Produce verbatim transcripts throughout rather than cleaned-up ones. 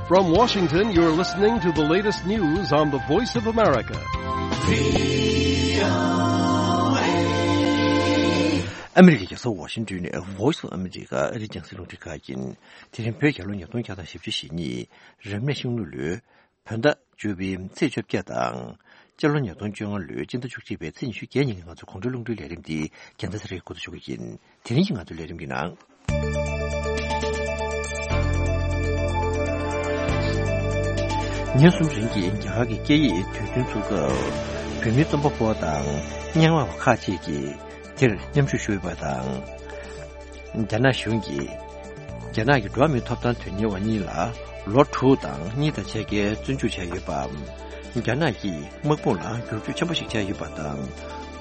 From Washington, you're listening to the latest news on the Voice of America. ཨ་མི་རི་ཀའི་རྒྱལ་ས་ཝ་ཤིང་ཏོན་ནས་Voice of America ཨ་རིའི་རྒྱང་སྲིང་རླུང་འཕྲིན་ཁང་ཡིན། དེ་རིང་བོད་རྒྱལ་ལོ་ཉིས་སྟོང་བརྒྱ་དང་བཞི་བཅུ་ཞེ་གཉིས། རབ་གནས་ཤིང་ལུག་ལོའི་བོད་ཟླ་བཅུ་པའི་ཚེས་བཅོ་བརྒྱད་དང་། སྤྱི་ལོ་ཉིས་སྟོང་བཅོ་ལྔ་ལོའི་སྤྱི་ཟླ་བཅུ་གཅིག་པའི་ཚེས་ཉི་ཤུ་བརྒྱད་ཉིན་གྱི་ང་ཚོའི་དགོང་དྲོའི་རླུང་འཕྲིན་ལས་རིམ་འདི་རྒྱལ་མཚན་ཚེ་རིང་འགོ་འཛུགས་ཞུ་གི་ཡིན། དེ་རིང་གི་ང་ཚོའི་ལས་རིམ་གྱི་ནང་། ཉིན་གསུམ་རིང་གི་རྒྱ་གར་གྱི་སྐད་ཡིག་དུས་སྟོན་ཚུགས་སྐབས། བོད་མིའི་རྩོམ་པ་པོ་དང་སྙན་ངག་པ་ཁག་ཅིག་གིས་དེར་མཉམ་ཞུགས་ཞུས་པ་དང་། རྒྱ་ནག་གཞུང་གིས་རྒྱ་ནག་གི་འགྲོ་བ་མིའི་ཐོབ་ཐང་དོན་གཉེར་བ་གཉིས་ལ་ལོ་དྲུག་དང་གཉིས་དང་ཕྱེད་ཀའི་བཙོན་འཇུག་བྱས་ཡོད་པ། རྒྱ་ནག་གིས་དམག་དཔུང་ལ་བསྒྱུར་བཅོས་ཆེན་པོ་ཞིག་བྱས་ཡོད་པ་དང་།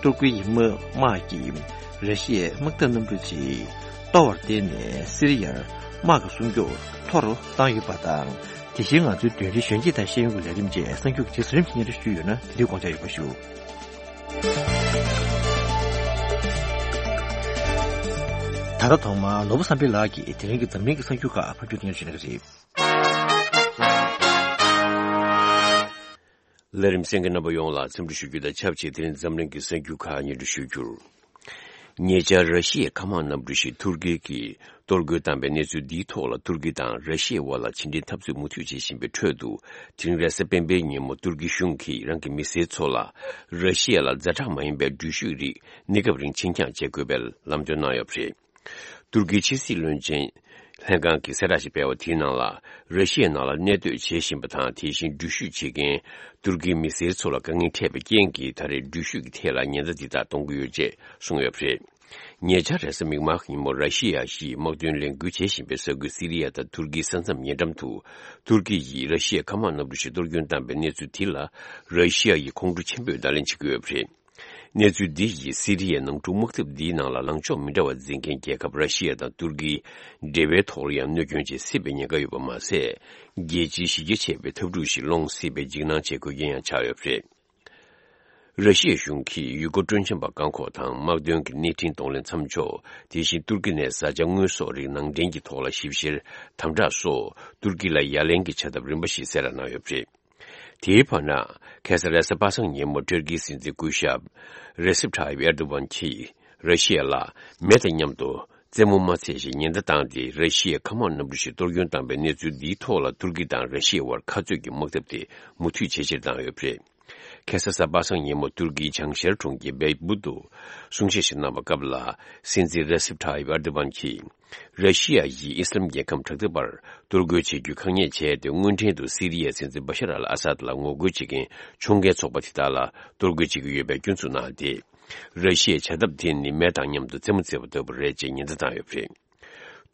ཏུར་ཀི་ཡི་དམག་དམག་གིས་ར་ཤི་ཡའི་དམག་འཐབ་གནམ་གྲུ་ཅིག་གཏོར་བར་བརྟེན་ནས་སི་རི་ཡར་དམག་གི་སྲུང་སྐྱོབ་མཐོ་རུ་བཏང་ཡོད་པ་དང་། དེ་བཞིན་ང་ཚོའི་བདུན་རེའི་གཞོན་སྐྱེས་དང་ཤེས་ཡོན་གྱི་ལས་རིམ་བཅས་གསར་འགྱུར་གྱི་རྗེས་སུ་རིམ་གྱིས་སྙན་སྒྲོན་ཞུས་ཡོད་ན་དེ་རིང་དགོངས་འཇགས་ཡོད་པ་ཞུ། ད་ལྟ་ཐོག་མར་ནོར་བུ་བསམ་འཕེལ་ལགས་ཀྱིས་དེ་རིང་གི་འཛམ་གླིང་གི་གསར་འགྱུར་ཁག་ཕབ་སྒྱུར་སྙན་སྒྲོན་ཞུ་གནང་གི་རེད། ལས་རིམ་གསན་མཁན་རྣམ་པ་ཡོངས་ལ་འཚམས་འདྲི་ཞུ་རྒྱུ་དང་ཆབས་ཅིག་དེ་རིང་འཛམ་གླིང་གི་གསར་འགྱུར་ཁག་སྙན་སྒྲོན་ཞུ་རྒྱུར། ཉེ་ཆར་ར་ཤི་ཡའི་མཁའ་དམག་གནམ་གྲུ་ཞིག་ཐུར་ཀི་གིས་གཏོར་རྒོལ་བཏང་པའི་གནས་ཚུལ་འདིའི་ཐོག་ལ་ཐུར་ཀི་དང་ར་ཤི་ཡའི་དབར་ལ་ཕྱི་འབྲེལ་འཐབ་རྩོད་མུ་མཐུད་བྱེད་བཞིན་པའི་ཁྲོད་དུ། དེ་རིང་རེས་གཟའ་སྤེན་པའི་ཉིན་མོ་ཐུར་ཀི་གཞུང་གིས་རང་གི་མི་སེར་ཚོ་ལ་ར་ཤི་ཡ་ལ་ཛ་དྲག་མ་ཡིན་པའི་འགྲུལ་བཞུད་རིགས་གནས་སྐབས་རིང་ཕྱིར་འགྱངས་བྱེད་དགོས་པའི་ལམ་སྟོན་གནང་ཡོད་པ་རེད། ཏུར་ཀིའི་ཕྱི་སྲིད་བློན་ཆེན་ལྷན་ཁང་གིས་གསལ་བསྒྲགས་ཤིག་སྤེལ་བ་དེའི་ནང་ལ། ར་ཤི་ཡའི་ནང་ལ་གནས་སྡོད་བྱེད་བཞིན་པ་དང་། དེ་བཞིན་འགྲུལ་བཞུད་བྱེད་མཁན་ཏུར་ཀིའི་མི་སེར་ཚོ་ལ་དཀའ་ངལ་འཕྲད་པའི་རྐྱེན་གྱིས། ད་རེས་འགྲུལ་བཞུད་ཀྱི་ཐད་ལ་ཉེན་བརྡ་འདི་དག་གཏོང་གི་ཡོད་ཅེས་གསུངས་ཡོད་པ་རེད། ཉེ་ཆར་རེས་གཟའ་མིག་དམར་ཉིན་མོ་ར་ཤི་ཡ་གཞིས་དམག་དོན་ལས་འགུལ་བྱེད་བཞིན་པའི་ས་ཁུལ་སི་རི་ཡ་དང་ཏུར་ཀིའི་ས་མཚམས་ཉེ་འགྲམ་དུ། ཏུར་ཀི་ཡིས་ར་ཤི་ཡའི་མཁའ་དམག་གནམ་གྲུ་ཞིག་གཏོར་སྐྱོན་བཏང་པའི་གནས་ཚུལ་དེ་ལ། ར་ཤི་ཡ་ཡི་ཁོང་ཁྲོ་ཆེན་པོས་བརྡ་ལན་བྱེད་ཀྱི་ཡོད་པ་རེད། གནས་ཚུལ་འདི་ཡིས་སི་རི་ཡའི་ནང་འཁྲུག་དམག་འཐབ་འདིའི་ནང་ལ་ལངས་ཕྱོགས་མི་འདྲ་བ་འཛིན་མཁན་རྒྱལ་ཁབ་ར་ཤི་ཡ་དང་ཏུར་ཀིའི་འབྲེལ་བའི་ཐོག་ལ་ཡང་གནོད་སྐྱོན་ཅིག་སྲིད་པའི་ཉེན་ཁ་ཡོད་པ་མ་ཟད། རྒྱལ་སྤྱིའི་གཞི་རྒྱ་ཆེ་བའི་འཐབ་འཁྲུག་ཞིག་སློང་སྲིད་པའི་འཇིགས་སྣང་བྱེད་དགོས་རྐྱེན་ཡང་ཆགས་ཡོད་པ་རེད། ར་ཤི་ཡའི་གཞུང་གིས་ཡུལ་སྐོར་སྤྲོ་འཆམ་པ་བཀག་འགོག་དང་། དམག་དོན་གྱི་གནས་འཕྲིན་གདོང་ལེན་མཚམས་འཇོག་དེ་བཞིན་ཏུར་ཀི་ནས་བཟའ་བཅའ་དངོས་ཟོག་རིགས་ནང་འདྲེན་གྱི་ཐོག་ལ་ཞིབ་བཤེར་དམ་དྲག་སོགས་ཏུར་ཀི་ལ་ཡ་ལན་གྱི་བྱ་ཐབས་རིམ་པ་ཞིག་གསལ་བསྒྲགས་གནང་ཡོད་པ་རེད། དེའི་བར་ན། ཁ་སང་རེས་གཟའ་པ་སངས་ཉིན་མོ་ཏུར་ཀིའི་སྲིད་འཛིན་སྐུ་ཞབས་རེ་སིབ་ཁྲ་ཡིབ་ཨེར་དོ་ཝན་གྱིས་ར་ཤི་ཡ་ལ་མེ་དང་མཉམ་དུ་རྩེད་མོ་མ་འཚོལ་ཞེས་ཉེན་བརྡ་བཏང་སྟེ། ར་ཤི་ཡའི་མཁའ་དམག་གནམ་གྲུ་ཞིག་གཏོར་སྐྱོན་བཏང་པའི་གནས་ཚུལ་འདིའི་ཐོག་ལ་ཏུར་ཀི་དང་ར་ཤི་ཡའི་དབར་ཁ་རྩོད་ཀྱི་དམག་འཐབ་དེ་མུ་མཐུད་ཇེ་ཆེར་བཏང་ཡོད་པ་རེད། ཁ་སང་གཟའ་པ་སངས་ཉིན་མོ་ཏུར་ཀིའི་བྱང་ཤར་གྲོང་ཁྱེར་བེ་བུ་དུ་གསུང་བཤད་ཞིག་གནང་བའི་སྐབས་ལ། སྲིད་འཛིན་རེ་སིབ་ཁྲ་ཡིབ་ཨར་དུ་ཝན་གྱིས། ར་ཤི་ཡ་ཡིས་ཨི་སི་ལམ་རྒྱལ་ཁམས་དྲག་འཐབ་པར་གཏོར་རྒོལ་བྱེད་རྒྱུའི་ཁ་ཉེས་བྱས་ཏེ། སྔོན་ཐེངས་དུ་སི་རི་ཡའི་སྲིད་འཛིན་བ་ཤར་ཨལ་ཨ་སཱད་ལ་ངོ་རྒོལ་བྱེད་མཁན་ཕྱོགས་འགལ་ཚོགས་པ་དེ་དག་ལ་གཏོར་རྒོལ་བྱེད་ཀྱི་ཡོད་པའི་སྐྱོན་འཛུགས་གནང་སྟེ། ར་ཤི་ཡའི་བྱ་ཐབས་དེ་ནི་མེ་དང་མཉམ་དུ་རྩེད་མོ་རྩེ་བ་ལྟ་བུ་རེད་ཅེས་ཉེན་བརྡ་བཏང་ཡོད་པ་རེད།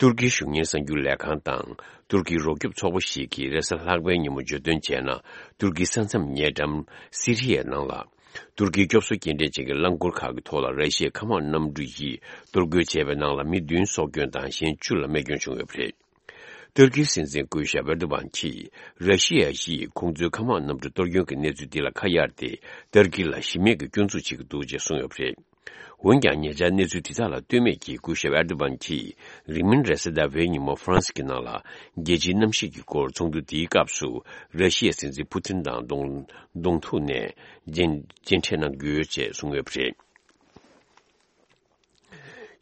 ཏུར་ཀིའི་གཞུང་གཉེར་གསར་འགྱུར་ལས་ཁང་དང་ཏུར་ཀིའི་རོགས་སྐྱོབ་ཚོགས་པ་ཞིག་གིས་རེས་གཟའ་ལྷག་པའི་ཉིན་མོ་བརྗོད་དོན་བྱས་ན། ཏུར་ཀིའི་ས་མཚམས་ཉེ་འགྲམ་སི་རི་ཡའི་ནང་ལ། ཏུར་ཀིའི་སྐྱོབ་གསོ་སྐྱེལ་འདྲེན་ཅན་གྱི་རླངས་འཁོར་ཁག་གི་ཐོག་ལ་ར་ཤི་ཡའི་མཁའ་དམག་གནམ་གྲུ་ཡིས་གཏོར་རྒོལ་བྱས་པའི་ནང་ལ་མི་བདུན་སྲོག་སྐྱོན་དང་གཞན་བཅུ་ལ་རྨས་སྐྱོན་བྱུང་ཡོད་པ་རེད། ཏུར་ཀིའི་སྲིད་འཛིན་སྐུ་ཞབས་ཨེར་དོ་ཝན་གྱིས་ར་ཤི་ཡ་ཡིས་ཁོང་ཚོའི་མཁའ་དམག་གནམ་གྲུ་གཏོར་སྐྱོན་གྱི་གནས་ཚུལ་འདི་ལ་ཁ་གཡར་ཏེ། ཏུར་ཀི་ལ་གཞི་མེད་ཀྱི་སྐྱོན་འཛུགས་བྱེད་ཀྱི་འདུག་ཅེས་གསུངས་ཡོད་པ་རེད། འོན་ཀྱང་། ཉེ་ཆར་གནས་ཚུལ་དེ་དག་ལ་ལྟོས་མེད་ཀྱིས་སྐུ་ཞབས་ཨེར་དོ་ཝན་གྱིས་རིང་མིན་རེས་གཟའ་ཟླ་བའི་ཉིན་མོ་ཧྥ་རན་སི་གི་ནང་ལ་རྒྱལ་སྤྱིའི་གནམ་གཤིས་ཀྱི་སྐོར་ཚོགས་འདུ་དེའི་སྐབས་སུ། ར་ཤི་ཡའི་སྲིད་འཛིན་ཕུ་ཐིན་དང་གདོང་གདོང་ཐུག་ནས་མཇལ་མཇལ་འཕྲད་གནང་རྒྱུ་ཡོད་ཅེས་གསུངས་ཡོད་པ་རེད།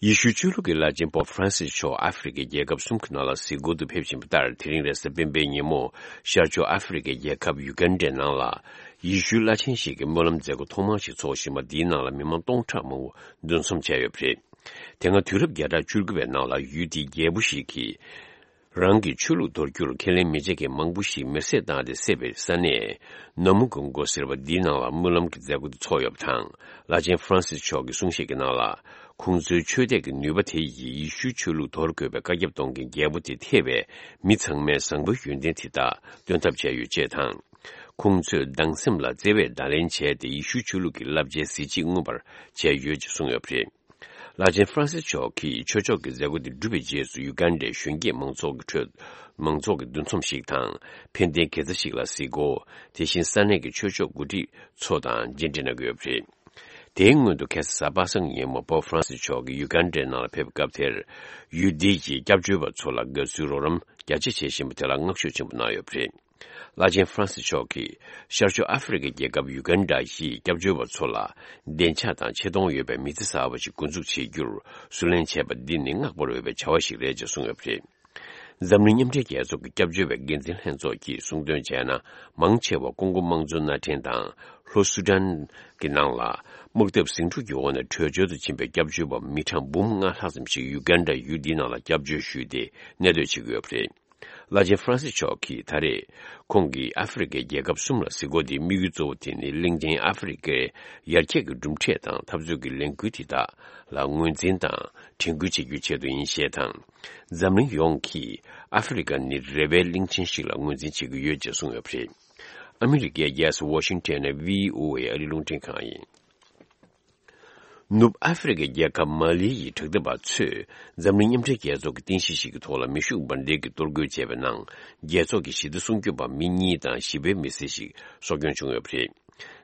ཡེ་ཤུའི་ཆོས་ལུགས་ཀྱི་བླ་ཆེན་པོབ་ཧྥ་རན་སིས་མཆོག་ཨ་ཧྥེ་རི་ཁའི་རྒྱལ་ཁབ་གསུམ་གྱི་ནང་ལ་གཟིགས་སྐོར་དུ་ཕེབས་བཞིན་པ་ལྟར། དེ་རིང་རེས་གཟའ་སྤེན་པའི་ཉིན་མོ་ཤར་ཕྱོགས་ཨ་ཧྥེ་རི་ཁའི་རྒྱལ་ཁབ་ཡུ་གན་ཌའི་ནང་ལ། ཡེ་ཤུའི་བླ་ཆེན་ཞིག་གི་སྨོན་ལམ་མཛད་སྒོ་ཐོག་མ་ཞིག་འཚོགས་བཞིན་པ་འདིའི་ནང་ལ་མི་མང་སྟོང་ཕྲག་མང་པོ་འདུ་འཛོམས་བྱས་ཡོད་པ་རེད། དེ་སྔ་དུས་རབས་བརྒྱ་ཕྲག་བཅུ་དགུ་པའི་ནང་ལ་ཡུལ་དེའི་རྒྱལ་པོ་ཞིག་གིས། རང་གི་ཆོས་ལུགས་དོར་རྒྱུར་ཁས་ལེན་མི་བྱེད་མཁན་མང་པོ་ཞིག་མེར་སྲེག་བཏང་སྟེ་བསད་པའི་ས་གནས། ན་མུ་གོང་གོ་ཟེར་བ་འདིའི་ནང་ལ་སྨོན་ལམ་གྱི་མཛད་སྒོ་དེ་འཚོགས་ཡོད་པ་དང་། བླ་ཆེན་ཧྥ་རན་སིས་མཆོག་གི་གསུང་བཤད་ཀྱི་ནང་ལ། ཁོང་ཚོའི་ཆོས་དད་ཀྱི་ནུས་པ་དེ་ཡིས་ཡེ་ཤུའི་ཆོས་ལུགས་དོར་དགོས་པའི་བཀའ་ཁྱབ་གཏོང་མཁན་རྒྱལ་པོ་དེ་ཐེ་བའི་མི་ཚང་མའི་བཟང་པོའི་ཡོན་ཏན་དེ་དག་སྟོན་ཐབས་བྱས་ཡོད་ཅེས་དང་། ཁོང་ཚོས་སྡང་སེམས་ལ་བརྩེ་བས་བརྡ་ལན་བྱས་ཏེ། ཡེ་ཤུའི་ཆོས་ལུགས་ཀྱི་བསླབ་བྱའི་གཟི་བརྗིད་མངོན་པར་བྱས་ཡོད་ཅེས་གསུངས་ཡོད་པ་རེད། བླ་ཆེན་ཧྥ་རན་སིས་མཆོག་གིས་ཆོས་ཕྱོགས་ཀྱི་མཛད་སྒོ་དེ་གྲུབ་པའི་རྗེས་སུ། ཡུ་གན་ཌའི་གཞོན་སྐྱེས་མང་ཚོགས་ཀྱི་ཁྲོད། མང་ཚོགས་ཀྱི་འདུ་འཛོམས་ཤིག་དང་། ཕན་བདེའི་དགེ་རྩ་ཞིག་ལ་གཟིགས་སྐོར། དེ་བཞིན་ས་གནས་ཀྱི་ཆོས་ཕྱོགས་འགོ་ཁྲིད་ཚོ་དང་མཇལ་འཕྲད་གནང་གི་ཡོད་པ་རེད། དེའི་སྔོན་དུ་ཁ་སང་གཟའ་པ་སངས་ཉིན་མོ་པོབ་ཧྥ་རན་སིས་མཆོག་གིས་ཡུ་གན་ཌའི་ནང་ལ་ཕེབས་པའི་སྐབས་དེར། ཡུལ་དེའི་གི་སྐྱབས་བཅོལ་བ་ཚོ་ལ་དགའ་བསུའི་རོགས་རམ་རྒྱ་ཆེ་བྱེད་བཞིན་པ་དེ་ལ་བསྔགས་བརྗོད་ཆེན་པོ་གནང་ཡོད་པ་རེད། བླ་ཆེན་ཧྥ་རན་སིས་མཆོག་གིས་ཤར་ཕྱོགས་ཨ་ཧྥེ་རི་ཁའི་རྒྱལ་ཁབ་ཡུ་གན་ཌ་ཡི་སྐྱབས་བཅོལ་བ་ཚོ་ལ་བདེ་འཇགས་དང་ཆེ་མཐོང་ཡོད་པའི་མི་ཚེ་གསར་བ་ཞིག་འགོ་འཛུགས་བྱེད་རྒྱུར་བསུ་ལེན་བྱས་པ་འདི་ནི་བསྔགས་པར་འོས་པའི་བྱ་བ་ཞིག་རེད་ཅེས་གསུངས་ཡོད་པ་རེད། འཛམ་གླིང་མཉམ་འབྲེལ་རྒྱལ་ཚོགས་ཀྱི་སྐྱབས་བཅོལ་བའི་འགན་འཛིན་ལྷན་ཚོགས་ཀྱིས་གསུངས་དོན་བྱས་ན། མང་ཆེ་བ་ཀོང་ཀོ་དམངས་གཙོ་མནའ་འབྲེལ་དང་ལྷོ་སུ་ཌན་གྱི་ནང་ལ་དམག་འཐབ་ཟིང་འཁྲུག་གི་འོག་ནས་བྲོས་བྱོལ་དུ་ཕྱིན་པའི་སྐྱབས་བཅོལ་བ་མི་གྲངས་འབུམ་ལྔ་ལྷག་ཙམ་ཞིག་ཡུ་གན་ཌ་ཡུལ་འདིའི་ནང་ལ་སྐྱབས་བཅོལ་ཞུས་ཏེ་གནས་སྡོད་བྱེད་ཀྱི་ཡོད་པ་རེད། བླ་ཆེན་ཧྥ་རན་སིས་མཆོག་གིས་ད་རེས་ཁོང་གིས་ཨ་ཧྥེ་རི་ཁའི་རྒྱལ་ཁབ་གསུམ་ལ་གཟིགས་སྐོར་དེའི་དམིགས་ཡུལ་གཙོ་བོ་དེ་ནི་གླིང་ཆེན་ཨ་ཧྥེ་རི་ཁའི་ཡར་རྒྱས་ཀྱི་གྲུབ་འབྲས་དང་འཐབ་རྩོད་ཀྱི་ལས་འགུལ་དེ་དག་ལ་ངོས་འཛིན་དང་དྲན་སྐུལ་བྱེད་རྒྱུའི་ཆེད་དུ་ཡིན་ཞེས་དང་། འཛམ་གླིང་ཡོངས་ཀྱིས་ཨ་ཧྥེ་རི་ཁ་ནི་རེ་བའི་གླིང་ཆེན་ཞིག་ལ་ངོས་འཛིན་བྱེད་ཀྱི་ཡོད་ཅེས་གསུངས་ཡོད་པ་རེད། ཨ་མི་རི་ཀའི་རྒྱལ་ས་ཝ་ཤིང་ཊོན་ནས་བྷི་ཨོ་ཨེ་ཨ་རིའི་རླུང་འཕྲིན་ཁང་ཡིན། ནུབ་ཨ་ཧྥེ་རི་ཁའི་རྒྱལ་ཁབ་མ་ལི་ཡི་དྲག་འཐབ་པ་ཚོས་འཛམ་གླིང་མཉམ་འབྲེལ་རྒྱལ་ཚོགས་ཀྱི་རྟེན་གཞི་ཞིག་གི་ཐོག་ལ་མེ་ཤུགས་འབར་མདེལ་གྱིས་གཏོར་རྒོལ་བྱས་པའི་ནང་། རྒྱལ་ཚོགས་ཀྱི་ཞི་བདེ་སྲུང་སྐྱོབ་པ་མི་གཉིས་དང་ཞི་བའི་མི་སེར་ཞིག་སྲོག་སྐྱོན་བྱུང་ཡོད་པ་རེད།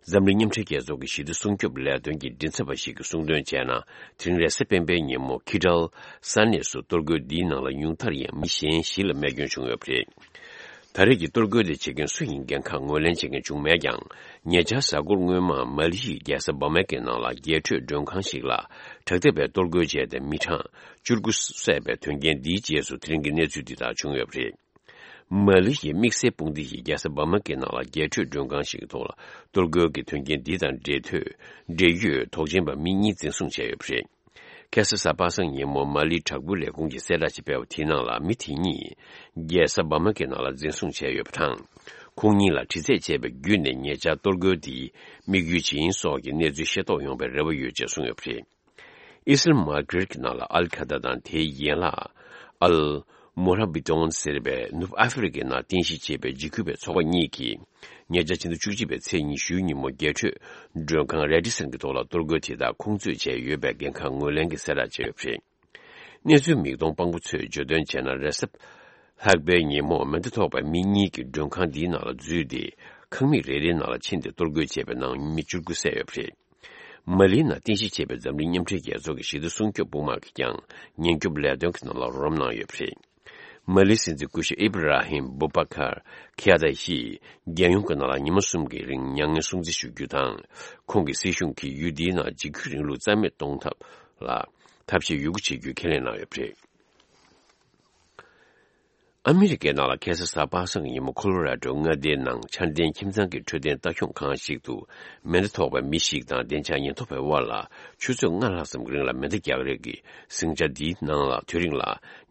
འཛམ་གླིང་མཉམ་འབྲེལ་རྒྱལ་ཚོགས་ཀྱི་ཞི་བདེ་སྲུང་སྐྱོབ་ལས་དོན་གྱི་མགྲིན་ཚབ་པ་ཞིག་གིས་གསུངས་དོན་བྱས་ན། དེ་རིང་རེས་གཟའ་སྤེན་པའི་ཉིན་མོ་ཁི་ཏྲལ་ས་གནས་སུ་གཏོར་རྒོལ་འདིའི་ནང་ལ་ཉུང་མཐར་ཡང་མི་གཞན་བཞི་ལ་རྨས་སྐྱོན་བྱུང་ཡོད་པ་རེད། ད་རེས་ཀྱི་གཏོར་རྒོལ་དེ་བྱེད་མཁན་སུ་ཡིན་འགན་ཁག་ངོས་ལེན་བྱེད་མཁན་བྱུང་མེད་ཀྱང་། ཉེ་ཆར་གཟའ་འཁོར་སྔོན་མ་མ་ལི་ཡི་རྒྱལ་ས་བ་མ་ཀའི་ནང་ལ་རྒྱས་སྤྲོས་མགྲོན་ཁང་ཞིག་ལ་དྲག་འཐབ་པས་གཏོར་རྒོལ་བྱས་ཏེ་མི་གྲངས་བཅུ་དགུ་བསད་པའི་དོན་རྐྱེན་འདིའི་རྗེས་སུ་དེ་རིང་གི་གནས་ཚུལ་འདི་དག་བྱུང་ཡོད་པ་རེད། མ་ལི་ཡི་དམིགས་བསལ་དཔུང་སྡེ་ཡིས་རྒྱལ་ས་བ་མ་ཀའི་ནང་ལ་རྒྱས་སྤྲོས་མགྲོན་ཁང་ཞིག་གི་ཐོག་ལ་གཏོར་རྒོལ་གྱི་དོན་རྐྱེན་འདི་དང་འབྲེལ་ཐོད་འབྲེལ་ཡོད་དོགས་ཅན་པ་མི་གཉིས་འཛིན་བཟུང་བྱས་ཡོད་པ་རེད། ཁ་སང་གཟའ་པ་སངས་ཉིན་མོ་མ་ལིའི་དྲག་པོའི་ལས་ཁུངས་ཀྱིས་གསལ་བསྒྲགས་ཤིག་སྤེལ་བ་དེའི་ནང་ལ་མི་དེ་གཉིས་རྒྱལ་ས་བ་མ་ཀའི་ནང་ལ་འཛིན་བཟུང་བྱས་ཡོད་པ་དང་། ཁོང་གཉིས་ལ་དྲི་རྩད་བྱས་པ་བརྒྱུད་ནས་ཉེ་ཆར་གཏོར་རྒོལ་དེའི་དམིགས་ཡུལ་ཇི་ཡིན་སོགས་ཀྱི་གནས་ཚུལ་ཤེས་རྟོགས་ཡོང་བའི་རེ་བ་ཡོད་ཅེས་གསུངས་ཡོད་པ་རེད། ཨི་སི་རལ་མ་གྷི་རིག་ནང་ལ་ཨལ་ཁ་ད་དང་དེའི་ཡན་ལག་ཨལ་མོ་ར་བི་ཏོན་ཟེར་བའི་ནུབ་ཨ་ཧྥེ་རི་ཁའི་ནང་རྟེན་གཞི་བྱས་པའི་འཇིགས་སྐུལ་བའི་ཚོགས་པ་གཉིས་ཀྱིས། ཉེ་ཆར་ཕྱི་ཟླ་བཅུ་གཅིག་པའི་ཚེས་ཉི་ཤུའི་ཉིན་མོ་རྒྱས་སྤྲོས་མགྲོན་ཁང་རེ་ཌི་སན་གྱི་ཐོག་ལ་གཏོར་རྒོལ་དེ་དག་ཁོང་ཚོས་བྱས་ཡོད་པའི་འགན་ཁག་ངོས་ལེན་གྱི་གསལ་བསྒྲགས་བྱས་ཡོད་པ་རེད། གནས་ཚུལ་མིག་མཐོང་དཔང་པོ་ཚོས་བརྗོད་དོན་བྱས་ན། རེས་གཟའ་ལྷག་པའི་ཉིན་མོ་མེ་མདའ་ཐོགས་པའི་མི་གཉིས་ཀྱིས་མགྲོན་ཁང་འདིའི་ནང་ལ་འཛུལ་ཏེ། ཁང་མིག་རེ་རེའི་ནང་ལ་ཕྱིན་ཏེ་གཏོར་རྒོལ་བྱས་པའི་ནང་མི་བཅུ་དགུ་བསད་ཡོད་པ་རེད། མ་ལིའི་ནང་རྟེན་གཞི་བྱས་པའི་འཛམ་གླིང་མཉམ་འབྲེལ་རྒྱལ་ཚོགས་ཀྱི་ཞི་བདེ་སྲུང་སྐྱོབ་དཔུང་དམག་གིས་ཀྱང་ཉེན་སྐྱོབ་ལས་དོན་གྱི་ནང་ལ་རོགས་རམ་གནང་ཡོད་པ་རེད། མ་ལིའི་སྲིད་འཛིན་སྐུ་ཞབས་ཨི་བྷ་ར་ཧིམ་བུ་བྷ་ཁར་ཁི་ཡ་ད་ཡིས་རྒྱལ་ཡོངས་ཀྱི་ནང་ལ་ཉི་མ་གསུམ་གྱི་རིང་མྱ་ངན་སྲུང་བརྩི་ཞུ་རྒྱུ་དང་། ཁོང་གི་སྲིད་གཞུང་གིས་ཡུལ་འདིའི་ནང་འཇིགས་སྐུལ་རིང་ལུགས་རྩ་མེད་གཏོང་ཐབས་ལ་ཐབས་ཤེས་ཡོད་རྒུ་བྱེད་རྒྱུའི་ཁས་ལེན་གནང་ཡོད་པ་རེད། ཨ་མི་རི་ཀའི་ནང་ལ་ཁ་སང་གཟའ་པ་སངས་ཀྱི་ཉིན་མོ་ཁོ་ལོ་ར་ཌོ་མངའ་སྡེའི་ནང་འཆར་ལྡན་ཁྱིམ་ཚང་གི་འཕྲོད་བསྟེན་ལྟ་སྐྱོང་ཁང་ཞིག་ཏུ་མེ་མདའ་ཐོགས་པའི་མི་ཞིག་དང་བདེ་འཇགས་ཉེན་རྟོག་པའི་དབར་ལ་ཆུ་ཚོད་ལྔ་ལྷག་ཙམ་གྱི་རིང་ལ་མེ་མདའ་རྒྱག་རེས་ཀྱི་ཟིང་ཆ་འདིའི་ནང་ལ་དེ་རིང་ལ་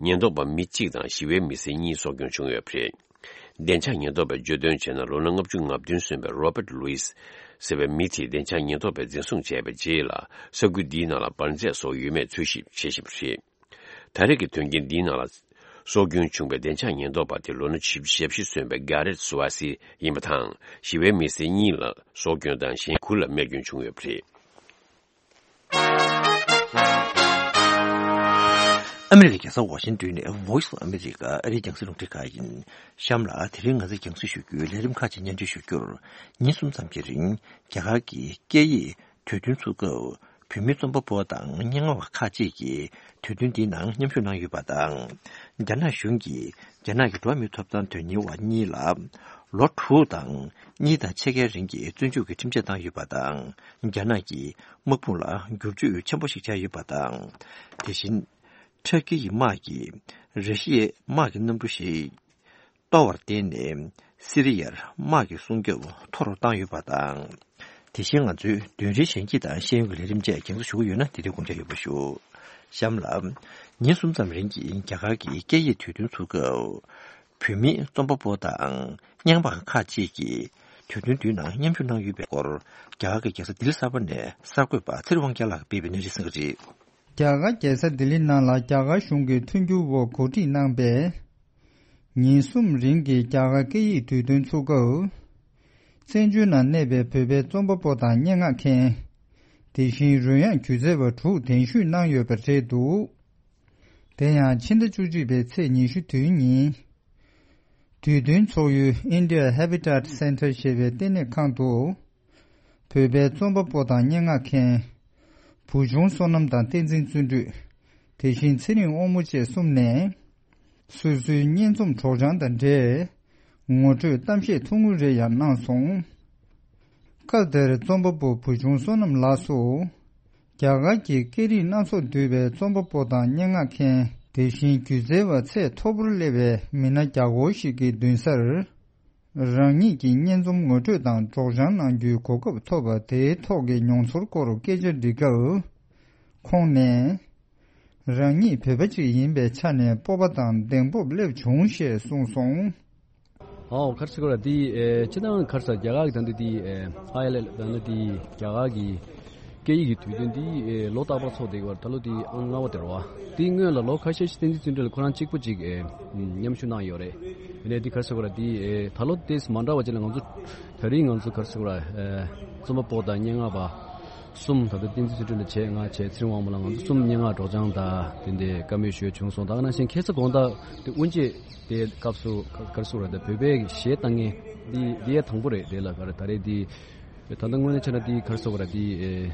ཉེན་རྟོག་པ་མི་གཅིག་དང་ཞི་བའི་མི་སེར་གཉིས་སྲོག་སྐྱོན་བྱུང་ཡོད་པ་རེད། བདེ་འཇགས་ཉེན་རྟོག་པས་བརྗོད་དོན་བྱས་ན། ལོ་ན་ལྔ་བཅུ་ང་བདུན་སོན་པའི་རོ་པར་ལུའིས་ཟེར་བའི་མི་དེ་བདེ་འཇགས་ཉེན་རྟོག་པས་འཛིན་བཟུང་བྱས་པའི་རྗེས་ལ་ས་ཁུལ་འདིའི་ནང་ལ་འབར་རྫས་སོགས་ཡོད་མེད་འཚོལ་ཞིབ་བྱེད་བཞིན་པ་རེད། ད་རེས་ཀྱི་དོན་རྐྱེན་འདིའི་ནང་ལ་སྲོག་སྐྱོན་བྱུང་བའི་བདེ་འཇགས་ཉེན་རྟོག་པ་དེ་ལོ་ན་བཞི་བཅུ་ཞེ་བཞི་སོན་པའི་གྷ་རེད་སུ་ཝ་སི་ཡིན་པ་དང་། ཞི་བའི་མི་སེར་གཉིས་ལ་སྲོག་སྐྱོན་དང་གཞན་དགུ་ལ་རྨས་སྐྱོན་བྱུང་ཡོད་པ་རེད། ཨ་མི་རི་ཀའི་རྒྱལ་ས་ཝ་ཤིང་ཏོན་ནས་Voice of America ཨ་རིའི་རྒྱང་སྲིང་རླུང་འཕྲིན་ཁང་ཡིན། གཤམ་ལ་དེ་རིང་ང་ཚོས་རྒྱང་སྲིང་ཞུ་རྒྱུའི་ལས་རིམ་ཁག་ཅིག་སྙན་སྒྲོན་ཞུ་རྒྱུར། ཉིན་གསུམ་ཙམ་གྱི་རིང་རྒྱ་གར་གྱི་སྐད་ཡིག་དུས་སྟོན་ཚུགས་སྐབས། བོད་མི་རྩོམ་པ་པོ་དང་སྙན་ངག་པ་ཁག་ཅིག་གིས་དུས་སྟོན་འདིའི་ནང་མཉམ་ཞུགས་གནང་ཡོད་པ་དང་། རྒྱ་ནག་གཞུང་གིས་རྒྱ་ནག་གི་འགྲོ་བ་མིའི་ཐོབ་ཐང་དོན་གཉེར་བ་གཉིས་ལ་ལོ་དྲུག་དང་གཉིས་དང་ཕྱེད་ཀའི་རིང་གི་བཙོན་འཇུག་གི་ཁྲིམས་ཆད་བཏང་ཡོད་པ་དང་། རྒྱ་ནག་གི་དམག་དཔུང་ལ་བསྒྱུར་བཅོས་ཆེན་པོ་ཞིག་བྱས་ཡོད་པ་དང་། དེ་བཞིན། ཊར་ཀི་ཡི་དམག་གིས་ར་ཤི་ཡའི་དམག་གི་གནམ་གྲུ་ཞིག་གཏོར་བར་བརྟེན་ནས་སི་རི་ཡར་དམག་གི་སྲུང་སྐྱོབ་མཐོ་རུ་བཏང་ཡོད་པ་དང་། དེ་བཞིན་ང་ཚོའི་དོན་རིག་གཞན་སྐྱིད་དང་ཤེས་ཡོན་གྱི་ལས་རིམ་བཅས་རྒྱང་སྲིང་ཞུ་གི་ཡོད་ན་དེ་དུས་དགོངས་འཇགས་ཡོད་པ་ཞུ། གཤམ་ལ། ཉིན་གསུམ་ཙམ་རིང་གི་རྒྱ་གར་གྱི་སྐད་ཡིག་དུས་སྟོན་ཚུགས་སྐབས། བོད་མི་རྩོམ་པ་པོ་དང་སྙན་པ་ཁག་ཅིག་གིས་དུས་སྟོན་འདིའི་ནང་མཉམ་ཞུགས་གནང་ཡོད་པའི་སྐོར། རྒྱ་གར་གྱི་རྒྱལ་ས་ལྡི་ལི་གསར་པ་ནས་གསར་འགོད་པ་ཚེ་རིང་དབང་རྒྱལ་ལགས་ཀྱིས་སྤེལ་བའི་གནས་ཚུལ་གསན་གྱི་རེད། རྒྱ་གར་རྒྱལ་ས་ལྡི་ལི་ནང་ལ་རྒྱ་གར་གཞུང་གི་མཐུན་འགྱུར་འོག་གོ་སྒྲིག་གནང་པའི་ཉིན་གསུམ་རིང་གི་རྒྱ་གར་སྐད་ཡིག་དུས་སྟོན་ཚུགས་སྐབས། བཙན་བྱོལ་ནང་གནས་པའི་བོད་པའི་རྩོམ་པ་པོ་དང་སྙན་ངག་མཁན། དེ་བཞིན་རོལ་དབྱངས་སྒྱུ་རྩལ་བ་དྲུག་གདན་ཞུས་གནང་ཡོད་པ་རེད་འདུག་དེ་ཡང་ཕྱི་ཟླ་བཅུ་གཅིག་པའི་ཚེས་ཉི་ཤུ་དེའི་ཉིན། དུས་སྟོན་ཚོགས་ཡུལ་India Habitat Center ཞེས་པའི་ལྟེ་གནས་ཁང་དུ། བོད་པའི་རྩོམ་པ་པོ་དང་སྙན་ངག་མཁན། བུ་ཆུང་བསོད་ནམས་དང་བསྟན་འཛིན་བརྩོན་འགྲུས། དེ་བཞིན་ཚེ་རིང་དབང་མོ་བཅས་གསུམ་ནས། སོ་སོའི་སྙན་རྩོམ་སྒྲོག་སྦྱང་དང་འབྲེལ། ངོ་སྤྲོད་གཏམ་བཤད་ཐུང་ངུ་རེ་ཡང་གནང་སོང་། སྐབས་དེར་རྩོམ་པ་པོ་བུ་ཆུང་བསོད་ནམས་ལགས་སུ། རྒྱ་གར་གྱི་སྐད་རིགས་སྣ་ཚོགས་འདུས་པའི་རྩོམ་པ་པོ་དང་སྙན་ངག་མཁན། དེ་བཞིན་སྒྱུ་རྩལ་བ་ཚད་མཐོ་པོར་སླེབས་པའི་མི་སྣ་བརྒྱ་སྐོར་ཞིག་གི་མདུན་སར། རང་ཉིད་ཀྱི་སྙན་རྩོམ་ངོ་སྤྲོད་དང་སྒྲོག་སྦྱང་གནང་རྒྱུའི་གོ་སྐབས་ཐོབ་པ་དེའི་ཐོག་གི་མྱོང་ཚོར་སྐོར་སྐད་ཆ་འདྲི་སྐབས། ཁོང་ནས། རང་ཉིད་བོད་པ་ཅིག་ཡིན་པའི་ཆ་ནས་སྤོབས་པ་དང་གདེང་སྤོབས་སླེབས་བྱུང་ཞེས་གསུངས་སོང་། ཨའོ་ག་རེ་ཟེར་དགོས་རེད། འདི་ཨེ་སྤྱིར་བཏང་ག་རེ་ཟེར། རྒྱ་གར་གྱི་ད་འདི་འདི་ཨེ་ཨའི་ཨེལ་ཨེལ་ད་འདི་འདི་རྒྱ་གར་གྱི་སྐད་ཡིག་གི་དུས་སྟོན་འདི་ཨེ་ལོ་རྟག་པར་ཚོགས་བསྡད་ཀྱི་ཡོད་རེད། ད་ལོ་འདི་ཨང་ལྔ་པ་དེ་རེད་བ། འདིའི་སྔོན་ལ་ལོ་ཁ་ཤས་ཤིག་བསྟན་འཛིན་བརྩོན་འགྲུས་ལ་ཁོ་རང་གཅིག་པུ་ཅིག་ཨེ་མཉམ་ཞུགས་གནང་ཡོད་རེད། ཡིན་ནའི་འདི་ག་རེ་ཟེར་དགོས་རེད། འདི་ཨེ་ད་ལོ་ཏོག་ཙམ་མ་འདྲ་བ་ཅིག་ལ་ང་ཚོ་ད་རིང་ང་ཚོ་ག་རེ་ཟེར་དགོས་རེད། ཨེ་རྩོམ་པ་པོ་དང་སྙན་ངག་པ། གསུམ། ད་ལྟ་བསྟན་འཛིན་བརྩོན་འགྲུས་ལ་བྱས། ང་བྱས། ཚེ་རིང་དབང་མོ་ལགས། ང་ཚོ་གསུམ་སྙན་ངག་སྒྲོག་སྦྱང་དང་དེ་འདྲའི་བཀའ་མོལ་ཞུས་བྱུང་སོང་། ད་ག་ནང་བཞིན་ཁ་སང་དགོང་དག་དེ་དབུ་འབྱེད་དེ་སྐབས་སུ་ག་ག་རེ་ཟེར་དགོས་རེད། ད་བོད་པའི་གཞས་གཏོང་མཁན་འདི་འདི་ཡང་དང་པོ་རེད། དེ་ལ་ག་རེ་ད་རེས་འདི་ད་ལྟ་དངོས་གནས་བྱས་ན་འདི་ག་རེ་ཟེར་དགོས་རེད། འདི་ཨེ་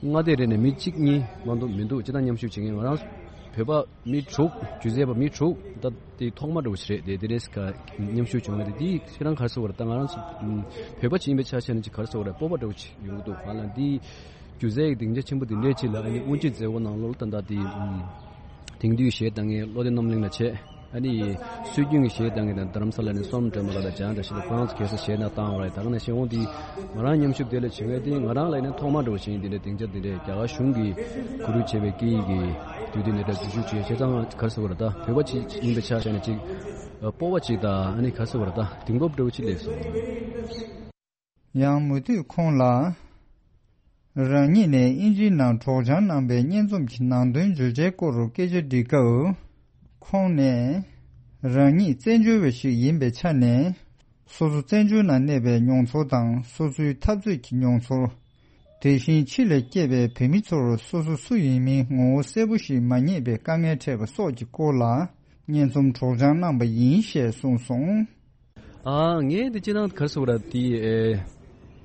མངའ་སྡེ་རེ་ནས་མི་གཅིག་གཉིས་མ་གཏོགས་མི་འདུག་སྤྱིར་བཏང་མཉམ་ཞུགས་བྱེད་མཁན་ང་རང་བོད་པ་མི་དྲུག་སྒྱུ་རྩལ་པ་མི་དྲུག་ད་དེ་ཐོག་མ་འདྲ་བོ་ཞིག་རེད། དེ་དེ་རེས་ཀ་མཉམ་ཞུགས་བྱུང་བ་རེད། དེ་ཁྱེད་རང་ག་རེ་ཟེར་དགོས་རེད། ད་ང་རང་ཚོ་ཨམ་བོད་པ་ཅིག་ཡིན་པའི་ཆ་བཞག་ན་ཅིག་ག་རེ་ཟེར་དགོས་རེད། སྤོབས་པ་འདྲ་བོ་ཅིག་ཡོང་གི་འདུག་ང་ལ་འདི་སྒྱུ་རྩལ་གྱི་སྡིངས་ཆ་ཆེན་པོ་འདི་འདྲའི་ཅིག་ལ་ཨ་ནི་དབུ་འབྱེད་མཛད་སྒོ་ནང་ལོགས་ལ་ད་ལྟ་དེ་ཨམ་དེང་དུས་གཞས་གཏོང་མཁན་བློ་བདེ་རྣམ་གླིང་ལ་བྱས། ཨ་ནི་སྲོལ་རྒྱུན་གྱི་གཞས་གཏོང་མཁན་དང་རྡ་རམ་ས་ལ་ནས་བསོད་ནམས་སྒྲོལ་མ་ལགས་དང་འཇང་བཀྲ་ཤིས་ལགས། ཁོ་རང་ཚོ་ག་རེ་ཟེར་གཞས་གནང་བཏང་བ་རེད། ད་ག་ནང་བཞིན་འོང་དེ་ང་རང་མཉམ་ཞུགས་དེ་ལ་བྱེད་མཁན་དེ་ང་རང་ལ་ཡིན་ན་ཐོག་མ་འདྲ་བོ་ཞིག་ཡིན། དེ་འདྲའི་སྡིངས་ཆ་དེ་འདྲའི་རྒྱ་གར་གཞུང་གིས་གོ་སྒྲིག་བྱས་པའི་སྐད་ཡིག་གི་དུས་དེ་འདི་འདྲ་འཛུལ་ཞུགས་བྱས། བྱས་ཙང་ག་རེ་ཟེར་དགོས་རེད། ད་བོད་པ་ཅིག་ཡིན་པའི་ཆ་བཞག་ནས་ཅིག་སྤོབས་པ་ཅིག་དང་ཨ་ནི་ག་རེ་ཟེར་དགོས་རེད། ད་གདེང་སྤོབས་འདྲ་བོ་ཅིག་སླེབས་སོང་། ཡང་མུ་མཐུད་ཁོང་ལ། རང་ཉིད་ནས་དབྱིན་ཇིའི་ནང་སྒྲོག་སྦྱང་གནང་པའི་སྙན་རྩོམ་གྱི་ནང་དོན་བརྗོད་བྱའི་སྐོར་སྐད་ཆ་འདྲི་སྐབས། ཁོང་ནས། རང་ཉིད་བཙན་བྱོལ་བ་ཞིག་ཡིན་པའི་ཆ་ནས། སོ་སོ་བཙན་བྱོལ་ནང་གནས་པའི་མྱོང་ཚོར་དང་། སོ་སོའི་འཐབ་རྩོད་ཀྱི་མྱོང་ཚོར། དེ་བཞིན་ཕྱི་ལ་སྐྱེས་པའི་བོད་མི་ཚོར་སོ་སོ་སུ་ཡིན་མིན་ངོ་བོ་གསལ་པོ་ཞིག་མ་རྙེད་པའི་དཀའ་ངལ་འཕྲད་པ་སོགས་ཀྱི་སྐོར་ལ་སྙན་རྩོམ་སྒྲོག་སྦྱང་གནང་པ་ཡིན་ཞེས་གསུངས་སོང་། ཨ་ངས་འདི་སྤྱིར་བཏང་ག་རེ་ཟེར་དགོས་རེད། འདི་ཨེ་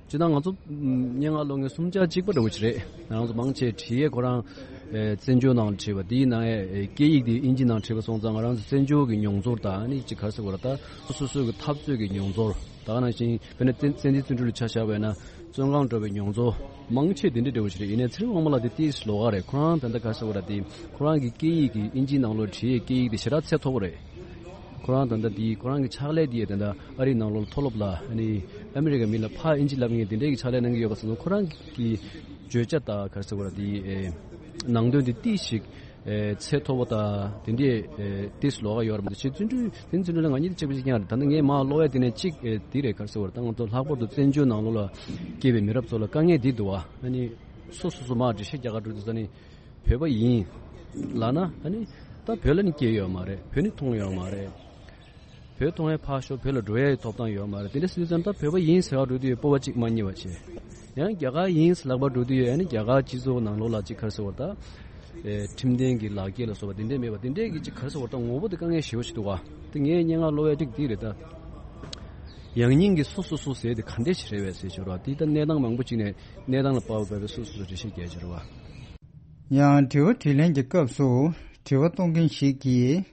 སྤྱིར་བཏང་ང་ཚོ་ཨམ་སྙན་ངག་ཀློག་མཁན་གསུམ་ཆ་གཅིག་པ་འདྲ་བོ་ཅིག་རེད། ང་རང་ཚོ་མང་ཆེ་བ་བྲིས་ཡས་ཁོ་རང་ཨེ་བཙན་བྱོལ་ནང་ལ་བྲིས་པ། དེའི་ནང་ཨེ་སྐད་ཡིག་དེ་དབྱིན་ཇི་ནང་བྲིས་པ་སོང་ཙང་། ང་རང་ཚོ་བཙན་བྱོལ་གྱི་མྱོང་ཚོར་དང་། ཨ་ནི་ཅིག་ག་རེ་ཟེར་དགོས་རེད། ད་སོ་སོ་སོ་སོའི་གི་འཐབ་རྩོད་ཀྱི་མྱོང་ཚོར། ད་ག་ནང་བཞིན་དཔེར་ན་བཙན་བཙན་བྱོལ་བཙན་བྱོལ་ལ་ཆ་བཞག་པ་ཡིན་ན་བཙོན་ཁང་འགྲོ་བའི་མྱོང་ཚོར། མང་ཆེ་དེ་འདྲ་འདྲ་བོ་ཞིག་རེད། ཡིན་ནའི་ཚེ་རིང་དབང་མོ་ལགས་དེ་ཏོག་ཙམ་ལོགས་ཀ་རེད། ཁོ་རང་ད་ལྟ་ག་རེ་ཟེར་དགོས་རེད། དེ་ཁོ་རང་གི་སྐད་ཡིག་གི་དབྱིན་ཇིའི་ནང་ལོགས་བྲིས་ཡས་སྐད་ཡིག་དེ་ཞེ་དྲག་ཚད་མཐོ་པོ་རེད། ཁོ་རང་ད་ལྟ་དེ་ཁོ་རང་གི་ཕྱག་ལས་དེ་ད་ལྟ་ཨ་རིའི་ནང་ལོགས་ལ་མཐོ་སློབ་ལ་ཨ་ནི་ཨ་མི་རི་ཀའི་མི་ལ་ཕར་དབྱིན་ཇི་བསླབ་མཁན་དེ་འདྲའི་གི་ཕྱག་ལས་གནང་གི་ཡོད་པ་སོང་ཙང་། ཁོ་རང་གི་བརྗོད་བྱ་དང་ག་རེ་ཟེར་དགོས་རེད། དེ་ཨེ་ནང་དོན་དེ་ཏོག་ཙམ་ཞིག་ཨེ་ཚད་མཐོ་པོ་དང་དེ་འདྲའི་ཨེ་ཏོག་ཙམ་ལོགས་ཀ་ཡོད་རེད་མ་གཏོགས། ཅིག་བརྩོན་འགྲུས་དེ་བརྩོན་འགྲུས་ལ་ང་གཉིས་དེ་གཅིག་པ་གཅིག་རྐྱང་རེད། ད་ནི་ངས་མར་ཀློག་ཡས་དེ་ནས་གཅིག་ཨེ་དེ་རེད། ག་རེ་ཟེར་དགོས་རེད། ད་ང་ཚོ་ལྷག་པར་དུ་བཙན་བྱོལ་ནང་ལོགས་ལ་སྐྱེས་པའི་མི་རབས་ཚོ་ལ་དཀའ་ངལ་འདི་འདུག་བ། ཨ་ནི་སོ་སོ་སོ་མར་འགྲེལ་བཤད་རྒྱག་ག་འགྲོ་དུས་ཙ་ནི་བོད་པ་ཡིན་ལབ་ན། ཨ་ནི་ད་བོད་ལ་ནི་སྐྱེས་ཡོད་མ་རེད། བོད་ནི་མཐོང་ཡོད་མ་རེད། བོད་མཐོང་ཡས་ཕར་ཞོག་བོད་ལ་འགྲོ་ཡས་ཐོབ་ཐང་ཡོད་མ་རེད། དེ་འདྲ་སྲིད་ཙང་ད་བོད་པ་ཡིན་ཟེར་བ་འགྲོ་དུས་སྤོབས་པ་གཅིག་མ་རྙེད་པ་བྱས། ཡང་རྒྱ་གར་ཡིན་ཟེར་ལབ་པ་འགྲོ་དུས་ཨ་ནི་རྒྱ་གར་སྤྱི་ཚོགས་ནང་ལོགས་ལ་ཅིག་ག་རེ་ཟེར་དགོས་རེད། ད་ཨེ་ཁྲིམས་ལྡན་གྱི་ལག་འཁྱེར་ལ་སོགས་པ་དེ་འདྲས་མེད་པ་དེ་འདྲས་ཀྱི་ཅིག་ག་རེ་ཟེར་དགོས་རེད། ད་ངོ་བོ་དེ་དཀའ་ངལ་ཞེ་པོ་ཞིག་འདུག་བ། དེ་ངས་སྙན་ངག་ཀློག་ཡས་ཅིག་དེ་རེད། ད་ཡང་སྙིང་གི་སོ་སོ་སོ་ཟེར་དེ་ག་འདྲས་ཞིག་རེད་པས་ཟེར་ཞོར་བ། དེ་ད་གནས་སྟངས་མང་པོ་ཅིག་ནས་གནས་སྟངས་ལ་དཔག་པའི་སོ་སོ་སོ་འགྲེལ་བཤད་རྒྱག་ཞོར་བ། ཡང་དྲི་བ་དྲིས་ལན་གྱི་སྐབས་སུ་དྲི་བ་གཏོང་མཁན་ཞིག་གིས།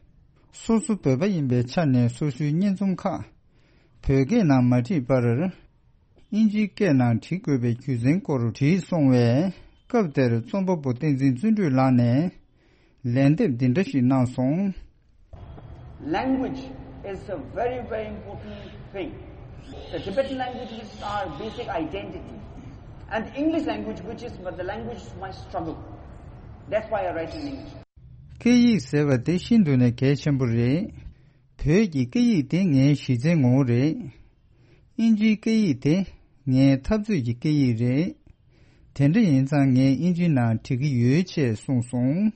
སོ་སོ་བོད་པ་ཡིན་པའི་ཆ་ནས་སོ་སོའི་སྙན་རྩོམ་ཁག་བོད་སྐད་ནང་མ་བྲིས་པར། དབྱིན་ཇིའི་སྐད་ནང་བྲི་དགོས་པའི་རྒྱུ་མཚན་སྐོར་དྲིས་སོང་བས། སྐབས་དེར་རྩོམ་པ་པོ་བསྟན་འཛིན་བརྩོན་འགྲུས་ལགས་ནས་ལན་འདེབས་འདི་འདྲ་ཞིག་གནང་སོང་། Language is a very, very important thing. The Tibetan language is our basic identity. And the English language, which is the language of my struggle. That's why I write in English. སྐད་ཡིག་ཟེར་བ་དེ་ཤིན་ཏུ་ནས་གལ་ཆེན་པོ་རེད། བོད་ཀྱི་སྐད་ཡིག་དེ་ངའི་གཞི་རྩའི་ངོ་བོ་རེད། དབྱིན་ཇིའི་སྐད་ཡིག་དེ་ངའི་འཐབ་རྩོད་ཀྱི་སྐད་ཡིག་རེད། དེ་འདྲ་ཡིན་ཙང་ངས་དབྱིན་ཇིའི་ནང་བྲི་གི་ཡོད་ཅེས་གསུངས་སོང་།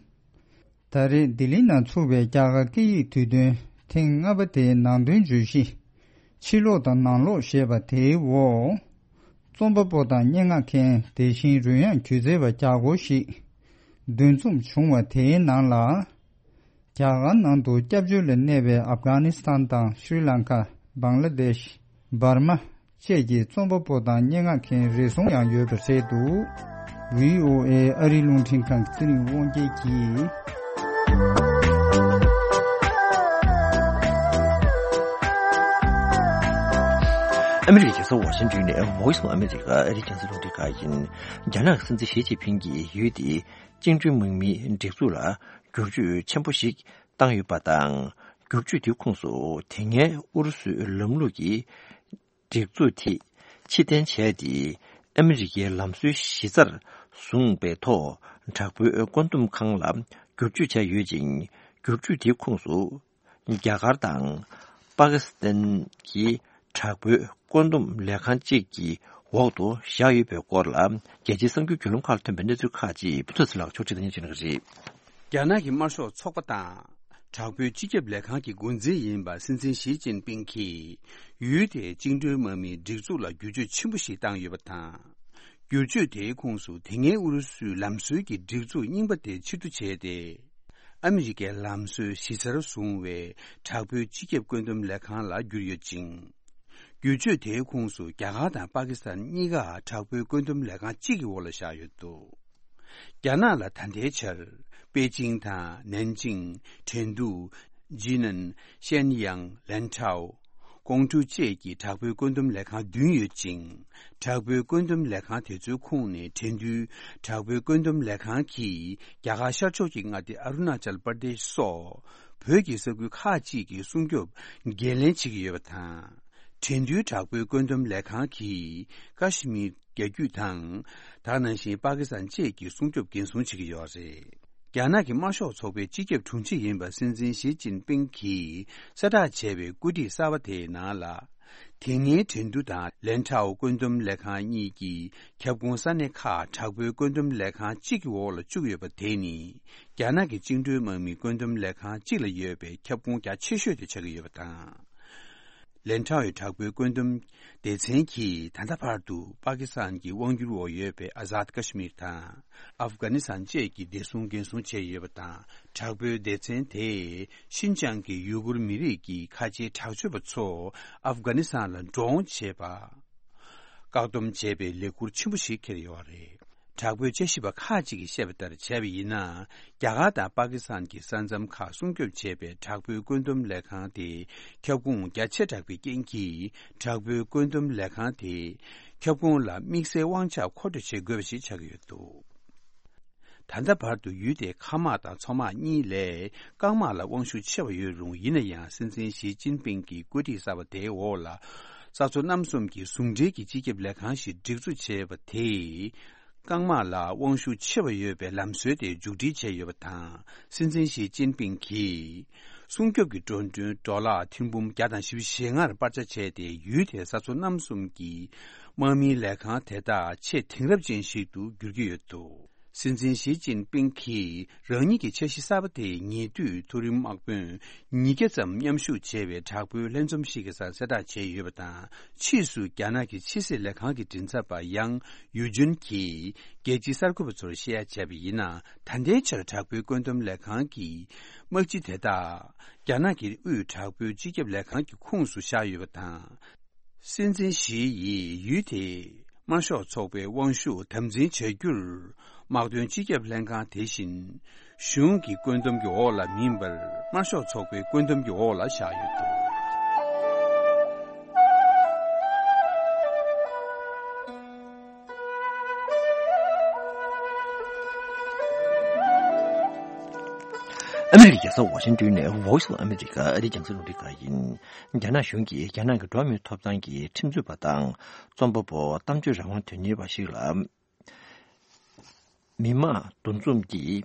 ད་རེས་ལྡི་ལི་ནང་ཚུགས་པའི་རྒྱ་གར་སྐད་ཡིག་དུས་སྟོན་ཐེངས་ལྔ་པ་དེའི་ནང་དོན་བརྗོད་གཞི། ཕྱི་ལོགས་དང་ནང་ལོགས་ཞེས་པ་དེའི་འོག་རྩོམ་པ་པོ་དང་སྙན་ངག་མཁན། དེ་བཞིན་རོལ་དབྱངས་སྒྱུ་རྩལ་བ་བརྒྱ་སྐོར་ཞིག་འདུ་འཛོམས་བྱུང་བ་དེའི་ནང་ལ། རྒྱ་གར་ནང་དུ་སྐྱབས་བཅོལ་ལ་གནས་པའི་ཨབ་གྷ་ནི་སི་ཐན་དང་ཤྲི་ལང་ཀ། བང་ལ་དེཤ། འབར་མ་བཅས་ཀྱི་རྩོམ་པ་པོ་དང་སྙན་ངག་མཁན་རེ་ཟུང་ཡང་ཡོད་པ་རེད་འདུག། བྷི་ཨོ་ཨེ་ཨ་རིའི་རླུང་འཕྲིན་ཁང་གི་ཚེ་རིང་དབང་རྒྱལ་གྱིས། ཨ་མི་རི་ཀའི་རྒྱལ་ས་ཝ་ཤིང་ཏོན་ནས་Voice of America ཨ་རིའི་རྒྱང་སྲིང་རླུང་འཕྲིན་ཁང་ཡིན། རྒྱ་ནག་གི་སྲིད་འཛིན་ཞི་ཅིན་ཕིང་གིས་ཡུལ་དེའི་བཅིངས་འགྲོལ་དམག་མིའི་སྒྲིག་འཛུགས་ལ་བསྒྱུར་བཅོས་ཆེན་པོ་ཞིག་བཏང་ཡོད་པ་དང་། བསྒྱུར་བཅོས་དེའི་ཁོངས་སུ་དེ་སྔའི་ཨུ་རུ་སུའི་ལམ་ལུགས་ཀྱི་སྒྲིག་འཛུགས་དེ་ཕྱིར་འཐེན་བྱས་ཏེ། ཨ་མི་རི་ཀའི་ལམ་སྲོལ་གཞི་རྩར་བཟུང་བའི་ཐོག་དྲག་པོའི་བཀོད་འདོམས་ཁང་ལ་བསྒྱུར་བཅོས་བྱས་ཡོད་ཅིང་། བསྒྱུར་བཅོས་དེའི་ཁོངས་སུ་རྒྱ་གར་དང་པ་ཀི་སི་ཐན་གྱི་དྲག་པོའི་བཀོད་འདོམས་ལས་ཁང་གཅིག་གི་འོག་ཏུ་བཞག་ཡོད་པའི་སྐོར་ལ། རྒྱལ་སྤྱིའི་གསར་འགྱུར་བརྒྱུད་ལམ་ཁག་ལ་ཐོན་པའི་གནས་ཚུལ་ཁག་ཅིག་པུ་ཐོ་སི་ལགས་ཕྱོགས་སྒྲིག་དང་སྙན་ཞུ་གནང་གི་རེད། རྒྱ་ནག་གི་དམར་ཤོག་ཚོགས་པ་དང་། དྲག་པོའི་སྤྱི་ཁྱབ་ལས་ཁང་གི་འགོ་འཛིན་ཡིན་པ་སྲིད་འཛིན་ཞི་ཅིན་ཕིང་གིས་ཡུལ་དེའི་བཅིངས་འགྲོལ་དམག་མིའི་སྒྲིག་འཛུགས་ལ་བསྒྱུར་བཅོས་ཆེན་པོ་ཞིག་བཏང་ཡོད་པ་དང་། བསྒྱུར་བཅོས་དེའི་ཁོངས་སུ་དེ་སྔའི་ཨུ་རུ་སུའི་ལམ་སྲོལ་གྱི་སྒྲིག་འཛུགས་རྙིང་པ་དེ་ཕྱིར་བསྡུ་བྱས་ཏེ། ཨ་མི་རི་ཀའི་ལམ་སྲོལ་གཞི་རྩར་བཟུང་བའི་དྲག་པོའི་སྤྱི་ཁྱབ་བཀོད་འདོམས་ལས་ཁང་ལ་བསྒྱུར་ཡོད་ཅིང་། བསྒྱུར་བཅོས་དེའི་ཁོངས་སུ་རྒྱ་གར་དང་པ་ཀི་སི་ཐན་གཉིས་ཀ་དྲག་པོའི་བཀོད་འདོམས་ལས་ཁང་གཅིག་གི་འོག་ལ་བཞག་ཡོད་འདུག་རྒྱ་ནག་ལ་ད་ལྟའི་ཆར་པེ་ཅིང་དང་ནན་ཅིང་། ཁྲེང་ཏུའུ། ཇི་ནན། ཤན་ཡང་། ལན་ཁྲའོ། ཀོང་ཀྲུའུ་བཅས་ཀྱི་དྲག་པོའི་བཀོད་འདོམས་ལས་ཁང་བདུན་ཡོད་ཅིང་། དྲག་པོའི་བཀོད་འདོམས་ལས་ཁང་དེ་ཚོའི་ཁོངས་ནས་ཁྲེང་ཏུའུ་དྲག་པོའི་བཀོད་འདོམས་ལས་ཁང་གིས་རྒྱ་གར་ཤར་ཕྱོགས་ཀྱི་མངའ་སྡེ་ཨ་རུ་ན་ཅལ་པར་དེཤ་སོགས་བོད་ཀྱི་ས་ཁུལ་ཁག་ཅིག་གི་སྲུང་སྐྱོབ་འགན་ལེན་བྱེད་ཀྱི་ཡོད་པ་དང་། ཁྲེང་ཏུའུ་དྲག་པོའི་བཀོད་འདོམས་ལས་ཁང་གིས་ཀ་ཤི་མིར་རྒྱ་རྒྱུད་དང་། ད་ག་ནང་བཞིན་པ་ཀི་སི་ཐན་བཅས་ཀྱི་སྲུང་སྐྱོབ་འགན་སྲུང་བྱེད་ཀྱི་ཡོད་རེད། རྒྱ་ནག་གི་དམར་ཤོག་ཚོགས་པའི་སྤྱི་ཁྱབ་དྲུང་ཆེ་ཡིན་པ་སྲིད་འཛིན་ཞི་ཅིན་ཕིང་གིས་གསལ་བསྒྲགས་བྱས་པའི་བཀོད་སྒྲིག་གསར་པ་དེའི་ནང་ལ། དེ་སྔའི་ཁྲེང་ཏུའུ་དང་ལན་ཁྲའོ་བཀོད་འདོམས་ལས་ཁང་གཉིས་ཀྱི་ཁྱབ་ཁོངས་ས་གནས་ཁག་དྲག་པོའི་བཀོད་འདོམས་ལས་ཁང་གཅིག་གི་འོག་ལ་བཅུག་ཡོད་པ་དེ་ནི། རྒྱ་ནག་གི་བཅིངས་འགྲོལ་དམག་མིའི་བཀོད་འདོམས་ལས་ཁང་གཅིག་ལ་ཡོད་པའི་ཁྱབ་ཁོངས་རྒྱ་ཆེ་ཤོས་དེ་ཆགས་ཀྱི་ཡོད་པ་དང་། ལན་ཁྲའོའི་དྲག་པོའི་བཀོད་འདོམས་སྡེ་ཚན་གྱིས་ད་ལྟ་བར་དུ་པ་ཀི་སི་ཐན་གྱི་དབང་སྒྱུར་འོག་ཡོད་པའི་ཨ་ཟཱད་ཀ་ཤི་མིར་དང་། ཨབ་གྷ་ནི་སི་ཐན་བཅས་ཀྱི་བདེ་སྲུང་འགན་སྲུང་བྱས་ཡོད་པ་དང་། དྲག་པོའི་སྡེ་ཚན་དེས་ཤིན་ཅང་གི་ཡུ་གུར་མི་རིགས་ཀྱི་ཁ་ཆེའི་དྲག་སྤྱོད་པ་ཚོ་ཨབ་གྷ་ནི་སི་ཐན་ལ་འགྲོ་འོང་བྱེད་པ། བཀག་སྡོམ་བྱས་པའི་ལས་འགུལ་ཆེན་པོ་ཞིག་འཁྱེར་ཡོད་རེད། དྲག་པོའི་དཔྱད་ཞིབ་པ་ཁག་ཅིག་གིས་བཤད་པ་ལྟར་བྱས་པ་ཡིན་ན། རྒྱ་གར་དང་པ་ཀི་སི་ཐན་གྱི་ས་མཚམས་ཁག་སྲུང་སྐྱོབ་བྱེད་པའི་དྲག་པོའི་བཀོད་འདོམས་ལས་ཁང་དེ་ཁྱབ་ཁོངས་རྒྱ་ཆེ་དྲགས་པའི་རྐྱེན་གྱིས། དྲག་པོའི་བཀོད་འདོམས་ལས་ཁང་དེ་ཁྱབ་ཁོངས་ལ་དམིགས་བསལ་དབང་ཆ་མཁོ་སྤྲོད་བྱེད་དགོས་པ་ཞིག་ཆགས་ཀྱི་ཡོད་འདུག་ད་ལྟ་བར་དུ་ཡུལ་དེའི་མཁའ་དམག་དང་མཚོ་དམག་གཉིས་ལས་རྐང་དམག་ལ་དབང་ཤུགས་ཆེ་བ་ཡོད་རུང་། ཡིན་ན་ཡང་སྲིད་འཛིན་ཞི་ཅིན་ཕིང་གི་བཀོད་སྒྲིག་གསར་པ་དེའི་འོག་ལ། ས་མཚོ་གནམ་གསུམ་གྱི་ཟུང་འབྲེལ་གྱི་སྤྱི་ཁྱབ་ལས་ཁང་ཞིག་སྒྲིག་འཛུགས་བྱས་པ་དེས། རྐང་དམག་ལ་དབང་ཤུགས་ཆེ་བ་ཡོད་པའི་ལམ་སྲོལ་དེ་མཇུག་སྒྲིལ་བྱས་ཡོད་པ་དང་། སྲིད་འཛིན་ཞི་ཅིན་ཕིང་གིས། སྲུང་སྐྱོབ་ཀྱི་འགྲོ་གྲོན་ཌོ་ལར་ཐེར་འབུམ་བརྒྱ་དང་བཞི་བཅུ་ཞེ་ལྔར་སྤར་ཆ་བྱས་ཏེ། ཡུལ་དེའི་ས་མཚོ་གནམ་གསུམ་གྱི་དམག་མིའི་ལས་ཁང་དེ་དག་ཆེས་དེང་རབས་ཅན་ཞིག་ཏུ་འགྱུར་གྱི་ཡོད་འདུག་སྲིད་འཛིན་ཞི་ཅིན་ཕིང་གིས་རང་ཉིད་ཀྱི་འཆར་གཞི་གསར་པ་དེའི་ཉེ་དུས་མཐོ་རིམ་དམག་དཔོན་ཉིས་བརྒྱ་ཙམ་མཉམ་ཞུགས་བྱས་པའི་དྲག་པོའི་ལྷན་འཛོམས་ཤིག་གི་སར་གསལ་བསྒྲགས་བྱས་ཡོད་པ་དང་། ཕྱིས་སུ་རྒྱ་ནག་གི་ཕྱི་སྲིད་ལས་ཁང་གི་མགྲིན་ཚབ་པ་ཡང་ཡུ་ཇུན་གྱིས་རྒྱལ་སྤྱིའི་གསར་འགོད་པ་ཚོར་བཤད་ཡ་བྱས་པ་ཡིན་ན། ད་ལྟའི་ཆར་དྲག་པོའི་བཀོད་འདོམས་ལས་ཁང་གི་དམག་སྤྱི་དེ་དག་རྒྱ་ནག་གི་དབུས་དྲག་པོའི་སྤྱི་ཁྱབ་ལས་ཁང་གི་ཁོངས་སུ་བཞག་ཡོད་པ་དང་། སྲིད་འཛིན་ཞི་ཡིས་ཡུལ་དེའི་དམར་ཤོག་ཚོགས་པའི་དབང་ཤུགས་དམ་འཛིན་བྱ་རྒྱུར། དམག་དོན་སྤྱི་ཁྱབ་ལྷན་ཁང་དེ་བཞིན་གཞུང་གི་བཀོད་འདོམས་ཀྱི་འོག་ལ་མིན་པར། དམར་ཤོག་ཚོགས་པའི་བཀོད་འདོམས་ཀྱི་འོག་ལ་བཞག་ཡོད་འདུག་ཨ་མི་རི་ཀའི་རྒྱལ་ས་ཝ་ཤིང་ཏོན་ནས་Voice of America ཨ་རིའི་རྒྱང་སྲིང་རླུང་འཕྲིན་ཁང་ཡིན། རྒྱ་ནག་གཞུང་གིས་རྒྱ་ནག་གི་འགྲོ་བ་མིའི་ཐོབ་ཐང་གི་ཁྲིམས་རྩོད་པ་དང་རྩོམ་པ་པོ་གཏམ་བརྗོད་རང་དབང་དོན་གཉེར་བ་ཞིག་ལ། མི་དམངས་འདུ་འཛོམས་ཀྱིས།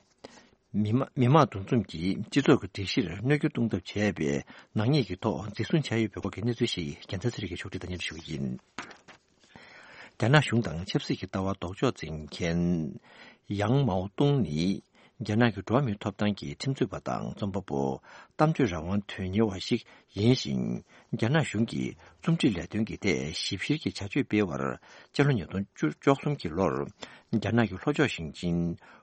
མི་དམངས་མི་དམངས་འདུ་འཛོམས་ཀྱིས་སྤྱི་ཚོགས་ཀྱི་སྒྲིག་གཞིར་གནོད་སྐྱོན་གཏོང་ཐབས་བྱས་པའི་ནག་ཉེས་ཀྱི་ཐོག་འཛིན་བཟུང་བྱས་ཡོད་པའི་སྐོར་གྱི་གནས་ཚུལ་ཞིག་རྒྱལ་མཚན་ཚེ་རིང་གིས་ཕྱོགས་སྒྲིག་དང་སྙན་སྒྲོན་ཞུ་གི་ཡིན། རྒྱ་ནག་གཞུང་དང་ཆབ་སྲིད་ཀྱི་ལྟ་བ་ལྡོག་ཕྱོགས་འཛིན་མཁན་ཡང་མའོ་ཏུང་ནི། རྒྱ་ནག་གི་འགྲོ་བ་མིའི་ཐོབ་ཐང་གི་ཁྲིམས་རྩོད་པ་དང་རྩོམ་པ་པོ། གཏམ་བརྗོད་རང་དབང་དོན་གཉེར་བ་ཞིག་ཡིན་ཞིང་། རྒྱ་ནག་གཞུང་གི་རྩོམ་སྒྲིག་ལས་དོན་གྱི་ཐད་ཞིབ་བཤེར་གྱི་བྱ་སྤྱོད་སྤེལ་བར། སྤྱི་ལོ་ཉིས་སྟོང་བཅུ་གཅིག་གི་ལོར། རྒྱ་ནག་གི་ལྷོ་ཕྱོགས་ཞིང་ཆེན་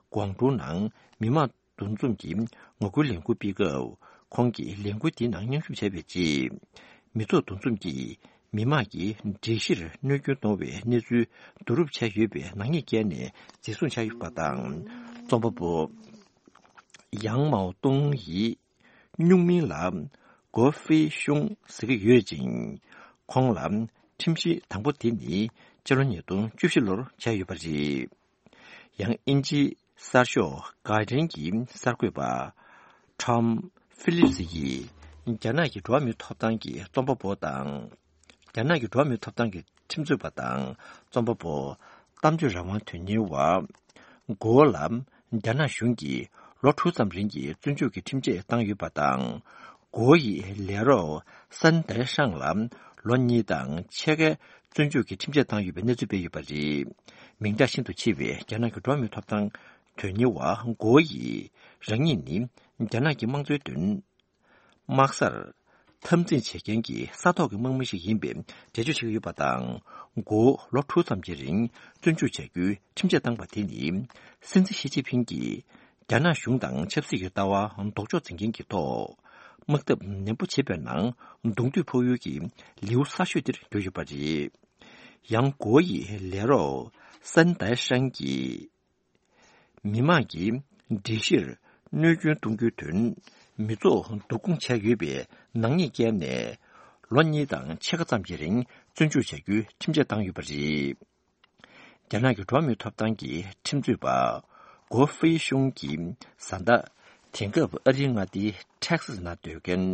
ཀོང་ཀྲུའུ་ནང་མི་དམངས་འདུ་འཛོམས་ཀྱི་ངོ་རྒོལ་ལས་འགུལ་སྤེལ་སྐབས། ཁོང་གིས་ལས་འགུལ་དེའི་ནང་མཉམ་ཞུགས་བྱས་པའི་རྗེས། མི་ཚོགས་འདུ་འཛོམས་ཀྱིས། མི་མང་གི་སྒྲིག་གཞིར་གནོད་སྐྱོན་གཏོང་བའི་གནས་ཚུལ་བསྡུ་རུབ་བྱས་ཡོད་པའི་ནག་ཉེས་བཀལ་ནས་འཛིན་བཟུང་བྱས་ཡོད་པ་དང་། རྩོམ་པ་པོ་ཡང་མའོ་ཏུང་ཡིས་སྨྱུག་མིང་ལ་གོ་ཧྥེ་ཤུང་ཟེར་གྱི་ཡོད་ཅིང་། ཁོང་ལ་ཁྲིམས་གཞི་དང་པོ་དེ་ནི་སྤྱི་ལོ་ཉིས་སྟོང་བཅུ་བཞི་ལོར་བྱས་ཡོད་པ་རེད། ཡང་དབྱིན་ཇིའི་གསར་ཤོག་གྷར་ཌི་ཡན་གྱི་གསར་འགོད་པ་ཊོམ་ཧྥི་ལིབ་སི་ཡིས་རྒྱ་ནག་གི་འགྲོ་བ་མིའི་ཐོབ་ཐང་གི་རྩོམ་པ་པོ་དང་། རྒྱ་ནག་གི་འགྲོ་བ་མིའི་ཐོབ་ཐང་གི་ཁྲིམས་རྩོད་པ་དང་རྩོམ་པ་པོ། གཏམ་བརྗོད་རང་དབང་དོན་གཉེར་བ། གོ་ལ་རྒྱ་ནག་གཞུང་གིས་ལོ་དྲུག་ཙམ་རིང་གི་བཙོན་འཇུག་གི་ཁྲིམས་ཆད་བཏང་ཡོད་པ་དང་། གོ་ཡི་ལས་རོགས་སན་ཏའེ་ཧྲང་ལ་ལོ་གཉིས་དང་ཕྱེད་ཀའི་བཙོན་འཇུག་གི་ཁྲིམས་ཆད་བཏང་ཡོད་པའི་གནས་ཚུལ་སྤེལ་ཡོད་པ་རེད། མིང་གྲགས་ཤིན་ཏུ་ཆེ་བའི་རྒྱ་ནག་གི་འགྲོ་བ་མིའི་ཐོབ་ཐང་དོན་གཉེར་བ་གོ་ཡིས་རང་ཉིད་ནི་རྒྱ་ནག་གི་དམངས་གཙོའི་དོན། དམག་སར་འཐབ་འཛིང་བྱེད་མཁན་གྱི་ས་ཐོག་གི་དམག་མི་ཞིག་ཡིན་པའི་འགྲེལ་བརྗོད་བྱེད་ཀྱི་ཡོད་པ་དང་། མགོ་ལོ་དྲུག་ཙམ་གྱི་རིང་བཙོན་འཇུག་བྱ་རྒྱུའི་ཁྲིམས་ཆད་བཏང་པ་དེ་ནི། སྲིད་འཛིན་ཞི་ཅིན་ཕིང་གིས་རྒྱ་ནག་གཞུང་དང་ཆབ་སྲིད་ཀྱི་ལྟ་བ་ལྡོག་ཕྱོགས་འཛིན་མཁན་གྱི་ཐོག་དམག་འཐབ་ནན་པོ་བྱེད་པའི་ནང་གདོང་ཐུག་ཕོག་ཡུལ་གྱི་ལེའུ་གསར་ཤོས་དེར་གྱུར་ཡོད་པ་རེད། ཡང་། གོ་ཡི་ལས་རོགས་སན་ཏའེ་ཧྲང་གིས། མི་མང་གི་སྒྲིག་གཞིར་གནོད་སྐྱོན་གཏོང་རྒྱུའི་དོན། མི་ཚོགས་བསྡུ་སྐོང་བྱས་ཡོད་པའི་ནག་ཉེས་བཀལ་ནས། ལོ་གཉིས་དང་ཕྱེད་ཀ་ཙམ་གྱི་རིང་བཙོན་འཇུག་བྱ་རྒྱུའི་ཁྲིམས་ཆད་བཏང་ཡོད་པ་རེད། རྒྱ་ནག་གི་འགྲོ་བ་མིའི་ཐོབ་ཐང་གི་ཁྲིམས་རྩོད་པ་གོ་ཧྥེ་ཤུང་གིས་གཟའ་ཟླ། དེང་སྐབས་ཨ་རིའི་མངའ་སྡེའི་ཊེག་སཱས་ནང་སྡོད་མཁན།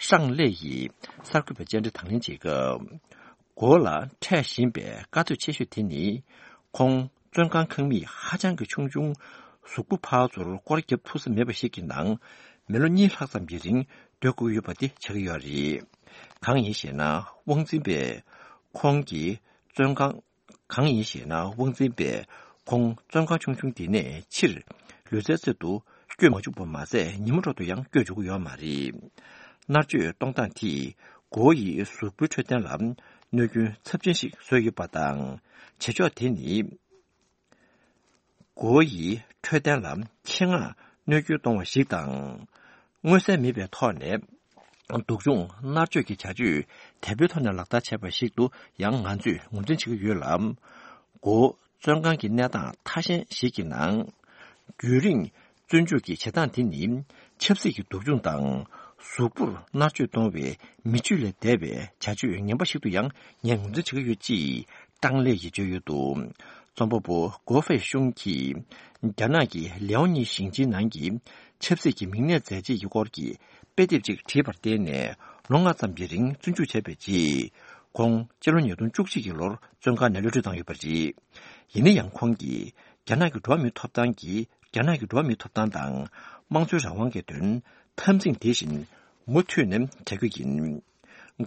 ཧྲང་ལེ་ཡིས་གསར་འགོད་པའི་བཅར་འདྲི་དང་ལེན་བྱེད་སྐབས། གོ་ལ་འཕྲད་བཞིན་པའི་དཀའ་སྡུག་ཆེ་ཤོས་དེ་ནི། ཁོང་བཙོན་ཁང་ཁང་མིག་ཧ་ཅང་གི་ཆུང་ཆུང་། གཟུགས་པོ་ཕར་ཚུར་སྐོར་རྒྱབ་ཐུབ་ས་མེད་པ་ཞིག་གི་ནང་། མི་ལོ་གཉིས་ལྷག་ཙམ་གྱི་རིང་སྡོད་དགོས་ཡོད་པ་དེ་ཆགས་ཀྱི་ཡོད་རེད། གང་ཡིན་ཞེ་ན། དབང་འཛིན་པས་ཁོང་གི་བཙོན་ཁང་། གང་ཡིན་ཞེ་ན། དབང་འཛིན་པས་ཁོང་བཙོན་ཁང་ཆུང་ཆུང་དེ་ནས་ཕྱིར་ལུས་རྩལ་རྩེད་དུ་བསྐྱོད་མ་བཅུག་པ་མ་ཟད། ཉིན་མོ་འཕྲོ་དུ་ཡང་བསྐྱོད་འཇུག་གི་ཡོད་མ་རེད། མནར་གཅོད་གཏོང་སྟངས་དེས་གོ་ཡི་གཟུགས་པོའི་འཕྲོད་བསྟེན་ལ་གནོད་སྐྱོན་ཚབས་ཆེན་ཞིག་བཟོས་ཡོད་པ་དང་། བྱེད་ཕྱོགས་དེ་ནི། གོ་ཡི་འཕྲོད་བསྟེན་ལ་ཆེད་མངགས་གནོད་སྐྱོན་གཏོང་བ་ཞིག་དང་། མངོན་གསལ་མེད་པའི་ཐོག་ནས་སྡུག་སྦྱོང་མནར་གཅོད་ཀྱི་བྱ་སྤྱོད་དལ་པོའི་ཐོག་ནས་ལག་བསྟར་བྱས་པ་ཞིག་ཏུ་ཡང་ང་ཚོས་ངོས་འཛིན་བྱེད་ཀྱི་ཡོད་ལ། གོ་བཙོན་ཁང་གི་གནས་སྟངས་ཐ་ཞན་ཞིག་གི་ནང་། རྒྱུན་རིང་བཙོན་འཇུག་གི་བྱེད་སྟངས་དེ་ནི། ཆབ་སྲིད་ཀྱི་སྡུག་སྦྱོང་དང་། གཟུགས་པོར་མནར་གཅོད་གཏོང་བའི་མི་ཆོས་ལས་འདས་པའི་བྱ་སྤྱོད་ངན་པ་ཞིག་ཏུ་ཡང་ངས་ངོས་འཛིན་བྱེད་ཀྱི་ཡོད་ཅེས། ཀྲང་ལེ་ཡིས་བརྗོད་ཡོད་འདུག་རྩོམ་པ་པོ་གོ་ཧྥེ་ཤུང་གིས། རྒྱ་ནག་གི་ལེའོ་ཉི་ཞིང་ཆེན་ནང་གི་ཆབ་སྲིད་ཀྱི་མིང་གནས་མཛད་རྗེས་ཀྱི་སྐོར་གྱི་དཔེ་དེབ་ཅིག་བྲིས་པར་བརྟེན་ནས། ལོ་ལྔ་ཙམ་གྱི་རིང་བཙོན་འཇུག་བྱས་པའི་རྗེས། ཁོང་སྤྱི་ལོ་ཉིས་སྟོང་བཅུ་གཅིག་གི་ལོར་བཙོན་ཁང་ནས་གློད་གྲོལ་བཏང་ཡོད་པ་རེད། ཡིན་ན་ཡང་། ཁོང་གིས་རྒྱ་ནག་གི་འགྲོ་བ་མིའི་ཐོབ་ཐང་གི་རྒྱ་ནག་གི་འགྲོ་བ་མིའི་ཐོབ་ཐང་དང་། དམངས་གཙོའི་རང་དབང་གི་དོན་འཐབ་འཛིང་དེ་བཞིན་མུ་མཐུད་ནས་བྱ་རྒྱུ་ཡིན།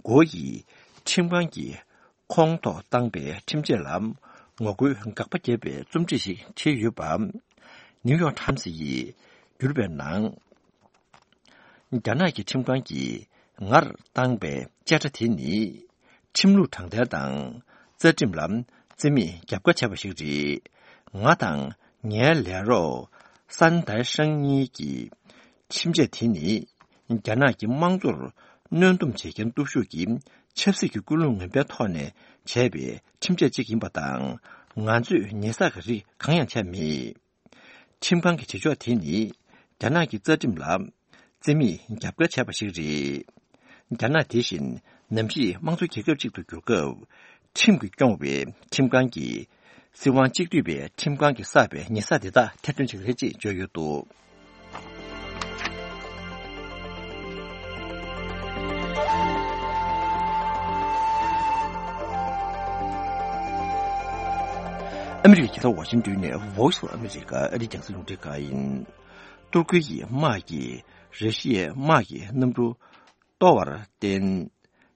གོ་ཡིས་ཁྲིམས་ཁང་གིས་ཁོང་ཐོག་བཏང་པའི་ཁྲིམས་ཆད་ལ་ངོ་རྒོལ་དགག་པ་བརྒྱབ་པའི་རྩོམ་བྲིས་ཤིག་བྲིས་ཡོད་པ། ནིའུ་ཡོག་ཊའེམ་སི་ཡིས་བསྒྱུར་བའི་ནང་། རྒྱ་ནག་གི་ཁྲིམས་ཁང་གིས་ངར་བཏང་པའི་བཅད་ཁྲ་དེ་ནི། ཁྲིམས་ལུགས་དྲང་བདེན་དང་། རྩ་ཁྲིམས་ལ་རྩིས་མེད་རྒྱབ་འགལ་བྱས་པ་ཞིག་རེད། ང་དང་ངའི་ལས་རོགས་སན་ཏའེ་ཧྲང་གཉིས་ཀྱིས། ཁྲིམས་ཆད་དེ་ནི། རྒྱ་ནག་གི་དམངས་གཙོར་གནོན་སྡོམ་བྱེད་མཁན་སྟོབས་ཤུགས་ཀྱི་ཆབ་སྲིད་ཀྱི་ཀུན་སློང་ངན་པའི་ཐོག་ནས་བྱས་པའི་ཁྲིམས་ཆད་ཅིག་ཡིན་པ་དང་། ང་ཚོས་ཉེས་བསགས་ཀྱི་རིགས་གང་ཡང་བྱས་མེད། ཁྲིམས་ཁང་གི་བྱེད་ཕྱོགས་དེ་ནི། རྒྱ་ནག་གི་རྩ་ཁྲིམས་ལ་རྩིས་མེད་རྒྱབ་འགལ་བྱས་པ་ཞིག་རེད། རྒྱ་ནག་དེ་བཞིན་ནམ་ཞིག་དམངས་གཙོ་རྒྱལ་ཁབ་ཅིག་ཏུ་འགྱུར་སྐབས། ཁྲིམས་ཀྱིས་སྐྱོང་བའི་ཁྲིམས་ཁང་གིས། སྲིད་དབང་གཅིག་སྡུད་པའི་ཁྲིམས་ཁང་གིས་བསགས་པའི་ཉེས་བསགས་དེ་དག་ཐེར་འདོན་བྱེད་ཀྱི་རེད་ཅེས་བརྗོད་ཡོད་འདུག་ཨ་མི་རི་ཀའི་རྒྱལ་ས་ཝ་ཤིང་ཏོན་ནས་Voice of America ཨ་རིའི་རྒྱང་སྲིང་རླུང་འཕྲིན་ཁང་ཡིན། ཏུར་ཀི་ཡི་དམག་གིས་ར་ཤི་ཡའི་དམག་གི་གནམ་གྲུ་གཏོར་བར་བརྟེན།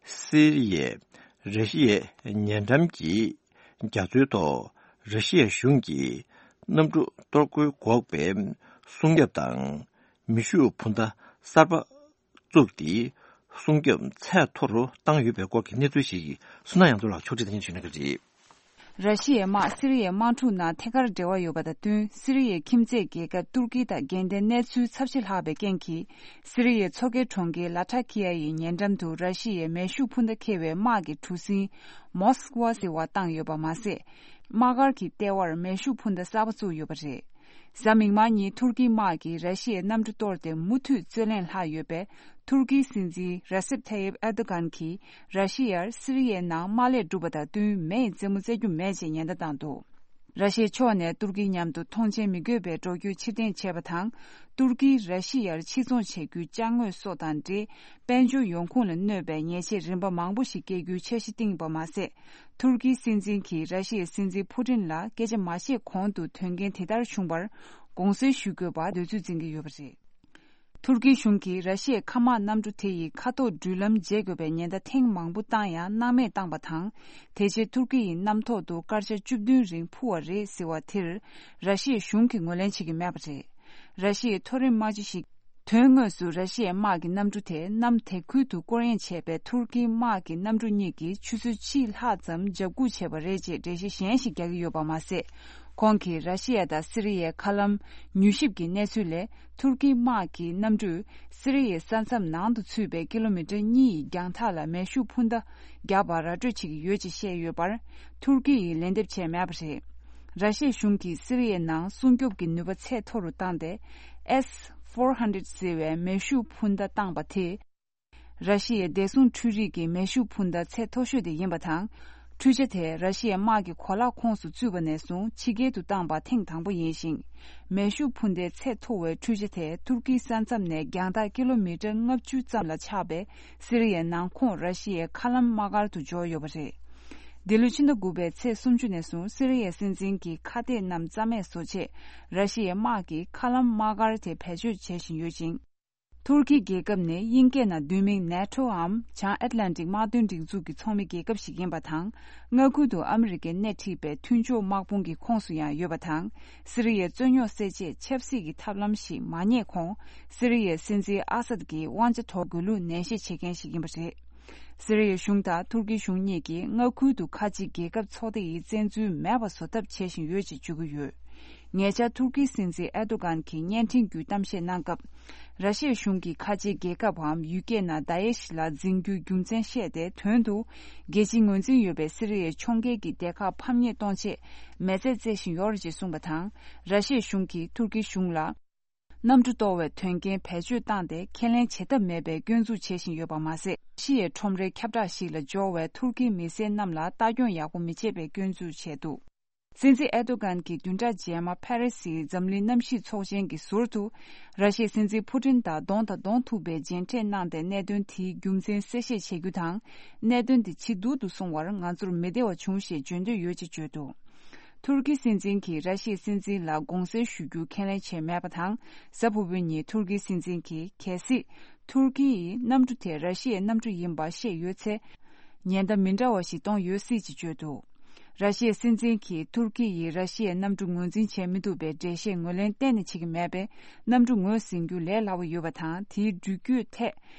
སི་རི་ཡས་ར་ཤི་ཡའི་ཉེ་འགྲམ་གྱི་རྒྱ་མཚོའི་ཐོག་ར་ཤི་ཡའི་གཞུང་གིས་གནམ་གྲུ་གཏོར་རྒོལ་འགོག་པའི་སྲུང་སྐྱོབ་དང་། མེ་ཤུགས་འཕུར་མདའ་གསར་པ་བཙུགས་ཏེ། སྲུང་སྐྱོབ་ཚད་མཐོ་རུ་བཏང་ཡོད་པའི་སྐོར་གྱི་གནས་ཚུལ་ཞིག་བསོད་ནམས་གཡང་འཛོམས་ལགས་ཕྱོགས་སྒྲིག་སྟེ་སྙན་ཞུ་གནང་གི་རེད། ར་ཤི་ཡའི་དམག་སི་རི་ཡའི་དམག་འཁྲུག་ནང་ཐད་ཀར་འབྲེལ་བ་ཡོད་པ་དང་བསྟུན། སི་རི་ཡའི་ཁྱིམ་མཚེས་རྒྱལ་ཁབ་ཏུར་ཀི་དང་འགལ་ཟླའི་གནས་ཚུལ་ཚབས་ཆེ་ལྷག་པའི་རྐྱེན་གྱིས། སི་རི་ཡའི་མཚོ་ཁའི་གྲོང་ཁྱེར་ལ་ཐ་ཁི་ཡ་ཡི་ཉེ་འགྲམ་དུ་ར་ཤི་ཡའི་མེ་ཤུགས་འཕུར་མདའ་འཁྱེར་བའི་དམག་གི་གྲུ་གཟིངས་མོ་སི་ཀ་ཝ་ཟེར་བ་བཏང་ཡོད་པ་མ་ཟད། དམག་སྒར་གྱི་ལྟེ་བར་མེ་ཤུགས་འཕུར་མདའ་གསར་པ་བཙུགས་ཡོད་པ་རེད། གཟའ་མིག་དམར་ཉིན་ཐུར་ཀིའི་དམག་གིས་ར་ཤི་ཡའི་གནམ་གྲུ་གཏོར་ཏེ་མུ་མཐུད་རྩོད་གླེང་ལྷག་ཡོད་པས། ཐུར་ཀིའི་སྲིད་འཛིན་ར་སེབ་ཐ་ཡིབ་ཨེར་དོ་གྷན་གྱིས་ར་ཤི་ཡར་སི་རི་ཡའི་ནང་དམག་ལས་བསྒྲུབས་པ་དང་བསྟུན་མེ་ཡི་རྩེད་མོ་རྩེ་རྒྱུ་མེད་ཅེས་ཉེན་བརྡ་བཏང་འདུག་ར་ཤི་ཡའི་ཕྱོགས་ནས་ཏུར་ཀིའི་མཉམ་དུ་མཐོང་མཆན་མི་དགོས་པའི་འགྲོ་སྐྱོད་ཕྱིར་འཐེན་བྱས་པ་དང་། ཏུར་ཀིས་ར་ཤི་ཡར་ཕྱིར་ཚོང་བྱེད་རྒྱུའི་ཅ་དངོས་སོགས་དང་འབྲེལ། དཔལ་འབྱོར་ཡོང་ཁུངས་ལ་གནོད་པའི་ཉེས་ཆད་རིམ་པ་མང་པོ་ཞིག་བཀལ་རྒྱུའི་འཆར་གཞི་བཏིང་ཡོད་པ་མ་ཟད། ཐུར་ཀིའི་སྲིད་འཛིན་གྱིས་ར་ཤི་ཡའི་སྲིད་འཛིན་ཕུ་ཏིན་ལ་སྐད་ཆ་མ་བཤད་གོང་དུ་དོན་རྐྱེན་དེ་ལྟར་བྱུང་བར་དགོངས་སེལ་ཞུ་དགོས་པར་འདོད་ཚུལ་འཛིན་གྱི་ཡོད་པ་རེད། ཐུར་ཀིའི་གཞུང་གིས་ར་ཤི་ཡའི་མཁའ་དམག་གནམ་གྲུ་དེ་ཡི་མཁའ་ཐོག་འགྲུལ་ལམ་བརྗེ་དགོས་པའི་ཉེན་བརྡ་ཐེངས་མང་པོ་བཏང་ཡང་སྣང་མེད་བཏང་བ་དང་། དེ་རྗེས་ཐུར་ཀི་ཡི་གནམ་ཐོག་ཏུ་སྐར་ཆ་བཅུ་བདུན་རིང་འཕུར་བ་རེད་ཟེར་བ་དེར། ར་ཤི་ཡའི་གཞུང་གིས་ངོས་ལེན་བྱེད་ཀྱི་མེད་པ་རེད། ར་ཤི་ཡའི་མཐོ་རིམ་དམག་སྤྱི་ཞིག་དོན་དངོས་སུ་ར་ཤི་ཡའི་དམག་གི་གནམ་གྲུ་དེ་གནམ་དེ་ཁུལ་དུ་སྐོར་གཡེང་བྱས་པའི་ཐུར་ཀིའི་དམག་གི་གནམ་གྲུ་གཉིས་ཀྱིས་ཆུ་ཚོད་གཅིག་ལྷག་ཙམ་འཇབ་སྒུག་བྱས་པ་རེད་ཅེས་འགྲེལ་བཤད་གཞན་ཞིག་རྒྱག་གི་ཡོད་པ་མ་ཟད། ཁོང་གིས་ར་ཤི་ཡ་དང་སི་རི་ཡའི་མཁའ་ལམ་མྱུལ་ཞིབ་ཀྱི་གནས་ཚུལ་ལས། ཐུར་ཀིའི་དམག་གི་གནམ་གྲུས་སི་རི་ཡའི་ས་མཚམས་ནང་དུ་ཚུད་པའི་ཀི་ལོ་མི་ཊར་གཉིས་ཡི་རྒྱང་ཐག་ལ་མེ་ཤུགས་འཕུར་མདའ་བརྒྱབ་པར་ར་སྤྲོད་བྱེད་ཀྱི་ཡོད་ཅེས་བཤད་ཡོད་པར། ཐུར་ཀི་ཡིས་ལན་འདེབས་བྱས་མེད་པ་རེད། ར་ཤི་ཡའི་གཞུང་གིས་སི་རི་ཡའི་ནང་སྲུང་སྐྱོབ་ཀྱི་ནུས་པ་ཚད་མཐོ་རུ་བཏང་སྟེ། S four hundred ཟེར་བའི་མེ་ཤུགས་འཕུར་མདའ་བཏང་པ་དེས། ར་ཤི་ཡའི་བདེ་སྲུང་འཕྲུལ་རིག་གི་མེ་ཤུགས་འཕུར་མདའ་ཚད་མཐོ་ཤོས་དེ་ཡིན་པ་དང་། འཕྲུལ་ཆ་དེ་ར་ཤི་ཡའི་དམག་གི་གོ་ལག་ཁོངས་སུ་ཚུད་པ་ནས་བཟུང་ཕྱི་རྒྱལ་དུ་བཏང་པ་ཐེངས་དང་པོ་ཡིན་ཞིང་། མེ་ཤུགས་འཕུར་མདའི་ཚད་མཐོ་བའི་འཕྲུལ་ཆ་དེ་ཐུར་ཀིའི་ས་མཚམས་ནས་རྒྱང་ཐག་ཀི་ལོ་མི་ཊར་ལྔ་བཅུ་ཙམ་ལ་ཆགས་པའི་སི་རི་ཡའི་ནང་ཁོངས་ར་ཤི་ཡའི་མཁའ་ལམ་དམག་སྒར་དུ་འབྱོར་ཡོད་པ་རེད། འདི་ལོའི་ཕྱི་ཟླ་དགུ་པའི་ཚེས་སུམ་ཅུ་ནས་བཟུང་སི་རི་ཡའི་སྲིད་འཛིན་གྱི་ཁ་གཏད་རྣམས་རྩ་མེད་བཟོ་ཆེད། ར་ཤི་ཡའི་དམག་གིས་མཁའ་ལམ་དམག་སྒར་དེ་བེད་སྤྱོད་བྱེད་བཞིན་ཡོད་ཅིང་། ཐུར་ཀི་རྒྱལ་ཁབ་ནི་དབྱིན་སྐད་ནང་བསྡུས་མིང་ནེ་ཊོའམ་བྱང་ཨེཊ་ལན་ཊིག་དམག་དོན་སྒྲིག་འཛུགས་ཀྱི་ཚོགས་མི་རྒྱལ་ཁབ་ཞིག་ཡིན་པ་དང་། མངའ་ཁུལ་དུ་ཨ་མི་རི་ཀས་སྣེ་ཁྲིད་པའི་མཐུན་ཕྱོགས་དམག་དཔུང་གི་ཁོངས་སུ་ཡང་ཡོད་པ་དང་། སི་རི་ཡའི་རྩོད་རྙོག་སེལ་ཆེད་ཆབ་སྲིད་ཀྱི་ཐབས་ལམ་ཞིག་མ་རྙེད་གོང་། སི་རི་ཡའི་སྲིད་འཛིན་ཨ་སད་ཀྱི་དབང་ཆ་འདོར་དགོས་ལུགས་ནན་བཤད་བྱེད་མཁན་ཞིག་ཡིན་པ་རེད། སི་རི་ཡའི་གཞུང་དང་ཐུར་ཀིའི་གཞུང་གཉིས་ཀྱིས་མངའ་ཁུལ་དུ་ཁ་ཆེ་རྒྱལ་ཁབ་ཚོགས་སྡེ་ཡི་བཙན་འཛུལ་མེད་པ་བཟོ་ཐབས་བྱེད་བཞིན་ཡོད་ཅེས་བརྗོད་ཀྱི་ཡོད། ཉེ་ཆར་ཐུར་ཀིའི་སྲིད་འཛིན་ཨེར་དོ་གྷན་གྱིས་བརྙན་འཕྲིན་བརྒྱུད་གཏམ་བཤད་གནང་སྐབས། ར་ཤི་ཡའི་གཞུང་གིས་ཁ་ཆེའི་རྒྱལ་ཁབ་བམ་ཡུལ་སྐད་ནང་དཱ་ཨེ་ཤི་ལ་འཛིན་རྒྱུའི་རྒྱུ་མཚན་བཤད་དེ། དོན་དུ་རྒྱལ་སྤྱིའི་ངོས་འཛིན་ཡོད་པའི་སི་རི་ཡའི་ཕྱོགས་འགལ་གྱི་སྡེ་ཁག་ཕམ་ཉེས་གཏོང་ཆེད་མེ་མཛད་རྩེ་བཞིན་ཡོད་རེད་ཅེས་གསུངས་པ་དང་། ར་ཤི་ཡའི་གཞུང་གིས་ཐུར་ཀིའི་གཞུང་ལ། གནམ་གྲུ་གཏོར་བའི་དོན་རྐྱེན་བེད་སྤྱོད་བཏང་སྟེ་ཁས་ལེན་བྱེད་ཐབས་མེད་པའི་སྐྱོན་འཛུགས་བྱེད་བཞིན་ཡོད་པ་མ་ཟད། ཤི་ཡའི་ཁྲོམ་རའི་ཁྱབ་བསྒྲགས་ཤིག་ལ་འབྱོར་བའི་ཐུར་ཀིའི་མི་སེར་རྣམས་ལ་ལྟ་སྐྱོང་ཡག་པོ་མི་བྱེད་པའི་སྐྱོན་འཛུགས་བྱས་འདུག་སྲིད་འཛིན་ཨེར་དོ་གྷན་གྱིས་བདུན་ཕྲག་རྗེས་མ་ཕ་རི་སིའི་འཛམ་གླིང་གནམ་གཤིས་ཚོགས་ཆེན་གྱི་ཟུར་དུ། ར་ཤི་ཡའི་སྲིད་འཛིན་ཕུ་ཏིན་དང་གདོང་དང་གདོང་ཐུག་པའི་མཇལ་འཕྲད་གནང་སྟེ། གནད་དོན་དེའི་རྒྱུ་མཚན་གསལ་བཤད་བྱེད་རྒྱུ་དང་། གནད་དོན་དེ་ཇེ་སྡུག་ཏུ་སོང་བར་ང་ཚོར་མི་བདེ་བ་བྱུང་ཞེས་བརྗོད་འདོད་ཡོད་ཅེས་བརྗོད་འདུག་ཐུར་ཀི་སྲིད་འཛིན་གྱིས་ར་ཤི་ཡའི་སྲིད་འཛིན་ལ་དགོངས་སེལ་ཞུ་རྒྱུ་ཁས་ལེན་བྱས་མེད་པ་དང་། གཟའ་ཕུར་བུའི་ཉིན་ཐུར་ཀིའི་སྲིད་འཛིན་གྱིས་གལ་སྲིད་ཐུར་ཀི་ཡིས་གནམ་གྲུ་དེ་ར་ཤི་ཡའི་གནམ་གྲུ་ཡིན་པ་ཤེས་ཡོད་ཚེ། ཉེན་བརྡ་མི་འདྲ་བ་ཞིག་གཏོང་ཡོད་སྲིད་ཅེས་བརྗོད་འདུག་ར་ཤི་ཡའི་སྲིད་འཛིན་གྱིས་ཐུར་ཀི་ཡིས་ར་ཤི་ཡའི་གནམ་གྲུ་ངོས་འཛིན་བྱས་མི་ཐུབ་པའི་འགྲེལ་བཤད་ངོས་ལེན་གཏན་ནས་བྱེད་ཀྱི་མེད་པས། གནམ་གྲུ་ངོས་ཟིན་རྒྱུ་ལས་སླ་བོ་ཡོད་པ་དང་། དེའི་འགྲུལ་སྐྱོད་ཐད་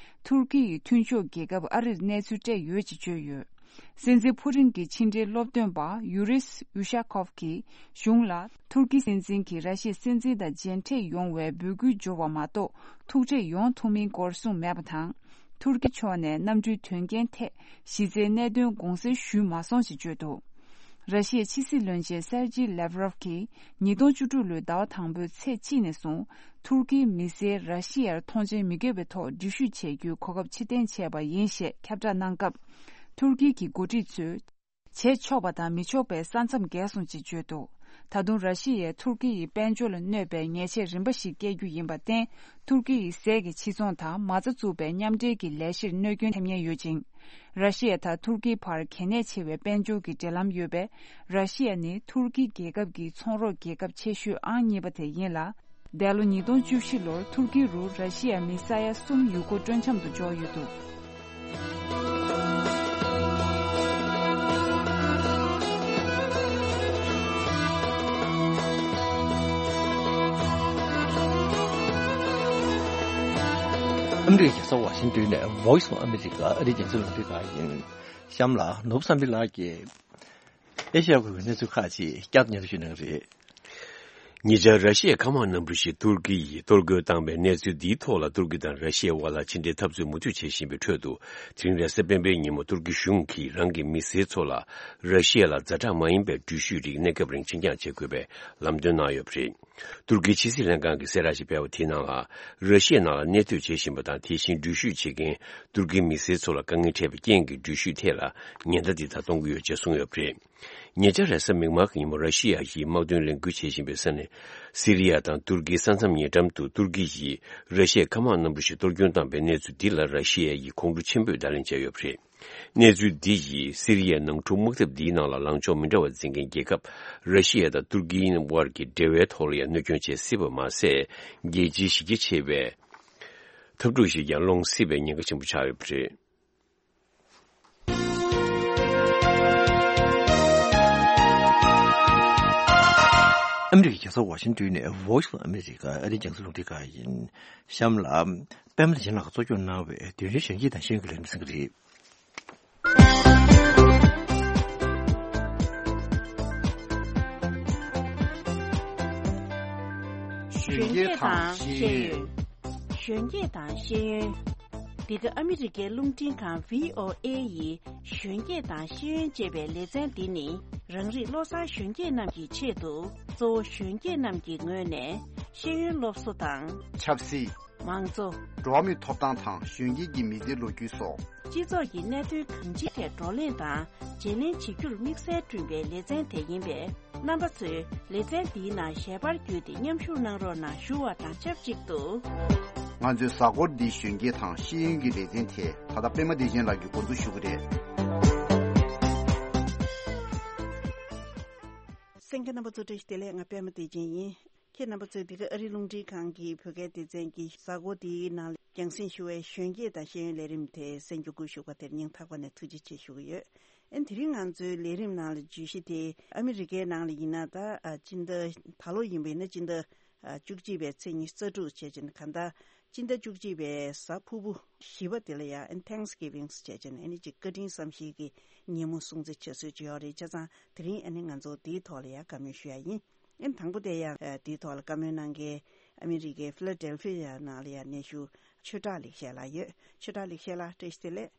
ཐུར་ཀི་ཡི་མཐུན་ཕྱོགས་རྒྱལ་ཁབ་ཨ་རིར་གནས་ཚུལ་སྤྲད་ཡོད་ཅེས་བརྗོད་ཡོད། སྲིད་འཛིན་ཕུ་ཏིན་གྱི་ཕྱི་འབྲེལ་སློབ་སྟོན་པ་ཡུ་རིས་ཡུ་ཤ་ཁོབ་ཀྱིས་གཞུང་ལ། ཐུར་ཀི་སྲིད་འཛིན་གྱིས་ར་ཤི་ཡའི་སྲིད་འཛིན་དང་མཇལ་འཕྲད་ཡོང་བའི་འབོད་སྐུལ་འབྱོར་བ་མ་གཏོགས། ཐུག་འཕྲད་ཡོང་ཐུབ་མིན་སྐོར་གསུངས་མེད་པ་དང་། ཐུར་ཀི་ཕྱོགས་ནས་གནམ་གྲུའི་དོན་རྐྱེན་ཐད་གཞི་རྩའི་གནད་དོན་དགོངས་སེལ་ཞུས་མ་སོང་ཞེས་བརྗོད་འདུག་ར་ཤི་ཡའི་ཕྱི་སྲིད་བློན་ཆེན་སེར་ཇི་ལེབ་རོབ་ཀྱིས་ཉིས་སྟོང་བཅུ་དྲུག་ལོའི་ཟླ་བ་དང་པོའི་ཚེས་གཅིག་ནས་བཟུང་། ཐུར་ཀིའི་མི་སེར་ར་ཤི་ཡར་མཐོང་མཆན་མི་དགོས་པའི་ཐོག་འགྲུལ་བཞུད་བྱེད་རྒྱུའི་གོ་སྐབས་ཕྱིར་འཐེན་བྱས་པ་ཡིན་ཞེས་ཁྱབ་བསྒྲགས་གནང་སྐབས། ཐུར་ཀི་གི་འགོ་ཁྲིད་ཚོས། བྱེད་ཆོག་པ་དང་མི་ཆོག་པའི་ས་མཚམས་བརྒལ་སོང་ཅེས་བརྗོད་འདུག་ད་དུང་ར་ཤི་ཡས་ཐུར་ཀི་ཡི་དཔལ་འབྱོར་ལ་གནོད་པའི་ཉེས་ཆད་རིམ་པ་ཞིག་བཀལ་རྒྱུ་ཡིན་པར་བརྟེན། ཐུར་ཀི་ཡི་ཟས་ཀྱི་ཕྱིར་ཚོང་དང་མ་རྩ་བཙུགས་པའི་མཉམ་འབྲེལ་གྱི་ལས་གཞིར་གནོད་སྐྱོན་ཐེབས་ཉེན་ཡོད་ཅིང་། ར་ཤི་ཡ་དང་ཐུར་ཀིའི་བར་གལ་གནད་ཆེ་བའི་དཔལ་འབྱོར་གྱི་འབྲེལ་ལམ་ཡོད་པས། ར་ཤི་ཡ་ནི་ཐུར་ཀི་རྒྱལ་ཁབ་ཀྱི་ཚོང་རོགས་རྒྱལ་ཁབ་ཆེ་ཤོས་ཨང་གཉིས་པ་དེ་ཡིན་ལ། འདས་ལོ་ཉིས་སྟོང་བཅུ་བཞི་ལོར་ཐུར་ཀི་རུ་ར་ཤི་ཡ་མི་ས་ཡ་གསུམ་ཡུལ་སྐོར་སྤྲོ་འཆམ་དུ་འབྱོར་ཡོད་འདུག་ཨ་མི་རི་ཀའི་རྒྱལ་ས་ཝ་ཤིང་ཏོན་ནས་Voice of America ཨ་རིའི་རྒྱང་སྲིང་རླུང་འཕྲིན་ཁང་ཡིན། གཤམ་ལ་ནོར་བུ་བསམ་འཕེལ་ལགས་ཀྱིས། ཨེ་ཤ་ཡ་ཁུལ་གྱི་གནས་ཚུལ་ཁག་ཅིག་བསྐྱར་དུ་སྙན་སྒྲོན་ཞུ་གནང་གི་རེད། ཉེ་ཆར་ར་ཤི་ཡའི་མཁའ་དམག་གནམ་གྲུ་ཞིག་ཏུར་ཀི་ཡིས་གཏོར་རྒོལ་བཏང་བའི་གནས་ཚུལ་འདིའི་ཐོག་ལ། ཏུར་ཀི་དང་ར་ཤི་ཡའི་དབར་ལ་ཕྱི་འབྲེལ་འཐབ་རྩོད་མུ་མཐུད་བྱེད་བཞིན་པའི་ཁྲོད་དུ། དེ་རིང་རེས་གཟའ་སྤེན་པའི་ཉིན་མོ་ཏུར་ཀི་གཞུང་གིས་རང་གི་མི་སེར་ཚོ་ལ་ར་ཤི་ཡ་ལ་ཛ་དྲག་མ་ཡིན་པའི་འགྲུལ་བཞུད་རིགས་གནས་སྐབས་རིང་ཕྱིར་འགྱངས་བྱེད་དགོས་པའི་ལམ་སྟོན་གནང་ཡོད་པ་རེད། ཏུར་ཀིའི་ཕྱི་སྲིད་ལྷན་ཁང་གིས་གསལ་བསྒྲགས་ཤིག་སྤེལ་བ་དེའི་ནང་ལ། ར་ཤི་ཡའི་ནང་ལ་གནས་སྡོད་བྱེད་བཞིན་པ་དང་། དེ་བཞིན་འགྲུལ་བཞུད་བྱེད་མཁན་ཏུར་ཀིའི་མི་སེར་ཚོ་ལ་དཀའ་ངལ་འཕྲད་པའི་རྐྱེན་གྱིས། འགྲུལ་བཞུད་ཐད་ལ་ཉེན་བརྡ་འདི་ད་གཏོང་གི་ཡོད་ཅེས་གསུངས་ཡོད་པ་རེད། ཉེ་ཆར་རེས་གཟའ་མིག་དམར་གྱི་ཉིན་མོ། ར་ཤི་ཡ་ཡིས་དམག་དོན་ལས་འགུལ་བྱེད་བཞིན་པའི་ས་གནས་སི་རི་ཡ་དང་ཏུར་ཀིའི་ས་མཚམས་ཉེ་འགྲམ་དུ་ཏུར་ཀི་ཡིས་ར་ཤི་ཡའི་མཁའ་དམག་གནམ་གྲུ་ཞིག་གཏོར་སྐྱོན་བཏང་པའི་གནས་ཚུལ་འདི་ལ། ར་ཤི་ཡ་ཡིས་ཁོང་ཁྲོ་ཆེན་པོས་བརྡ་ལན་བྱས་ཡོད་པ་རེད། གནས་ཚུལ་འདི་ཡིས་སི་རི་ཡའི་ནང་འཁྲུག་དམག་འཐབ་འདིའི་ནང་ལ་ལངས་ཕྱོགས་མི་འདྲ་བ་འཛིན་མཁན་རྒྱལ་ཁབ་ར་ཤི་ཡ་དང་ཏུར་ཀིའི་དབར་གྱི་འབྲེལ་བའི་ཐོག་ལ་ཡང་གནོད་སྐྱོན་བྱེད་སྲིད་པ་མ་ཟད། རྒྱལ་སྤྱིའི་གཞི་རྒྱ་ཆེ་བའི་འཐབ་འཁྲུག་ཞིག་ཀྱང་སློང་སྲིད་པའི་ཉེན་ཁ་ཆེན་པོ་ཆགས་ཡོད་པ་རེད། ཨ་མི་རི་ཀའི་རྒྱལ་ས་ཝ་ཤིང་ཏོན་ནས་Voice of America ཨ་རིའི་རྒྱང་སྲིང་རླུང་འཕྲིན་ཁང་ཡིན། གཤམ་ལ། པད་མ་བདེ་ཆེན་ལགས་ཀྱིས་གཙོ་སྐྱོང་གནང་བའི་དུས་རྒྱུན་གཞོན་སྐྱེས་དང་ཤེས་ཡོན་གྱི་ལས་རིམ་གསན་གྱི་རེད། གཞོན་སྐྱེས་དང་ཤེས་ཡོན། གཞོན་སྐྱེས་དང་ཤེས་ཡོན། འདི་ག་ཨ་མི་རི་ཀའི་རླུང་འཕྲིན་ཁང་V O A ཡི་གཞོན་སྐྱེས་དང་ཤེས་ཡོན་ཅེས་པའི་ལེ་ཚན་འདི་ནི། རང་རིགས་བློ་བཟང་གཞོན་སྐྱེས་རྣམས་ཀྱི་ཆེད་དུ། གཙོ་བོ་གཞོན་སྐྱེས་རྣམས་ཀྱི་ངོས་ནས་ཤེས་ཡོན་སློབ་གསོ་དང་། ཆབ་སྲིད། མང་གཙོ། འགྲོ་བ་མིའི་ཐོབ་ཐང་དང་གཞོན་སྐྱེས་ཀྱི་མི་ཚེའི་ལོ་རྒྱུས་སོགས། སྤྱི་ཚོགས་ཀྱི་གནད་དོན་གང་ཅིའི་ཐད་བགྲོ་གླེང་དང་བརྗེ་ལེན་བྱེད་རྒྱུར་དམིགས་བསལ་བསྐྲུན་པའི་ལེ་ཚན་དེ་ཡིན་པས། རྣམ་པ་ཚོས་ལེ་ཚན་འདིའི་ནང་ཞལ་པར་བརྒྱུད་དེ་མཉམ་ཞུགས་གནང་རོགས་གནང་ཞུ་བ་དང་ཆབས་ཅིག་ཏུ། ང་ཚོའི་གཟའ་འཁོར་འདིའི་གཞོན་སྐྱེས་དང་ཤེས་ཡོན་གྱི་ལེ་ཚན་དེ་ད་ལྟ་པད་མ་བདེ་ཆེན་ལགས་ཀྱིས་འགོ་འཛུགས་ཞུ་གི་རེད། གསན་མཁན་རྣམ་པ་ཚོ་བཀྲ་ཤིས་བདེ་ལེགས། ང་པད་མ་བདེ་ཆེན་ཡིན། ཁྱེད་རྣམ་པ་ཚོས་འདི་ག་ཨ་རིའི་རླུང་འཕྲིན་ཁང་གི་བོད་སྐད་སྡེ་ཚན་གྱི་གཟའ་འཁོར་འདིའི་ནང་ལ་རྒྱང་སྲིང་ཞུ་བའི་གཞོན་སྐྱེས་དང་ཤེས་ཡོན་ལས་རིམ་དེ་གསན་རྒྱུ་སྒུག་བཞུགས་པ་དེར་སྙིང་ཐག་པ་ནས་ཐུགས་རྗེ་ཆེ་ཞུ་གི་ཡོད། ཨ་ནི་དེ་རིང་ང་ཚོའི་ལས་རིམ་ནང་ལ་བརྗོད་གཞི་དེ་ཨ་མི་རི་ཀའི་ནང་ལ་ཡིན་ན། ད་ཨ་སྤྱི་ཟླ་ད་ལོ་ཡིན་པ་ཡིན་ན་སྤྱི་ཟླ་ཨ་བཅུ་གཅིག་པའི་ཚེས་ཉི་ཤུ་རྩ་དྲུག་བྱས་ཙང་གང་ལྟར་སྤྱི་ཟླ་བཅུ་གཅིག་པའི་གཟའ་ཕུར་བུ་བཞི་པ་དེ་ལ་ཡང་ཨ་ནི་Thanksgiving བྱས་ཙང་ཨ་ནི་ཅིག་བཀའ་དྲིན་བསམ་ཤེས་ཀྱི་ཉིན་མོ་སྲུང་བརྩི་བྱེད་སྲོལ་ཅིག་ཡོད་རེད། བྱས་ཙང་དེ་རིང་ཨ་ནི་ང་ཚོ་དེའི་ཐོག་ལ་ཡང་བཀའ་མོལ་ཞུ་ཡ་ཡིན། ཨ་ནི་དང་པོ་དེ་ཡང་ཨ་དེའི་ཐོག་ལ་བཀའ་མོལ་གནང་མཁན་ཨ་མི་རི་ཀའི་ཕི་ལ་ཌེལ་ཕི་ཡ་ནང་ལ་ཡང་གནས་བཞུགས་ཆོས་གྲགས་ལེགས་བཤད་ལགས་ཡོད། ཆོས་གྲགས་ལེགས་བཤད་ལགས་བཀྲ་ཤིས་བདེ་ལེགས།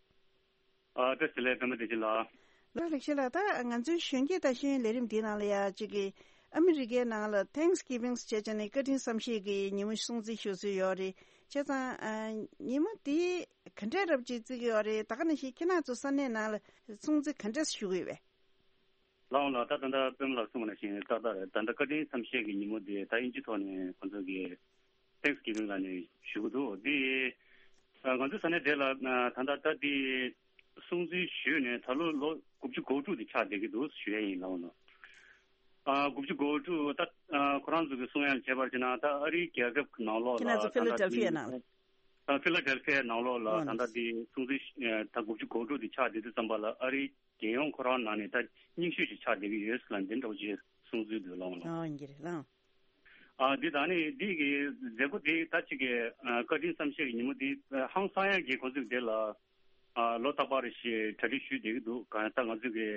ཨ་བཀྲ་ཤིས་བདེ་ལེགས། པད་མ་བདེ་ཆེན་ལགས། ལགས་ལེགས་བཤད་ལགས། ད་ང་ཚོའི་གཞོན་སྐྱེས་དང་ཤེས་ཡོན་ལས་རིམ་འདིའི་ནང་ལ་ཡང་གཅིག་གི་ཨ་མི་རི་ཀའི་ནང་ལ་Thanksgiving བྱས་ཙང་ནི་བཀའ་དྲིན་བསམ་ཤེས་ཀྱི་ཉིན་མོ་སྲུང་བརྩི་ཞུ་སྲོལ་ཡོད་རེད། བྱས་ཙང་ཨ་ཉིན་མོ་འདི་ག་འདྲས་རབ་ཅིག་བརྩི་གི་ཡོད་རེད། ད་ག་ནང་བཞིན་ཁྱེད་རང་ཚོ་ས་གནས་ནང་ལ་སྲུང་བརྩི་ག་འདྲས་ཞུ་གི་ཡོད་པས། ལགས་འོང་ལགས། ད་ད་ལྟ་པད་མ་ལགས་གསུངས་པ་ནང་བཞིན་ཏག་ཏག་རེད། ད་ལྟ་བཀའ་དྲིན་བསམ་ཤེས་ཀྱི་ཉིན་མོ་དེ་ད་དབྱིན་ཇི་ཐོག་ནས་ཁོང་ཚོ་གིས་Thanksgiving ལབ་ནས་ཞུ་གི་འདུག་འདི་ཨ་ང་ཚོའི་ས་གནས་དེ་ལ་ཨ་ད་ལྟ་ད་འདི་སྲུང་བརྩི་ཞུས་ནས་ད་ལོ་ལོ་དགུ་བཅུ་གོ་དྲུག་དེ་ཆགས་བསྡད་ཀྱི་འདུག་ཞུ་ཡ་ཡིན། ལགས་འོང་། ཨ་དགུ་བཅུ་གོ་དྲུག་ད་ཨ་ཁོ་རང་ཚོ་གི་གསུང་ཡ་བྱས་པར་བྱས་ན། ད་ཨ་རིའི་རྒྱལ་ཁབ་ནང་ལོགས་ཁྱེད་རང་ལ་ཚོ་ཕི་ལ་ཌེལ་ཕི་ཡ་ནང་ལ། ཨ་ཕི་ལ་ཌེལ་ཕི་ཡ་ནང་ལོགས་ལ་ཨོ་ད་ལྟ་འདི་སྲུང་བརྩི་ཨ་ད་དགུ་བཅུ་གོ་དྲུག་དེ་ཆགས་བསྡད་དུས་ཙམ་པ་ལ་ཨ་རིའི་རྒྱལ་ཡོངས་ཁོ་རང་ནང་ནས་ད་རྙིང་ཤོས་ཤིག་ཆགས་བསྡད་ཀྱི་ཡོད་ཟེར་ལབ་འདི་འདྲ་བོ་ཅིག་གསུང་ཚུལ་འདུག། ལགས་འོང་། ཨོ་ཡིན་གྱི་རེད། ལགས་འོང་། ཨ་འདི་ད་ནི་འདི་གི་མཛད་སྒོ་འདི་ད་ཅིག་གི་ཨ་བཀའ་དྲིན་བསམ་ཤེས་ཀྱི་ཉིན་མོ་འདི་ཨ་ཧང་སང་ཡ་གི་ཁོང་ཚོས་འདི་ལ་ཨ་ལོ་རྟག་པར་རེ་བཞིན་གྲ་སྒྲིག་ཞུས་བསྡད་ཀྱི་འདུག། གང་ཡང་ད་ང་ཚོས་ཀྱི་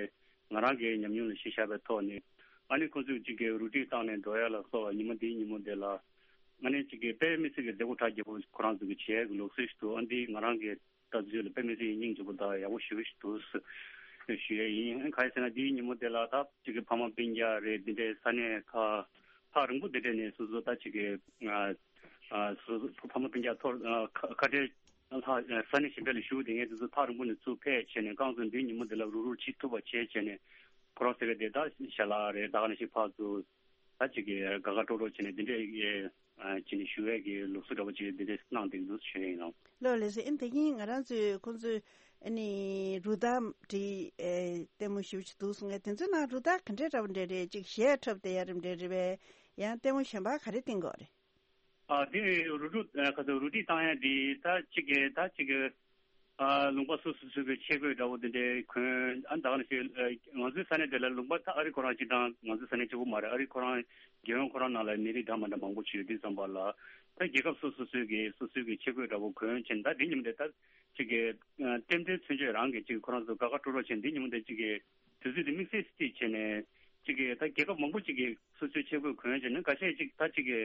ང་རང་གི་ཉམས་མྱོང་ལ་གཞི་བཞག་པའི་ཐོག་ནས་ཨ་ནི་ཁོང་ཚོས་ཅིག་གི་རུ་སྒྲིག་བཏང་ནས་འགྲོ་ཡ་ལ་སོགས་ཉིན་མོ་འདིའི་ཉིན་མོ་འདི་ལ་ཨ་ནི་ཅིག་གི་དཔེ་མི་སྲིད་ཀྱི་མཛད་སྒོ་གྲ་རྒྱས་པོ་ཁོ་རང་ཚོ་གི་བྱེད་ཡ་གི་ལུགས་སྲོལ་ཞིག་འདུག། ཨ་འདི་ང་རང་གི་ལྟ་ཚུལ་ལ་དཔེ་མི་སྲིད་སྙིང་རྗེ་པོ་དང་ཡག་པོ་ཞེ་པོ་ཞིག་འདུག་ཞུ་ཡས་ཡིན། གང་ཡིན་ཟེར་ན་འདིའི་ཉིན་མོ་དེ་ལ་ད་ཅིག་གི་ཕ་མ་སྤུན་ཀྱག་རེད། འདི་འདྲའི་ས་གནས་ཁག་ཐག་རིང་པོ་འདི་འདྲས་ནས་སོ་སོ་ད་ཅིག་གི་ཨ་ཨ་སོ་སོ་ཕ་མ་སྤུན་ཀྱག་ཐོག་ཨ་ཁ་ཁ་བྲལ་ལྷག་ས་གནས་གཞན་པ་ལ་བཞུགས་བསྡད་མཁན་དེ་ཚོ་ཐག་རིང་པོ་ནས་ཚུར་ཕེབས་བྱས་ནས་རྐང་བཙུགས་འདིའི་ཉིན་མོ་འདི་ལ་རུག་རུག་བྱེད་ཐུབ་པ་བྱས་བྱས་ནས་ཁོ་རང་ཟེར་གི་དེ་ད་ཞལ་ལག་རེད། ད་ག་ནང་བཞིན་ཕར་ཚུར། ད་ཅིག་གི་དགའ་དགའ་སྤྲོ་སྤྲོ་བྱས་ནས་འདི་འདྲའི་ཨེ་ཨ་བྱས་ནས་ཞུ་ཡས་ཀྱི་ལུགས་སྲོལ་འདྲ་པོ་ཅིག་འདི་འདྲའི་གནང་བསྡད་འདུག་ཞུ་ཡས་ཡིན་ནོ། ལགས་ལགས་སེ། ཨ་ནི་ད་གིན་ང་རང་ཚོས་ཁོང་ཚོས་ཨ་ནི་རུ་སྟར་འདི་ཨེ་ལྟད་མོ་ཞེ་པོ་ཅིག་འདུག་གསུང་ངས། དེ་ཚོའི་ནང་རུ་སྟར་ག་འདྲའི་འདྲ་པོ་འདྲ་རེད། ཅིག་གཞས་འཁྲབ་བསྡད་ཡ་རེད་འདྲ་རེད་པས། ཡང་ལྟད་མོ་གཞན་པ་ག་རེ་བསྟན་གྱི་ཡོད་རེད། ཨ་འདི་རུ་སྒྲིག་ཨ་ག་ཚོད་རུ་སྒྲིག་བཏང་ཡ་འདི་ད་ཅིག་གི་ད་ཅིག་གི་ཨ་ལུང་པ་སོ་སོ་སོ་གི་ཆས་གོས་འདྲ་བོ་དེ་འདྲའི་གོན། ཨ་ད་ག་ནང་བཞིན་ཨ་ང་ཚོའི་ས་གནས་དེ་ལ་ལུང་པ་ད་ཨ་རི་ཁོ་རང་སྤྱི་དང་ང་ཚོའི་ས་གནས་གཅིག་པོ་མ་རེད། ཨ་རི་ཁོ་རང་རྒྱལ་ཡོངས་ཁོ་རང་ནང་ལ་མི་རིགས་འདྲ་མི་འདྲ་མང་པོ་ཅིག་ཡོད་དུས་ཙམ་པ་ལ་ད་རྒྱལ་ཁབ་སོ་སོ་སོའི་གི་སོ་སོའི་གི་ཆས་གོས་འདྲ་བོ་གོན་བྱས་ནས་ད་འདི་ཉིན་མོ་དེ་ད་ཅིག་གི་ཨ་ཏན་ཏན་མཚོན་ཆ་རང་གི་ཅིག་ཁོ་རང་ཚོ་དགའ་དགའ་སྤྲོ་སྤྲོ་བྱས་འདི་ཉིན་མོ་དེ་ཅིག་གི་ དུས་ཚོད་དེ་དམིགས་བསལ་ཅིག་བྱས་ནས་ཅིག་གི་ད་རྒྱལ་ཁབ་མང་པོ་ཅིག་གི་སོ་སོའི་ཆས་གོས་གོན་བྱས་ནས་ཁ་ཤས་ཅིག་ད་ཅིག་གི་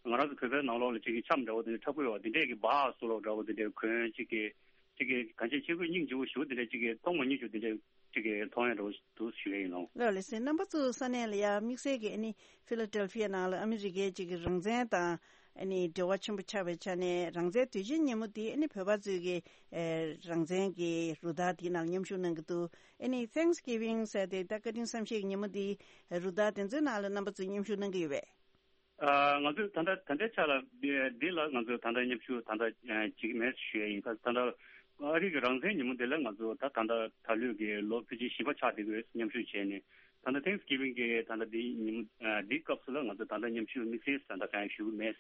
ང་རང་ཚོ་བོད་པའི་ནང་ལོགས་ལ་ཅིག་གི་ཆམ་འདྲ་བོ་དེ་འདྲ་འཁྲབ་གོས་བ་དེ་འདྲས་ཀྱི་སྦ་སུ་ལོག་འདྲ་བོ་དེ་འདྲས་གོན་ཅིག་གི་ཅིག་གི་གང་ཅི་ཆས་གོས་སྙིང་རྗེ་བོ་ཞུ་དེ་འདྲས་ཅིག་གི་མཐོང་མ་མྱོང་ཞུ་དེ་འདྲས་ཅིག་གི་མཐོང་ཡ་འདྲ་བོ་འདུག་ཞུ་ཡ་ཡིན་ནོ། ལགས་ལགས་སེ། རྣམ་པ་ཚོ་ས་གནས་ལ་ཡ་དམིགས་བསལ་གྱི་ཨ་ནི་ཕི་ལ་ཏེལ་ཕི་ཡ་ནང་ལ་ཨ་མི་རི་ཀའི་ཅིག་གི་རང་བཙན་དང་ཨ་ནི་འབྲེལ་བ་ཆེན་པོ་ཆགས་པའི་ཆ་ནས་རང་བཙན་དུས་ཆེན་ཉིན་མོ་དེ་ཨ་ནི་བོད་པ་ཚོས་ཀྱི་ཨེ་རང་བཙན་གྱི་རུ་སྟར་དེའི་ནང་མཉམ་ཞུགས་གནང་གི་འདུག་ཨ་ནི་Thanksgiving ཟེར་ཏེ་ད་བཀའ་དྲིན་བསམ་ཤེས་ཀྱི་ཉིན་མོ་དེ་རུ་སྟར་དེ་ཚོའི་ནང་ལ་རྣམ་པ་ཚོས་མཉམ་ཞུགས་གནང་གི་ཡོད་པས། ཨ། ང་ཚོས་ད་ལྟ་ད་ལྟའི་ཆ་ལ་འདི་འདི་ལ་ང་ཚོས་ད་ལྟ་མཉམ་ཞུགས་ད་ལྟ་ཨ་བྱེད་ཀྱི་མེད་ཞུ་ཡ་ཡིན། ད་ད་ལྟ་ཨ་རི་གི་རང་བཙན་ཉིན་མོ་འདི་ལ་ང་ཚོ་ད་ད་ལྟ་ད་ལོའི་གི་ལོ་ཕལ་ཆེར་བཞི་པ་ཆགས་བསྡད་ཡོད། མཉམ་ཞུགས་བྱས་ནས་ད་ལྟ་Thanksgiving གི་ད་ལྟ་འདི་ཉིན་མོ་ཨ་འདི་སྐབས་སུ་ལ་ང་ཚོ་ད་ལྟ་མཉམ་ཞུགས་དམིགས་བསལ་ད་ལྟ་གང་ཡང་ཞུ་གི་མེད།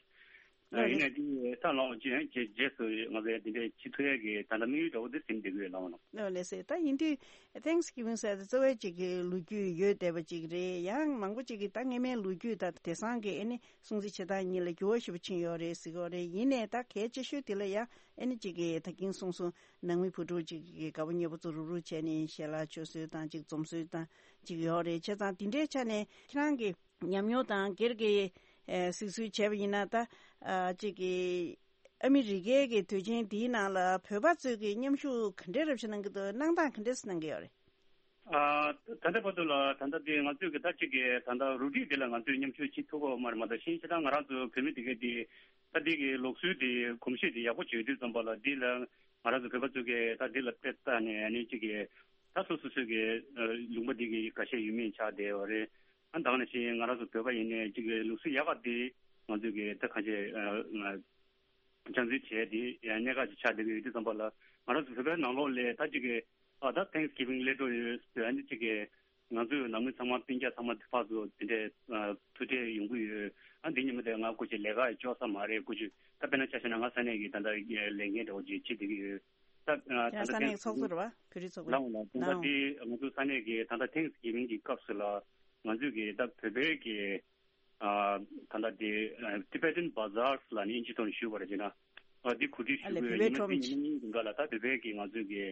ཨ་ཡིན་ནའི་འདི་ད་ལོ་རྗེས་རྗེས་རྗེས་སུ་ང་ཚོས་འདི་འདྲའི་བྱེད་ཐུབ་ཡ་གི་ད་ལྟ་དམིགས་ཡུལ་འདྲ་བོ་འདི་ཟིན་བསྡད་ཡོད་ལགས་ནོ། ལགས་ལགས་སེ། ད་ཡིན་དུས་Thanksgiving ཟེར་དེ་གཙོ་བོ་ཅིག་གི་ལོ་རྒྱུས་ཡོད་བསྡད་པ་ཅིག་རེད། ཡང་མང་པོ་ཅིག་གིས་ད་སྔ་མའི་ལོ་རྒྱུས་དང་དེང་སང་གི་ཨ་ནི་སྲུང་བརྩི་བྱེད་སྟངས་གཉིས་ལ་འགྱུར་བ་ཞེ་པོ་ཕྱིན་ཡོད་རེད་ཟེར་གྱི་ཡོད་རེད། ཡིན་ནའི་ད་གལ་ཆེ་ཤོས་དེ་ལ་ཡང་ཨ་ནི་ཅིག་གི་ད་གིན་གསུངས་སོང་། ནང་མི་བུ་ཕྲུག་ཅིག་གི་དགའ་པོ་ཉེ་པོ་ཚོ་རུག་རུག་བྱས་ནས་ཞལ་ལག་མཆོད་སྲོལ་དང་ཅིག་འཛོམས་སྲོལ་དང་ཅིག་ཡོད་རེད། བྱས་ཙང་དེ་འདྲའི་ཆ་ནས་ཁྱེད་རང་གི་ཉམས་མྱོང་དང་སྒེར་གྱི་ཨ་གཟིགས་ཚུལ་བྱས་པ་ཡིན་ན་ད་ཨ་ཅིག་གི་ཨ་མི་རི་ཀའི་གི་དུས་ཆེན་འདིའི་ནང་ལ་བོད་པ་ཚོས་ཀྱི་མཉམ་ཞུགས་ག་འདྲའི་རབ་ཞིག་གནང་གི་འདུག་གནང་སྟངས་ག་འདྲས་གནང་གི་ཡོད་རེད། ཨ་ད་ལྟ་བར་དུ་ལ་ད་ལྟ་དེ་ང་ཚོས་ཀྱི་ད་ཅིག་གི་ད་ལྟ་རུ་སྒྲིག་དེ་ལ་ང་ཚོས་མཉམ་ཞུགས་བྱེད་ཐུབ་ཀྱི་ཡོད་མ་རེད། མ་གཏོགས་གཞན་ཞེ་དྲག་ང་རང་ཚོ་བོད་མི་དེ་གའི་དེ་ད་དེ་གི་ལུགས་སྲོལ་དེ་གོམས་གཤིས་དེ་ཡག་པོ་བྱེད་དུས་ཙམ་པ་ལ་འདི་ལ་ང་རང་ཚོ་བོད་པ་ཚོས་ཀྱི་ད་འདི་ལ་དཔེ་བལྟས་ནས་ཨ་ནི་ཅིག་གི་ད་སོ་སོ་སོའི་གི་ལུང་པ་འདི་གི་ཁ་ཤས་ཡུལ་མིས་ཆགས་བསྡད་ཡོད་རེད། ཨ་ད་ག་ནང་བཞིན་ང་རང་ཚོ་བོད་པ་ཡིན་ནའི་ཅིག་གི་ལུགས་སྲོལ་ཡག་ག་དེ་ང་ཚོས་ཀྱི་ད་གང་ཅི་སྦྱང་བརྩོན་བྱས་ཏེ་གནད་འགག་ཅིག་ཆགས་བསྡད་ཀྱི་ཡོད་དུས་ཙམ་པ་ལ་ང་རང་ཚོ་བོད་པའི་ནང་ལོགས་ལ་ད་ཅིག་གི་ཨ་ད་Thanksgiving སླེབས་འགྲོ་ཡོད་ཟེར་ཨ་ནི་ཅིག་གི་ང་ཚོའི་ནང་མི་ཚང་མ་སྤུན་ཀྱག་ཚང་མ་ཕར་ཚུར་དེ་འདྲའི་ཐུག་འཕྲད་ཡོང་གི་ཡོད། ཨ་འདི་ཉིན་མོ་དེ་ང་སྐུ་མཁྱེན་ལས་ཀ་ཡི་ལྕོགས་ས་མ་རེད། སྐུ་མཁྱེན་ད་དཔེར་ན་ཆ་བཞག་ན་ང་ས་གནས་ཀྱི་ད་ལྟ་ལས་འགན་འདྲ་བོ་ཅིག་བྱེད་བསྡད་ཀྱི་ཡོད། ད་ད་ལྟ་ཁྱེད་རང་ས་གནས་ཀྱི་ཚོགས་གཙོ་རེད་བ། བོད་རིགས་ཚོགས་པའི་ལའོ་ལ་ད་ལྟ་ལའོ་དེ་ང་ཚོ་ས་གནས་ཀྱི་ད་ལྟ་Thanksgiving གི་སྐབས་སུ་ལ་ང་ཚོས་ཀྱི་ད་བོད་པའི་གི་ཨ་ད་ལྟ་དེ་ཨ་Tibetan Bazaars ལ་ནི་ཨིན་ཇི་ཐོག་ནས་ཞུས་པ་རེད་ཅེ་ན། ཨ་དེ་གོ་སྒྲིག་ཞུ་ཨ་ལས་དགོས་བོད་པའི་ཡིན་ན་ཁྲོམ་དེ་ཉིན་གཉིས་འགའ་ལ་ད་བོད་པའི་གི་ང་ཚོས་གི་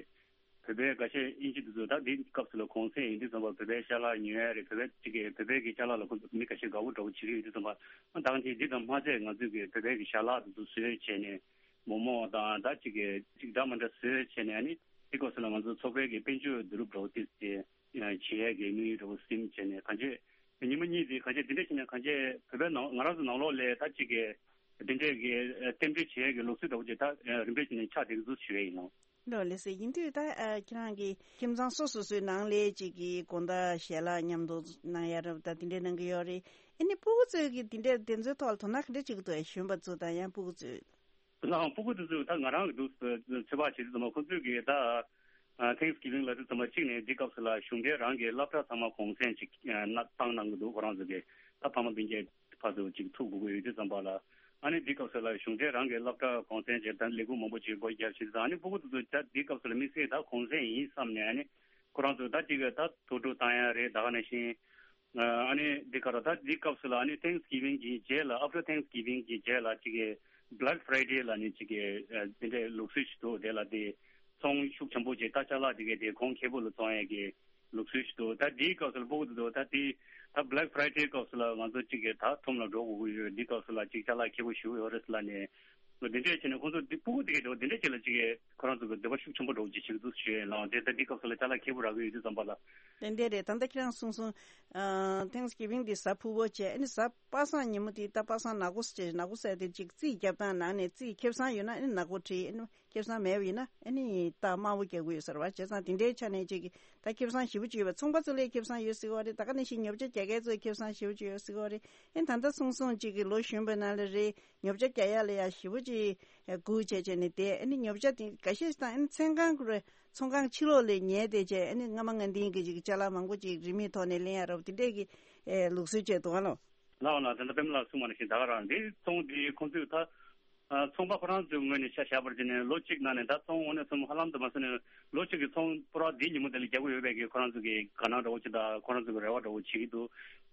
བོད་པའི་འགའ་ཤས་ཨིན་ཇི་དེ་ཚོ་ད་དེ་སྐབས་སུ་ལ་གུང་སེང་ཡིན་དུས་ཙམ་པ་བོད་པའི་ཤ་ལག་ཉོ་ཡ་རེད། བོད་པའི་ཅིག་གི་བོད་པའི་གི་ཅ་ལག་ལ་ཁོ་ཚོ་མི་འགའ་ཤས་དགའ་བོ་འདྲ་བོ་བྱེད་ཀྱི་ཡོད་དུས་ཙམ་པ་ཨ་ད་ག་ཅིག་འདི་ཙམ་མ་ཚད་ང་ཚོས་གི་བོད་པའི་གི་ཞལ་ལག་དེ་ཚོ་བཟོས་བྱས་ནས་མོག་མོག་དང་ད་ཅིག་གི་ཅིག་འདྲ་མ་འདྲ་བཟོས་བྱས་ནས་ཨ་ནི་དེ་སྐབས་སུ་ལ་ང་ཚོ་ཚོགས་པའི་གི་དཔལ་འབྱོར་བསྡུ་རུབ་འདྲ་བོ་དེ་བྱས། བྱེད་ཡས་ཀྱི་དམིགས་ཡུལ་འདྲ་བོ་ཟིན་བྱས་ནས་གང་ཅི་ཉི་མ་གཉིས་དེ་གང་ཅི་དེ་འདྲ་བྱས་ནས་གང་ཅི་བོད་པའི་ནང་ང་རང་ཚོ་ནང་ལོགས་ལ་ད་ཅིག་གི་དེ་འདྲས་ཀྱི་རྟེན་འབྲེལ་བྱེད་ཡས་ཀྱི་ལུགས་སྲོལ་འདྲ་བོ་ཅིག་ད་རིམ་པས་བྱས་ནས་ཆགས་བསྡད་ཀྱི་འདུག་ཞུ་ཡས་ཡིན་ནོ། ལགས་ལགས་སེ། ཡིན་དུས་ད་ཁྱེད་རང་གི་ཁྱིམ་ཚང་སོ་སོ་སོའི་ནང་ལ་ཅིག་གི་དགོང་དག་ཞལ་ལག་མཉམ་དུ་གནང་ཡ་རབ་ད་དེ་འདྲས་གནང་གི་ཡོད་རེད། ཨ་ནི་སྤུ་གུ་ཚོས་ཀྱི་དེ་འདྲས་དེ་ཚོའི་ཐོག་ལ་དོ་སྣང་ག་འདྲས་བྱེད་ཀྱི་འདུག་གཞོན་པ་ཚོ་དང་ཡང་སྤུ་གུ་ཚོས། ལའང་སྤུ་གུ་དེ་ཚོས་ད་ང་རང་གི་འདུག་ཚོད་དཔག་བྱེད་དུས་ཙམ་པ་ཁོ་ཚོས་ཀྱིས་ད་Thanksgiving ལབ་དུས་ཙམ་པ་གཅིག་ནས་འདི་སྐབས་སུ་ལ་གཞུང་འབྲེལ་རང་གི་སློབ་གྲྭ་ཚང་མ་གུང་སེང་ཅིག་ན་བཏང་གནང་གི་འདུག་ཁོ་རང་ཚོ་གིས་ད་ཕ་མ་སྤུན་ཀྱག་ཕར་ཚུར་ཅིག་ཐུག་དགོས་ཀྱི་ཡོད་དུས་ཙམ་པ་ལ་ཨ་ནི་འདི་སྐབས་སུ་ལ་གཞུང་འབྲེལ་རང་གི་སློབ་གྲྭ་གུང་སེང་ཅིག་ད་ལས་ཁུངས་མང་པོ་ཅིག་སྒོ་བརྒྱབ་བྱེད་དུས་ཙམ་ཨ་ནི་སྤུ་གུ་དེ་ཚོ་ད་འདི་སྐབས་སུ་ལ་དམིགས་བསལ་ད་གུང་སེང་ཡིན་བསམ་ནས་ཨ་ནི་ཁོ་རང་ཚོ་ད་ཅིག་ད་དུར་ཁྲོད་བཏང་ཡ་རེད། ད་ག་ནང་བཞིན། ཨ་ནི་འདི་ག་ར་ད་འདི་སྐབས་སུ་ལ་ཨ་ནི་Thanksgiving གི་རྗེས་ལ་After Thanksgiving གི་རྗེས་ལ་ཅིག་གི་Black Friday ལ་ནི་ཅིག་གི་དེ་འདྲའི་ལུགས་སྲོལ་ཞིག་འདུག་དེ་ལ་དེ་ཚོང་ཤུགས་ཆེན་པོ་ཅིག་ད་ཅ་ལག་དེ་གའི་དེ་གོང་ཁེ་པོ་ལ་བཙོང་ཡས་ཀྱི་ལུགས་སྲོལ་ཞིག་འདུག་ད་འདིའི་སྐབས་སུ་ལ་སྤུ་གུ་དེ་ཚོ་ད་དེ་ད་Black Friday སྐབས་སུ་ལ་ང་ཚོ་ཅིག་གི་ད་ཁྲོམ་ལ་འགྲོ་དགོས་ཀྱི་ཡོད། འདི་སྐབས་སུ་ལ་ཅིག་ཅ་ལག་ཁེ་པོ་ཞེ་པོ་ཡོད་རེད་ལབ་ནས་འདི་འདྲས་བྱས་ནས་ཁོང་ཚོ་འདི་སྤུ་གུ་དེ་གའི་འདྲ་བོ་འདི་འདྲས་ཅིག་ལ་ཅིག་གི་ཁོ་རང་ཚོ་གི་འདོད་པ་ཤུགས་ཆེན་པོ་འདྲ་བོ་ཅིག་བྱེད་ཀྱི་འདུག་ཞུ་ཡས་ལ་དེ་ལྟར་འདི་སྐབས་སུ་ལ་ཅ་ལག་ཁེ་པོ་རག་གི་ཡོད་དུས་ཙམ་པ་ལ། ཏན་ཏན་རེད། ད་ལྟ་ཁྱེད་རང་གསུངས་སོང་། ཨ་Thanksgiving འདི་གཟའ་ཕུར་བུ་བྱས་ཨ་ནི་གཟའ་པ་སངས་ཉིན་མོ་དེ་ད་པ་སངས་ནག་པོ་ཟེར་ནག་པོ་ཟེར་དེ་ཅིག་རྩིས་རྒྱབ་སྟངས་ནང་ནས་རྩིས་ཁེ་བཟང་ཡོད་ན་ཨ་ནི་ནག་པོ་བྲིས། ཨ་ནི་ཁེ་བཟང་མེད་པ་ཡིན་ན་ཨ་ནི་རྟགས་དམར་པོ་རྒྱག་གི་ཡོད་ཟེར་བ། བྱས་ཙང་དེ་འདྲའི་ཆ་ནས་ཅིག་ད་ཁེ་བཟང་ཞེ་པོ་ཅིག་ཡོད་པ། ཚོང་པ་ཚོ་ལས་ཁེ་བཟང་ཡོད་ཟེར་གི་ཡོད་རེད། ད་ག་ནང་བཞིན་ཉོ་ཆ་རྒྱག་མཁན་ཚོ་ལས་ཁེ་བཟང་ཞེ་པོ་ཅིག་ཡོད་ཟེར་གི་ཡོད་རེད། ཨེ་ད་ལྟ་གསུངས་སོང་ཅིག་གི་ལོ་གཞོན་པའི་ནང་ལ་རེད། ཉོ་ཆ་རྒྱག་ཡ་ལ་ཡ་ཞེ་པོ་ཅིག་སྒུག་བྱས་བྱས་ནས་བསྡད། ཨ་ནི་ཉོ་ཆ་དེ་འགའ་ཤས་ཤིག་དང་ཨ་ནི་ཚོང་ཁང་ཁུ་རེ་ཚོང་ཁང་ཕྱི་ལོགས་ལ་ཉལ་བསྡད་བྱས་ཨ་ནི་སྔ་མ་སྔ་འདིའི་གི་ཅིག་ཅ་ལག་མང་པོ་ཅིག་རིན་མེད་ཐོག་ནས་ལེན་ཡ་རབས་དེ་འདྲས་ཀྱི་ཨེ་ལུགས་སྲོལ་བཅས་འདུག་ཨ་ལོ། ལགས་འོང་ལགས། ད་ལྟ་པདྨ་ལགས་གསུངས་པ་ནང་བཞིན་ད་ག་རང་འདི་ཚོང་འདི་ཁོང་ཚོས་ད་ཚོང་པ་ཁོ་རང་ཚོའི་ངོས་ནས་ཆ་བཞག་པར་བྱས་ནས་ལོ་གཅིག་ནང་ནས་ད་ཚོང་དངོས་གནས་གསུམ་ཧ་ལམ་དུ་མ་སོང་ནས་ལོ་གཅིག་གི་ཚོང་པུ་ར་འདི་ཉིན་མོ་དེ་ལ་རྒྱག་གི་ཡོད་པའི་གི་ཁོ་རང་ཚོ་གི་དགའ་སྣང་འདྲ་བོ་ཅིག་དང་ཁོ་རང་ཚོ་གི་རེ་བ་འདྲ་བོ་བྱེད་ཀྱི་འདུག་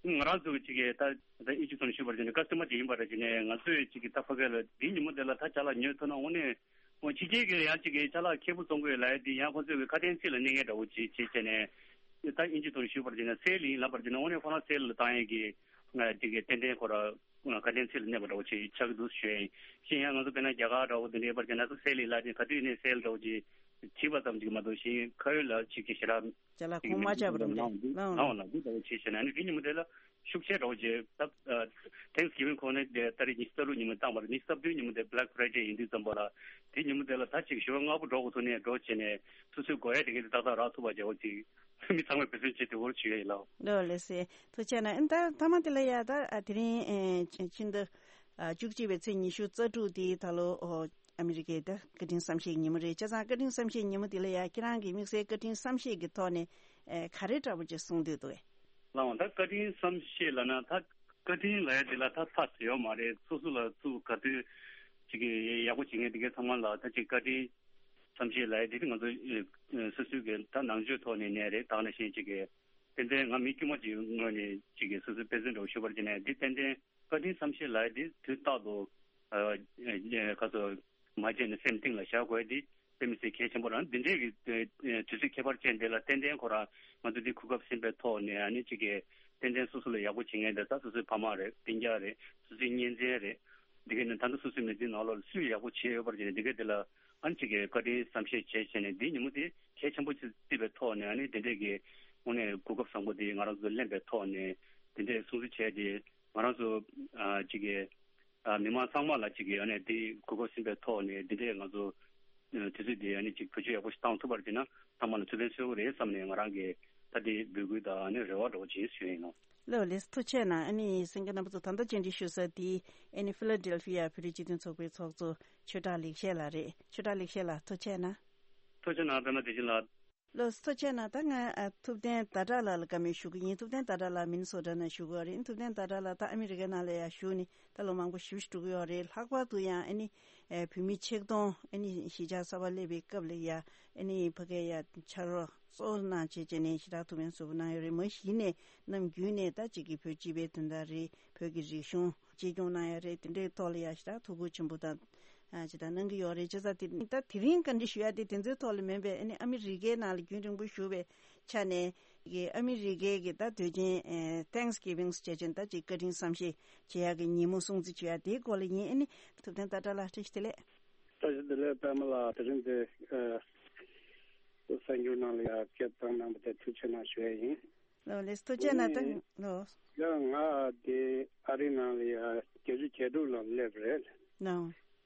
ང་རང་ཚོ་གི་ཅིག་གི་ད་ད་ཨིན་ཇི་ཚོ་ནས་ཞུས་པར་བྱས་ནས་ཀ་སི་ཏོ་མར་ཅིག་ཡིན་པ་རེད། བྱས་ནས་ང་ཚོས་ཅིག་གི་ད་ཕ་གི་ལ་འདི་ཉིན་མོ་དེ་ལ་ད་ཅ་ལག་ཉོས་ཐུབ་ན་དངོས་གནས་ཕྱི་རྒྱལ་གྱི་ཡང་ཅིག་གི་ཅ་ལག་ཁེ་པོ་བཙོང་གི་ཡོད་ལབ་ཡ་དེ་ཡང་ཁོ་ཚོས་གི་ཁ་དན་ཚིག་ལ་གནས་མཁན་འདྲ་བོ་ཅིག་བྱས་བྱས་ནས་ ད་ཨིན་ཇི་ཐོག་ནས་ཞུས་པར་བྱས་ན་སེལ་ཡིན་ལབ་པར་བྱས་ན་དངོས་གནས་ཁོ་རང་སེལ་ལ་བཏང་ཡས་ཀྱི་ང་དེ་གའི་ཏན་ཏན་ཁོ་ར་ཁ་དན་ཚིག་ལ་གནས་པ་འདྲ་བོ་ཅིག་ཆགས་ཀྱི་འདུག་ཞུ་ཡ་ཡིན། གཞན་ཡང་ང་ཚོ་དཔེར་ན་རྒྱ་གར་འདྲ་བོ་དེ་འདྲའི་པར་བྱས་ན་ས་སེལ་ཡིན་ལབ་དེ་ག་དུས་ནས་སེལ་འདྲ་བོ་ཅིག་བྲིས་པ་ཙམ་ཅིག་མ་གཏོགས་གཞན་ཁ་ཡོད་ལ་ཅིག་གི་ཞེ་དྲག་ཅ་ལག་ཅིག་གི་གོང་མ་མེད་ཆགས་པ་འདུག་རེད་འདུག་འདི་ལའང་ལའང་ལའང་ལ་འདི་འདྲ་བོ་བྱས་བྱས་ན་ནི་དེ་ཉིན་མོ་དེ་ལ་ཤུགས་ཆེ་འདྲ་བོ་བྱས་ད། Thanksgiving ཁོ་ནི་ཏ་རིག་ཉི་ཤུ་རྩ་དྲུག་ཉིན་མོ་བཏང་བ་རེད། ཉི་ཤུ་རྩ་བདུན་ཉིན་མོ་དེ་Black Friday ཡིན་དུས་ཙམ་པ་ལ་དེ་ཉིན་མོ་དེ་ལ་ད་ཅིག་ཞོར་སྔ་པོ་འགྲོ་དགོས་ཐུག་ནས་འགྲོ་བྱས་ནས་སོ་སོའི་དགོས་ཡ་དེ་གས་དེ་ཏག་ཏག་རག་ཐུབ་པ་བྱ་བ་ཅིག་མི་ཚང་མས་འབད་བརྩོན་བྱེད་དེ་བོར་བྱེད་ཡ་ཡིན་ལགས། ལོ་ལེ་སེ་ཐུགས་ཆེ་ན་ཨ་ད་ཐ་མ་དེ་ལ་ཡ་ད་ཨ་དེ་རིང་ཨེ་ཕྱི་ཟླ་ཨ་བཅུ་གཅིག་པའི་ཚེས་ཉི་ཤུ་རྩ་དྲུག་དེ་ད་ལོ་ཨོ་ཨ་མི་རི་ཀའི་ད་བཀའ་དྲིན་བསམ་ཤེས་ཉིན་མོ་རེད། བྱས་ཙང་བཀའ་དྲིན་བསམ་ཤེས་ཉིན་མོ་དེ་ལ་ཡ་ཁྱེད་རང་གི་དམིགས་བསལ་བཀའ་དྲིན་བསམ་ཤེས་ཀྱི་ཐོག་ནས་ཨེ་ག་རེ་འདྲ་པོ་ཅིག་གསུང་འདོད་འདུག་གས། ལགས་འོང་ད་བཀའ་དྲིན་བསམ་ཤེས་ལབ་ན་ད་བཀའ་དྲིན་ལབ་ཡ་དེ་ལ་ད་ཐག་ཟེར་ཡོད་མ་རེད། སོ་སོ་ལ་ཚུར་ག་དུས་ཅིག་གི་ཡག་པོ་བྱེད་མཁན་དེ་གའི་ཚང་མ་ལ་ད་ཅིག་བཀའ་དྲིན་བསམ་ཤེས་ལབ་ཡ་དེ་དེ་ང་ཚོ་ཨེ་སོ་སོའི་གི་ད་ནང་ཆོས་ཐོག་ནས་ནས་རེད། ད་ག་ནང་བཞིན་ཅིག་གི་ཏན་ཏན་ང་མི་དཀྱུས་མ་ཅིག་ངོས་ནས་ཅིག་གི་སོ་སོའི་དཔེ་མཚོན་འདྲ་བོ་ཞུ་བར་བྱས་ནས་འདི་ཏན་ཏན་བཀའ་དྲིན་བསམ་ཤེས་ལབ་ཡ་དེ་དུས་རྟག་ཏུ་ཨ་ཨ་ག་ཚོད་མ་བརྗེད་ནས་སེམས་གཏིང་ལ་བཞག་དགོས་ཡ་དེ་དཔེ་མི་སྲིད་གལ་ཆེན་པོ་རང་། འདི་འདྲའི་གི་དུས་ཚོད་ཁྱད་པར་ཅན་དེ་ལ་ཏན་ཏན་ཁོ་རང་ང་ཚོ་འདི་གོ་སྐབས་ཟིན་པའི་ཐོག་ནས་ཨ་ནི་གཅིག་གི་ཏན་ཏན་སོ་སོ་ལ་ཡག་པོ་བྱེད་མཁན་དེ་ད་སོ་སོའི་ཕ་མ་རེད། སྤུན་ཀྱག་རེད། སོ་སོའི་གཉེན་ཚན་རེད། འདི་ག་ནི་ད་ལྟ་སོ་སོའི་མི་ཚེའི་ནང་ལོགས་ལ་སུས་ཡག་པོ་བྱས་ཡོད་པར་བྱས་ནས་འདི་ག་དེ་ལ་ཨ་ནི་གཅིག་གི་བཀའ་དྲིན་བསམ་ཤེས་བྱས་བྱས་ནས་འདི་ཉིན་མོ་དེ་གལ་ཆེན་པོ་ཅིག་བརྩིས་པའི་ཐོག་ནས་ཨ་ནི་དེ་འདྲས་ཀྱི་དངོས་གནས་གོ་སྐབས་བཟང་པོ་དེ་ང་རང་ཚོ་ལེན་པའི་ཐོག་ནས་དེ་འདྲས་སྲུང་བརྩི་བྱས་ཏེ་ང་རང་ཚོ་ཨ་གཅིག་གི་ཨ་མི་མང་ཚང་མ་ལ་གཅིག་གི་ཨ་ནི་དེ་གོ་སྐབས་ཟིན་པའི་ཐོག་ནས་དེ་འདྲས་ང་ཚོ་ཨ་དུས་ཚོད་དེ་ཨ་ནི་གཅིག་བེད་སྤྱོད་ཡག་པོ་ཞིག་བཏང་ཐུབ་པར་བྱས་ན་ཚང་མ་ལ་ཐུགས་ཕན་གསོས་ཀྱི་རེད་བསམ་ནས་ང་རང་གི་ད་དེ་འབོད་སྐུལ་དང་ཨ་ནི་རེ་བ་འདྲ་བོ་བྱེད་ཞུ་ཡིན་ནོ། ལོ་ལེགས་ཐུགས་ཆེ་གནང་། ཨ་ནི་གསན་མཁན་རྣམ་པ་ཚོ་ད་ལྟ་བཅར་འདྲི་ཞུ་ས་དེ་ཨ་ནི་ཕི་ལ་ཌེལ་ཕི་ཡ་བོད་རིགས་སྤྱི་མཐུན་ཚོགས་པའི་ཚོགས་གཙོ་ཆོས་གྲགས་ལེགས་བཤད་ལགས་རེད། ཆོས་གྲགས་ལེགས་བཤད་ལགས་ཐུགས་ཆེ་གནང་། ཐུགས་ཆེ་གནང་། པད་མ་བདེ་ཆེན་ལགས། ལོ་ཐུགས་ཆེ་གནང་། ད་ང་ཨ་ཐུབ་བསྟན་ཟླ་གྲགས་ལགས་ལ་བཀའ་མོལ་ཞུ་གི་ཡིན། ཐུབ་བསྟན་ཟླ་གྲགས་ལགས་མི་ནི་སོ་ཊ་ནང་བཞུགས་ཡོད་རེད། ཐུབ་བསྟན་ཟླ་གྲགས་ལགས་ད་ཨ་མི་རི་ཀའི་ནང་ལ་ཡང་བཞུགས་ནས་ད་ལོ་མང་པོ་ཞེ་པོ་ཞིག་འགྲོ་གི་ཡོད་རེད། ལྷག་པར་དུ་ཡང་ཨ་ནི་ཨེ་བོད་མི་ཆིག་སྟོང་ཨ་ནི་གཞིས་ཆགས་གསར་པ་སླེབས་པའི་སྐབས་ལ་ཡང་ཨ་ནི་ཕ་གིར་ཡང་ཕྱག་རོགས་གཙོ་བོ་གནང་བྱས་བྱས་ནས་ཞེ་དྲག་ཐུགས་ཕན་གསོས་པོ་གནང་ཡོད་རེད། མ་གཞི་ནས་ནམ་རྒྱུན་ནས་ད་ཅིག་གི་བོད་སྤྱི་པའི་དོན་དག་རེད། བོད་ཀྱི་རིག་གཞུང་གཅེས་སྐྱོང་གནང་ཡ་རེད། དེ་འདྲའི་ཐོག་ལ་ཡ་ཞེ་དྲག་ཐུགས་ཁུར་ཆེན་པོ་དང་ཨ་ཅི་ལྟར་གནང་གི་ཡོད་རེད། བྱས་ཙང་དེ་ད་དེ་རིང་བཀའ་འདྲི་ཞུ་ཡ་དེ་དེ་ཚོའི་ཐོག་ལ་མིན་པའི་ཨ་ནི་ཨ་མི་རི་ཀའི་ནང་ལ་རྒྱུན་རིང་པོ་བཞུགས་པའི་ཆ་ནས་ཀྱི་ཨ་མི་རི་ཀའི་གི་ད་དུས་ཆེན་ཨེ་Thanksgiving བྱས་ཅན་ད་ཅིག་བཀའ་དྲིན་བསམ་ཤེས་བྱེད་ཡ་གི་ཉིན་མོ་སྲུང་བརྩི་བྱེད་ཡ་དེའི་སྐོར་ལ་ཡིན། ཨ་ནི་ཐུབ་བསྟན་ཟླ་གྲགས་ལགས་བཀྲ་ཤིས་བདེ་ལེགས། བཀྲ་ཤིས་བདེ་ལེགས། པད་མ་ལགས་དེ་རིང་འདི་ཨ་གསར་འགྱུར་ནང་ལ་ཡ་སྐད་བཏང་གནང་བ་དེ་ཐུགས་ཆེ་གནང་ཞུ་ཡ་ཡིན། ལོ་ལེགས་ཐུགས་རྗེ་གནང་། ད་ལོ། ཡང་ང་དེ་ཨ་རི་ནང་ལ་ཡ་བརྒྱད་ཅུ་གྱ་དྲུག་ལ་སླེབས་རེད། ལོ།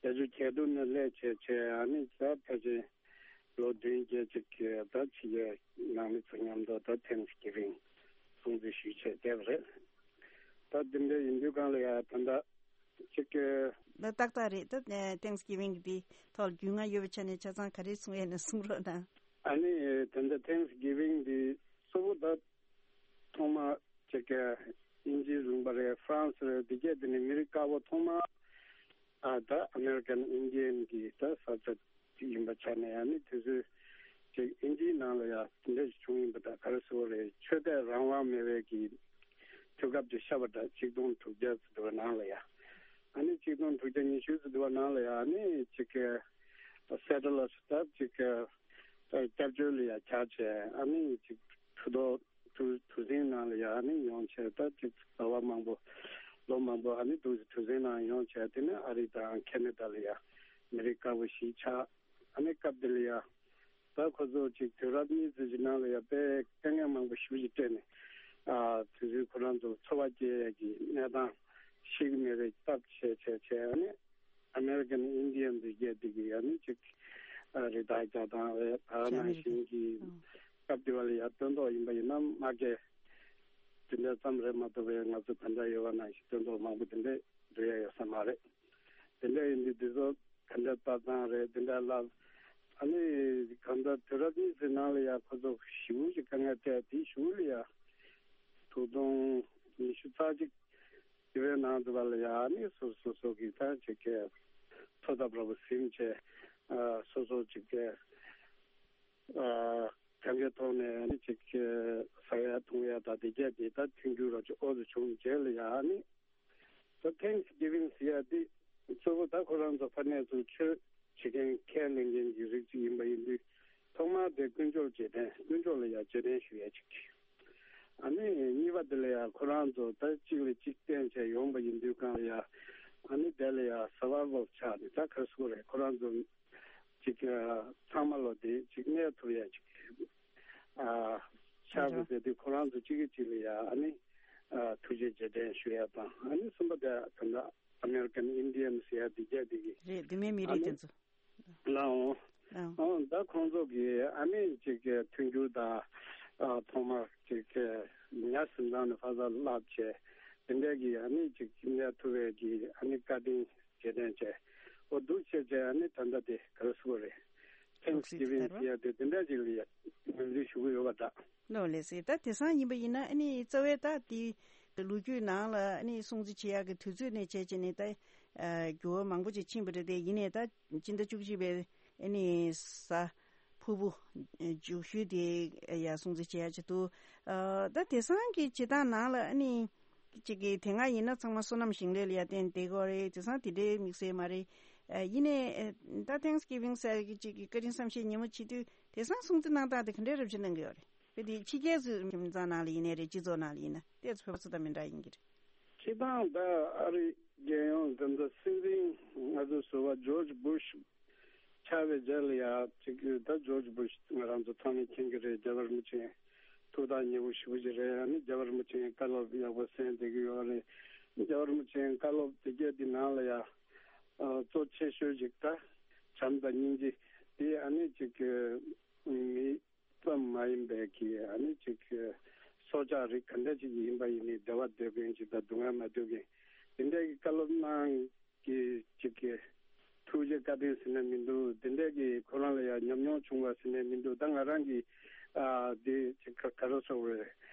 བརྒྱད་ཅུ་གྱ་དྲུག་ནས་སླེབས་བྱས་བྱས་ཨ་ནི་ད་ཕལ་ཆེར་ལོ་བདུན་བརྒྱད་ཅིག་གི་ད་ཕྱི་རྒྱལ་ནང་མི་ཚོ་མཉམ་དུ་ད་Thanksgiving སྲུང་བརྩི་ཞུས་བྱས་བསྡད་པ་རེད། ད་དེ་འདྲ་ཡིན་དུས་གང་ལ་ཡ་ད་ད་ཅིག་གི་ད་ཏག་ཏག་རེད། ད་Thanksgiving གི་དེ་ཐོག་ལ་རྒྱུས་མངའ་ཡོད་པའི་ཆ་ནས་ཆ་ཚང་ག་རེ་གསུང་ཡས་ན་གསུང་རོགས་གནང་། ཨ་ནི་ད་ལྟ་Thanksgiving འདི་གཙོ་བོ་ད་ཐོག་མ་ཅིག་གི་དབྱིན་ཇི་རུང་པ་རེད། ཧྥ་རན་སི་རེད། འདི་གས་འདི་ནི་མི་རིགས་དཀར་པོ་ཐོག་མ་ཨ་ད་American Indian གི་ད་ས་ཆ་ཅིག་ཡིན་པ་ཆ་ནས་ཨ་ནི་དེ་ཚོའི་ཅིག་དབྱིན་ཇིའི་ནང་ལ་ཡ་དེ་འདྲ་ཞིག་བྱུང་ཡིན་པ་ད་ག་རེ་ཟེར་དགོས་རེད། ཆོས་དད་རང་དབང་མེད་པའི་གི་དུས་སྐབས་ཅིག་ཤར་བ་ད་ཆིག་སྟོང་དྲུག་བརྒྱ་ཙམ་དུ་བ་ནང་ལ་ཡ་ཨ་ནི་ཆིག་སྟོང་དྲུག་བརྒྱ་ཉི་ཤུ་ཙམ་དུ་བ་ནང་ལ་ཡ་ཨ་ནི་ཅིག་གི་ད་སེ་ཊ་ལར་སི་ད་ཅིག་གི་ད་སྐྱབས་བཅོལ་ལ་ཡ་བཅར་བྱས་ཨ་ནི་ཅིག་གྲུ་ཐོག་གྲུ་གྲུ་གཟིངས་ནང་ལ་ཡ་ཨ་ནི་ཡོང་བྱས་ད་ཅིག་ཟླ་བ་མང་པོ་ལོ་མང་པོ་ཨ་ནི་འདུག་སེ་གྲུ་གཟིངས་ནང་ཡོང་བྱས་དེ་ནས་ཨ་རི་དང་ཁེ་ན་ཌ་ལ་ཡ་མི་རིགས་དཀར་པོ་གཞིས་ཆགས། ཨ་ནི་སྐབས་དེ་ལ་ཡ་ད་ཁོ་ཚོ་ཅིག་དུས་རབས་གཉིས་ཙམ་གྱི་ནང་ལ་ཡ་དཔེ་དཀའ་ངལ་མང་པོ་ཞེ་པོ་ཅིག་སྤྲད་ནས་ཨ་དུས་ཚོད་ཁོ་རང་ཚོ་འཚོ་བ་སྐྱེལ་ཡ་གི་གནས་སྟངས་ཤེས་ཀྱི་མེད་པའི་སྟབས་བྱས་བྱས་བྱས་ཨ་ནི། American Indian འདི་གས་འདི་གི་ཡ་ནི་ཅིག་ཨ་རི་དྭགས་རྒྱག་སྟངས་རེད། ད་ནང་བཞིན་གྱི་ཨ་སྐབས་དེ་བ་ལ་ཡ་སྟོན་ཐོག་ཡིན་པ་ཡིན་ན་མ་གས་དེ་འདྲ་ཙམ་རེད་མ་གཏོགས་པའི་ང་ཚོ་ད་ལྟ་ཡོད་པ་ནང་བཞིན་སྟོན་ཐོག་མང་པོ་དེ་འདྲས་འགྲོ་ཡ་ཡོད་ས་མ་རེད། དེ་འདྲ་ཡིན་དུས་དེ་ཚོ་ག་འདྲ་ལྟ་སྟངས་རེད་དེ་འདྲ་ལབ། ཨ་ནི་གང་ལྟར་དུས་རབས་གཉིས་ཀྱི་ནང་ལ་ཡ་ཁོ་ཚོ་ཞེ་པོ་ཅིག་དཀའ་ངལ་འཕྲད་དེ་གཞུག་ལ་ཡ་དྲུག་སྟོང་ཉི་ཤུ་རྩ་གཅིག་དེ་བས་ནང་དུ་བ་ལ་ཡ་ནི་སོ་སོ་སོ་གི་ད་ཅིག་གི་འཚོ་ཐབས་ར་བ་ཟིན་བྱས་ཨ་སོ་སོ་ཅིག་གི་ཨ་གང་གི་ཐོག་ནས་ནི་ཅིག་གི་ཟ་ཡ་འཐུང་ཡ་ད་དེ་གས་དེ་ད་མཐུན་འགྱུར་ར་ཅིག་ཨོ་ཙི་བྱུང་རྗེས་ལ་ཡ་ནི་ད་Thanksgiving ཟེར་ཡ་དེ་གཙོ་བོ་ད་ཁོ་རང་ཚོ་ཕ་ནས་ཚུར་ཆོས་བྱེད་མཁན་ཁས་ལེན་མཁན་གྱི་རིགས་ཅིག་ཡིན་པ་ཡིན་དུས་ ཐོག་མར་དེ་དཀོན་མཆོག་རྗེས་དྲན། དཀོན་མཆོག་ལ་ཡང་རྗེས་དྲན་ཞུ་ཡས་ཅིག། ཨ་ནི་གཉིས་པ་དེ་ལ་ཡང་ཁོ་རང་ཚོ་ད་གཅིག་ལ་གཅིག་བརྟེན་བྱས་ཡོང་པ་ཡིན་དུས་སྒང་ལ་ཡང་། ཨ་ནི་དེ་ལ་ཡང་survival ཆགས་ནས། ད་ག་རེ་ཟེར་དགོས་རེད། ཁོ་རང་ཚོ་ཅིག་ཨ་ཚང་མ་ལོ་དེ་ཅིག་གནས་ཐུབ་ཡ་ཅིག་ཨ་ཆགས་དགོས་ཟེར་དུས། ཁོ་རང་ཚོ་གཅིག་གིས་གཅིག་ལ་ཡ་ཨ་ནི་ཨ་ཐུགས་རྗེ་རྗེས་དྲན་ཞུ་ཡ་དང་། ཨ་ནི་གསུམ་པ་དེ་ད་ལྟ་American Indian ཟེར་ཡ་དེ་རྒྱ་དེ་གི་རེད། བུད་མེད་མི་ཨ་རིགས་ནི་དེ་ཚོ། ལའོ། ཨང་། ཨང་། ད་ཁོང་ཚོ་གི་ཨ་ནི་ཅིག་གི་མཐུན་འགྱུར་དང་། ཨ་ཐོག་མར་ཅིག་གི་ཉ་གཟིམ་ཚང་ནས་ཕ་ས་བརླགས་བྱས། དེ་འདྲ་གི་ཨ་ནི་ཅིག་གནས་ཐུབ་པའི་གི་ཨ་ནི་བཀའ་དྲིན་རྗེས་དྲན་བྱས། འོ་འདུག་བྱས་བྱས། ཨ་ནི་ད་ལྟ་དེ་ག་རེ་ཟེར་དགོས་རེད། Thanksgiving ཟེར་ཡ་དེ་དེ་འདྲ་ཅིག་ལ་ཡ་ངོས་འཛིན་ཞུ་གི་ཡོད་པ་འདྲ། ལོ་ལེགས་སེ། ད་དེང་སང་ཡིན་པ་ཡིན་ན་ཨ་ནི་རྩ་བའི་ད་དེ་ལོ་རྒྱུས་ནང་ལ་ཨ་ནི་སྲུང་བརྩི་བྱེད་ཡག་གི་དུས་ཚོད་ནས་བྱས་བྱས་ནས་ད་ཨ་འགྱུར་བ་མང་པོ་ཅིག་ཕྱིན་པ་རེད་དེ། ཡིན་ནའི་ད་སྤྱི་ཟླ་བཅུ་གཅིག་པའི་ཨ་ནི་གཟའ་ཕུར་བུ་མཇུག་ཤོས་དེ་ཡ་སྲུང་བརྩི་བྱེད་ཡག་ཅིག་འདུག། ཨ་ད་དེང་སང་གི་བྱེད་སྟངས་ནང་ལ་ཨ་ནི་གཅིག་གི་དེ་སྔ་ཡིན་ན་ཚང་མ་སོ་ནམ་ཞིང་ལས་ལ་ཡ་བརྟེན་བསྡད་ཀྱི་ཡོད་རེད། དེང་སང་དེ་འདྲའི་དམིགས་བསལ་མ་རེད། ཨ་ཡིན་ནའི་ཨ་ད་Thanksgiving ཟེར་གི་གཅིག་གི་བཀའ་དྲིན་བསམ་ཤེས་ཉིན་མོ་བྱེད་དུས། དེང་སང་སྲུང་བརྩི་གནང་སྟངས་དེ་ག་འདྲའི་རབ་བྱེད་གནང་གི་ཡོད་རེད། དཔེ་དེ་ཕྱི་རྒྱལ་ཚོའི་ཁྱིམ་ཚང་ནང་ལ་ཡིན་ནའི་རེད། སྤྱི་ཚོགས་ནང་ལ་ཡིན་ན་དེ་ཚོ་བོད་པ་ཚོ་དང་མི་འདྲ་ཡིན་གྱི་རེད། སྤྱིར་བཏང་ད་ཨ་རི་རྒྱལ་ཡོངས་ད་ལྟ་སྲིད་འཛིན་ང་ཚོའི་ཟུར་པ་George Bush ཆགས་པའི་རྗེས་ལ་ཡ་ཅིག་ད་George Bush ང་རང་ཚོ་ཚང་མས་མཁྱེན་གྱི་རེད། རྒྱལ་བ་རིན་པོ་ཆེ་ཐུགས་ཐག་ཉེ་པོ་ཞེ་པོ་ཅིག་རེད། ཨ་ནི་རྒྱལ་བ་རིན་པོ་ཆེའི་བཀའ་སློབ་ཡག་པོ་གསན་བསྡད་ཀྱི་ཡོད་རེད། རྒྱལ་བ་རིན་པོ་ཆེའི་བཀའ་སློབ་དེ་གས་དེ་ནང་ལ་ཡ་ཨ་གཙོ་ཆེ་ཤོས་ཅིག་ད་བྱམས་དང་སྙིང་རྗེ་དེ། ཨ་ནི་ཅིག་མི་ཙམ་མ་ཡིན་པའི་གི་ཨ་ནི་ཅིག་སྲོག་ཆགས་རིགས་ག་འདྲ་ཅིག་ཡིན་པ་ཡིན་ནའི་བདེ་བ་འདོད་མཁན་ཅིག་དང་སྡུག་བསྔལ་མ་འདོད་མཁན། དེ་འདྲའི་གི་བཀའ་སློབ་གནང་གི་ཅིག་གི་ཐུགས་རྗེ་བཀའ་དྲིན་ཟེར་ན་མི་འདུག། དེ་འདྲའི་གི་ཁོ་རང་ལ་ཡང་ཉམས་མྱོང་བྱུང་བ་ཟེར་ན་མི་འདུག། ད་ང་རང་གི་ཨ་དེ་ཅིག་ག་ག་རེ་ཟེར་དགོས་རེད།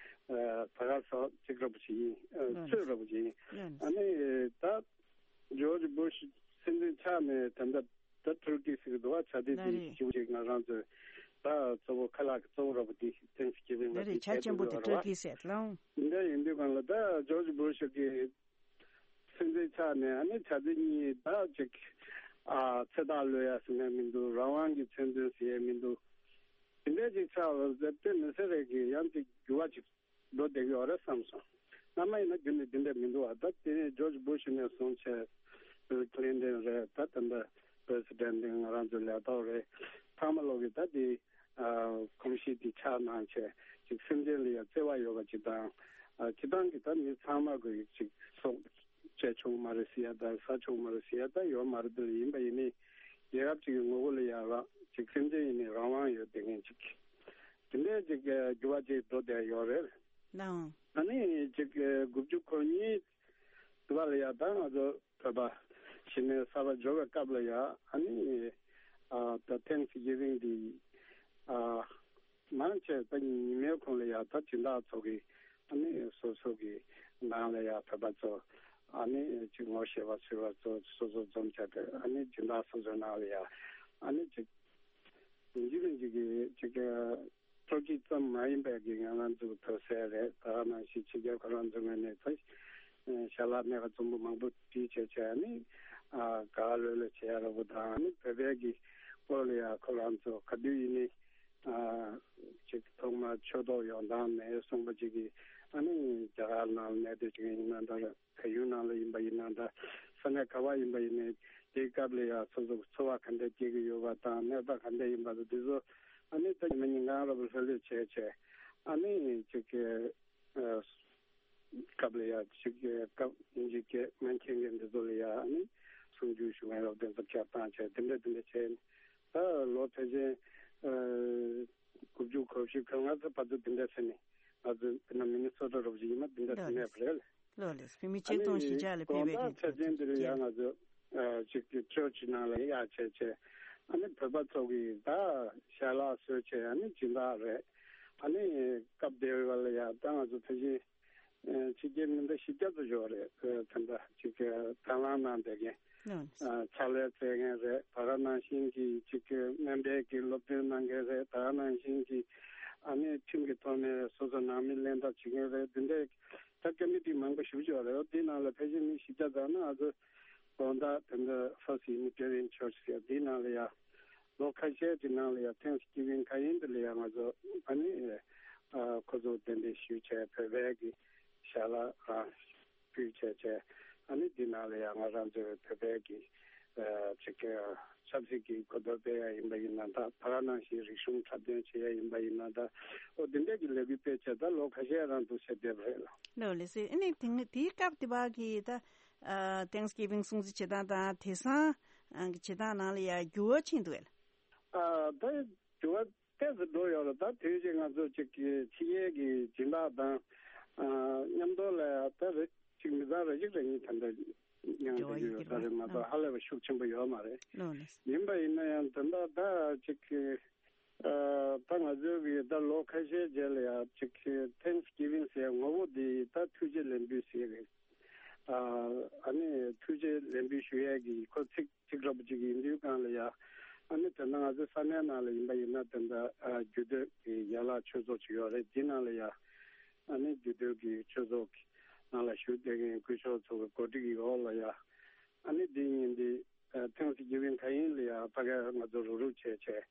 ཨ་ད་ག་ཟེར་ཅིག་ར་བོ་ཅིག་ཡིན། ཨ་ཚོད་ར་བོ་ཅིག་ཡིན། ཨ་ནི་ད་George Bush སྲིད་འཛིན་ཆགས་ནས་ད་ལྟ་ད་ཊུར་ཀི་ཟེར་གི་འདུག་བ། ཆ་དེ་ལ་དེ་རེད། ཞིག་ཅིག་ང་རང་ཚོས་ད་གཙོ་བོ་ཁ་ལག་གི་གཙོ་བོ་ར་བོ་དེ་Thanksgiving་ལ་ལ་རེད། དེ་ཆ་བྱེད་ཆེན་པོ་དགོས་དེ་ར་ཊུར་བ། ཀི་ཟེར་ལ། འདི་འདྲ་ཡིན་དུས་སྒང་ལ་ད་George Bush་གི་སྲིད་འཛིན་ཆགས་ནས་ཨ་ནི་ཆ་དེ་གཉིས་ད་ཅིག་ཨ་ཚེ་ཐག་ལོས་ཡ་ཟེར་ནས་མི་འདུག། རང་དབང་གི་མཚོན་དོན་ཟེར་ཡས་མི་འདུག། དེ་འདྲ་ཅིག་ཆགས་པ་དེ་དཔེ་མི་སྲིད་རེད་གི། ཡང་ཅིག་འགྱུར་བ་ཅིག་འགྲོ་བསྡད་ཀྱི་ཡོད་རེད་བསམ་སོང་། སྔ་མ་ཡིན་ན་རྒྱུན་ནས་འདི་འདྲ་མི་འདུག་བ། ད་དེ་ནས་George Bush་ནས་བཟུང་བྱས་Bill Clinton་རེད། ད་ད་ལྟ་President་ང་རང་ཚོའི་ལས་ཐོག་རེད། ཚང་མ་ལོག་གི་ད་དེ་ཨ་གོམས་གཤིས་དེ་ཆགས་གནང་བྱས་ཅིག་སེམས་ཅན་ལ་ཡང་བརྩེ་བ་ཡོད་པ་ཅིག་དང་། ཨ་སྤྱིར་བཏང་གི་ད་མི་ཚང་མ་གི་ཅིག་སྲོག་བཅད་ཆོག་མ་རེད་ཟེར་ཡ་དང་ཟ་ཆོག་མ་རེད་ཟེར་ཡ་ད་ཡོད་མ་རེད། དེ་ཡིན་པ་ཡིན་ནའི་རྒྱལ་ཁབ་ཅིག་གི་ངོ་བོ་ལ་ཡང་རང་ཅིག་སེམས་ཅན་ཡིན་ནའི་རང་དབང་ཡོད་བསྡད་མཁན་ཅིག། དེ་འདྲའི་ཅིག་འགྱུར་བ་ཅིག་འགྲོ་བསྡད་ཡོད་རེད། ནའང་། ཨ་ནི་ཅིག་དགུ་བཅུ་གོ་གཉིས་དུ་བ་ལ་ཡ་ད་ང་ཚོ་བོད་པ་གཞིས་ནས་གསར་པ་འབྱོར་བའི་སྐབས་ལ་ཡ་ཨ་ནི་ཨ་ད་Thanksgiving་འདི་ཨ་མང་ཆེ་ད་ཉི་མའི་གུང་ལ་ཡ་ད་སྦྱིན་བདག་ཚོ་གི་ཨ་ནི་སོ་སོ་གི་ནང་ལ་ཡ་བོད་པ་ཚོ་ཨ་ནི་ཅིག་ངོ་ཤེས་པ་ཚོས་པ་ཚོ་སོ་སོ་འཛོམས་བྱས་ཏེ་ཨ་ནི་སྦྱིན་བདག་སོ་སོའི་ནང་ལ་ཡ་ཨ་ནི་ཅིག་རིན་ཆེན་རིན་ཆེན་གྱི་ཅིག་ཊུར་ཀི་ཙམ་མ་ཡིན་པའི་གི་ང་རང་ཚོ་ཐོབ་སྲས་རེད། ད་ག་ནང་བཞིན་ཕྱི་རྒྱལ་ཁོ་རང་ཚོའི་ངོས་ནས་ད་ཞལ་ལག་སྣ་ཁ་འཛོམས་པོ་མང་པོ་བྲིས་བྱས་བྱས་ནས་ཨ་ག་ལོས་ལོས་བྱེད་ཡ་ར་བོ་དང་། ཨ་ནི་བོད་པའི་གི་སྐོར་ལ་ཡ་ཁོ་རང་ཚོ་ག་དུས་ཡིན་ནའི་ཨ་ཅིག་ཐོག་མར་ཆོས་ཐོག་ཡོང་སྟངས་ནས་གསུངས་པ་ཅིག་གི་ཨ་ནི་རྒྱ་གར་ནང་གནས་སྡོད་བྱེད་མཁན་ཡིན་ན་འདྲ། བལ་ཡུལ་ནང་ལ་ཡིན་པ་ཡིན་ན་འདྲ། ས་གནས་ག་བ་ཡིན་པ་ཡིན་ནའི་དེའི་སྐབས་ལ་ཡང་སོ་སོ་འཚོ་བ་ག་འདྲ་སྐྱེལ་གྱི་ཡོད་པ་དང་། གནས་སྟངས་ག་འདྲ་ཡིན་པ་དང་། དེ་ཚོ་ཨ་ནི་ད་ཉི་མ་ཉིན་གང་ར་བ་ལྷོད་ལྷོད་བྱས་བྱས་ཨ་ནི་ཅིག་གི་ཨ་སྐབས་ལ་ཡང་ཅིག་གི་སྐབས་ཡིན་གཅིག་སྐད་མ་མཁྱེན་མཁན་འདི་ཚོ་ལ་ཡང་ཨ་ནི་གསུང་ཆོས་ཞུ་མཁན་ར་བ་དེ་ཚོ་ཁྱབ་བཏང་བྱས་དེ་འདྲ་དེ་འདྲ་བྱས་ནས། ད་ལོ་ཕལ་ཆེར་ཨ་དགུ་བཅུ་གོ་བཞི་གོ་ལྔ་ཙམ་བར་དུ་དེ་འདྲ་བྱས་ནས། ང་ཚོ་དཔེར་ན་མི་ནི་སོ་ཊ་ར་བ་ཅིག་ཡིན་ན་དེ་འདྲ་དེ་ལགས་གནས་པ་རེད། ལགས་ལགས། བོད་མི་ཆིག་སྟོང་བཞི་བརྒྱ་ལ་ཕེབས་པའི་དགོང་དག་ཆ་ཅན་འདིར་ཡང་ང་ཚོ་ཨ་ཅིག་གི་ཆོས་ཀྱི་ནང་ལ་ཡར་བྱས་བྱས་ཨ་ནི་བོད་པ་ཚོ་གིས་ད་ཞལ་ལག་བཟོས་བྱས་ཨ་ནི་སྦྱིན་བདག་རེད། ཨ་ནི་སྐབས་དེ་བ་ལ་ཡང་ད་ང་ཚོ་ཕལ་ཆེར་ཕྱི་རྒྱལ་མི་འདྲ་བཞི་བརྒྱ་ཙམ་ཡོད་རེད། དེ་འདྲ་ཅིག་གི་དང་བླངས་གནང་བསྡད་མཁན། ཕྱག་ལས་བཙལ་མཁན་རེད། ད་ག་ནང་བཞིན་གྱི་ཅིག་གི་སྨན་པའི་གི་སློབ་སྟོན་གནང་མཁན་རེད། ད་ག་ནང་བཞིན་གྱི་ཨ་ནི་ཁྲིམས་ཀྱི་ཐོག་ནས་སོ་སོ་ནང་མི་ལེན་ཐབས་བྱེད་མཁན་རེད། འདི་འདྲའི་ད་ཀོ་མི་ཊི་མང་པོ་ཞེ་པོ་ཅིག་ཡོད་རེད། འདིའི་ནང་ལ་ཕལ་ཆེར་མི་བཞི་བརྒྱ་ཙམ་ན་ང་ཚོ་དགོང་དག་དེ་འདྲ་First Unitarian Church་ཟེར་འདིའི་ནང་ལ་ཡ་ ལོ་ཁ་ཤས་ཀྱི་ནང་ལ་ཡང་Thanksgiving་ག་ཡིན་དེ་ལ་ཡང་ང་ཚོ་ཨ་ནི་ཨ་ཁོ་ཚོ་གདན་འདྲེན་ཞུས་བྱས་བོད་པའི་གི་ཞལ་ལག་ཨ་ཕུལ་བྱས་བྱས། ཨ་ནི་འདི་ནང་ལ་ཡང་ང་རང་ཚོའི་བོད་པའི་གི་ཨ་ཅིག་ཨ་ཆབ་སྲིད་ཀྱི་གོ་རྟོགས་སྤེལ་ཡ་ཡིན་པ་ཡིན་ན་འདྲ། ད་ག་ནང་བཞིན་རིག་གཞུང་འཁྲབ་སྟོན་བྱེད་ཡ་ཡིན་པ་ཡིན་ན་འདྲ། ཨོ་འདི་འདྲས་ཀྱི་ལས་འགུལ་སྤེལ་བྱས་ད་ལོ་ཁ་ཤས་རང་འདུག་ཟེར་བསྡད་པ་རེད་ལ། ལགས་ལགས་སེ། ཨ་ནི་དེ་དེའི་སྐབས་དེ་བ་གི་ད་ཨ་Thanksgiving སྲུང་བརྩི་བྱེད་སྟངས་དང་དེང་སང་ཨ་གི་བྱེད་སྟངས་ནང་ལ་ཡང་འགྱུར་བ་ཕྱིན་འདུག་གས་ལ། ཨ་ད་འགྱུར་བ་ཏོག་ཙམ་འགྲོ་ཡོད་ལ། ད་དུས་ཅིག་ང་ཚོ་ཅིག་གི་ཕྱི་རྒྱལ་གྱི་སྦྱིན་བདག་དང་ཨ་མཉམ་དུ་ལ་ད་རེ་ཅིག་མི་ཚང་རེ་ཅིག་རེ་གཉིས་ད་ལྟ་མཉམ་འབྲེལ་དུ་བ་ཡོད་ཡོད་ས་རེད་མ་གཏོགས་ཧ་ལས་པ་ཤུགས་ཆེན་པོ་ཡོད་མ་རེད། ལགས་ལགས། ཡིན་པ་ཡིན་ན་ཡང་ད་ལྟ་ད་ཅིག་གི་ཨ་ད་ང་ཚོའི་གི་ད་ལོ་ཁ་ཤས་རྗེས་ལ་ཡང་ཅིག་གི་Thanksgiving ཟེར་ངོ་བོ་འདི་ད་ཐུགས་རྗེ་ལེགས་འབུལ་ཟེར་གི་ཨ་ཨ་ནི་ཐུགས་རྗེ་ལེགས་འབུལ་ཞུ་ཡས་གི་ཁོ་ཚིག་ཅིག་འདྲ་པོ་ཅིག་ཡིན་དུས་སྒང་ལ་ཡ། ཨ་ནི་དེ་ན་ང་ཚོའི་ས་གནས་ནང་ལ་ཡིན་པ་ཡིན་ན་དེ་འདྲ་ཨ་རྒྱུད་སྟོད་ཀྱི་ཡན་ལག་ཆོས་ཚོགས་ཅིག་ཡོད་རེད། འདི་ནང་ལ་ཡ་ཨ་ནི་རྒྱུད་སྟོད་ཀྱི་ཆོས་ཚོགས་ཀྱི་ནང་ལ་བཞུགས་བསྡད་མཁན་སྐུ་ཞབས་ཚོ་གི་གོ་སྒྲིག་གི་འོག་ལ་ཡ། ཨ་ནི་འདི་ཉིན་འདི་ཨ་Thanksgiving་ག་ཡིན་ལ་ཡ་ཕ་གིར་ང་ཚོ་རུག་རུག་བྱས་བྱས་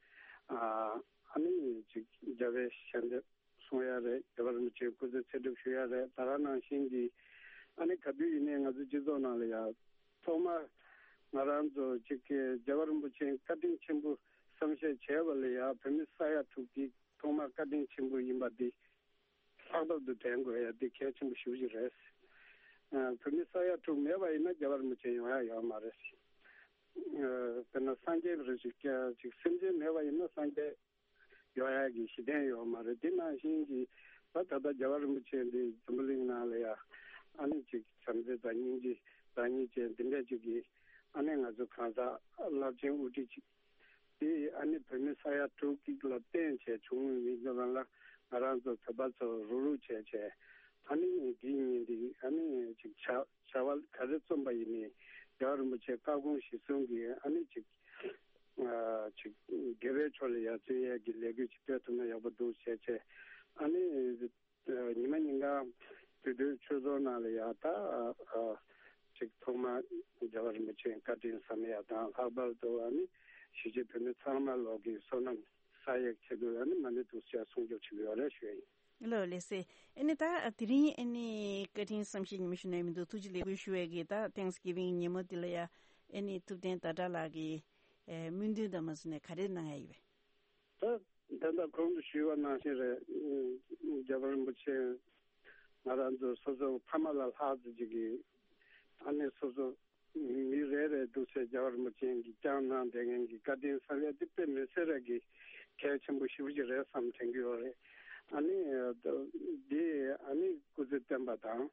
ཨ་ཨ་ནི་ཅིག་རྒྱལ་བའི་ཞལ་འདེབས་གསུང་ཡ་རེད། རྒྱལ་བ་རིན་པོ་ཆེའི་སྐུ་ཚེ་ཚེ་སྒྲུབ་ཞུ་ཡ་རེད། ད་ག་ནང་བཞིན་གྱི་ཨ་ནི་ག་དུས་ཡིན་ནའི་ང་ཚོ་སྤྱི་ཚོགས་ནང་ལ་ཡ་ཐོག་མར་ང་རང་ཚོ་གཅིག་གི་རྒྱལ་བ་རིན་པོ་ཆེའི་བཀའ་དྲིན་ཆེན་པོ་བསམ་ཤེས་བྱས་པ་ལ་ཡ་བོད་མི་ས་ཡ་དྲུག་གི་ཐོག་མར་བཀའ་དྲིན་ཆེན་པོ་ཡིན་པ་འདི་ལྷག་པར་དུ་དྲན་དགོས་ཡ་འདི་གལ་ཆེན་པོ་ཞེ་པོ་ཅིག་རེད། ཨ་བོད་མི་ས་ཡ་དྲུག་མེད་པ་ཡིན་ན་རྒྱལ་བ་རིན་པོ་ཆེ་ཡོང་ཡ་ཡོད་མ་རེད། ཨ་དཔེར་ན་སངས་རྒྱས་རེ་ཞིག་ཅིག་སེམས་ཅན་མེད་པ་ཡིན་ན་སངས་རྒྱས་ཡོང་ཡག་གི་གཞི་རྟེན་ཡོད་མ་རེད། དེ་ནང་བཞིན་གྱི་ད་ད་ལྟ་རྒྱལ་བ་རིན་པོ་ཆེ་འདི་འཛམ་བུ་གླིང་ནང་ལ་ཡ་ཨ་ནི་ཅིག་བྱམས་བརྩེ་དང་སྙིང་རྗེ་བདག་ཉིད་ཅན་འདི་འདྲ་ཅིག་གི་ཨ་ནི་ང་ཚོ་གང་ཟག་རླབས་ཆེན་དབུ་ཁྲིད་ཅིག་དེ་ཨ་ནི་བོད་མི་ས་ཡ་དྲུག་གཅིག་ལ་བརྟེན་བྱས་བྱུང་བའི་མི་ཚོ་ལ་ང་རང་ཚོ་བོད་པ་ཚོ་རུག་རུག་བྱས་བྱས་ཨ་ནི་འདི་ཉིན་འདི་ཨ་ནི་ཅིག་བྱ་བྱ་བ་ག་རེ་རྩོམ་པ་ཡིན་ནའི་རྒྱལ་བ་རིན་པོ་ཆེ་བཀའ་དགོངས་གཞིར་བཟུང་གིས་ཨ་ནི་ཅིག་ཨ་ཅིག་དགེ་བའི་ཕྱོགས་ལ་ཡར་བརྩོན་ཡས་ཀྱི་ལས་འགུལ་ཅིག་སྤེལ་ཐུབ་ན་ཡག་པོ་འདུག་བྱས་བྱས། ཨ་ནི་ཉི་མ་ཉིན་གང་དུས་དུས་ཆོས་ཚོགས་ནང་ལ་ཡ་ད་ཨ་ཅིག་ཐོག་མར་རྒྱལ་བ་རིན་པོ་ཆེའི་བཀའ་དྲིན་བསམ་ཡ་དང་ལྷག་པར་དུ་ཨ་ནི་གཞིས་བྱེས་བོད་མི་ཚང་མ་ལོག་གི་བསོད་ནམས་བསགས་ཡས་ཆེད་དུ་ཨ་ནི་མ་ཎི་ཐུགས་རྗེ་ཆེ་གསུང་རྒྱུ་ཆེད་དུ་ཡོད་རེད་ཞུ་ཡ་ཡིན། ལགས་ལགས་སེ། ཨ་ནི་ད་དེ་རིང་ཨ་ནི་བཀའ་དྲིན་བསམ་ཤེས་ཉི་མ་ཞུ་ནས་མི་འདུག་ཐུགས་རྗེ་ལེགས་འབུལ་ཞུ་བའི་གི་ད་Thanksgiving་ཉིན་མོ་འདི་ལ་ཡ་ཨ་ནི་ཐུབ་བསྟན་ཟླ་གྲགས་ལགས་ཀྱི་ཨེ་སྨོན་འདུན་དང་མ་སུ་ནས་ག་རེ་གནང་ཡ་ཡིན་པས། ད་ད་ལྟ་གོང་དུ་ཞུས་པ་ནང་བཞིན་རེད། རྒྱལ་བ་རིན་པོ་ཆེ་ང་རང་ཚོ་སོ་སོ་ཕ་མ་ལ་ལྷག་ཙམ་ཅིག་གི་ཨ་ནི་སོ་སོ་མི་རེ་རེ་འདུག་སེ་རྒྱལ་བ་རིན་པོ་ཆེ་གིས་བསྐྱངས་གནང་བསྡད་མཁན་གྱི་བཀའ་དྲིན་བསམ་ཡས་དེ་དཔེ་མི་སྲིད་ར་གི་གལ་ཆེན་པོ་ཞེ་པོ་ཅིག་རེད་བསམ་དྲན་གྱི་ཡོད་རེད། ཨ་ནི་འདི་ཨ་ནི་སྐུ་ཚེ་བརྟན་པ་དང་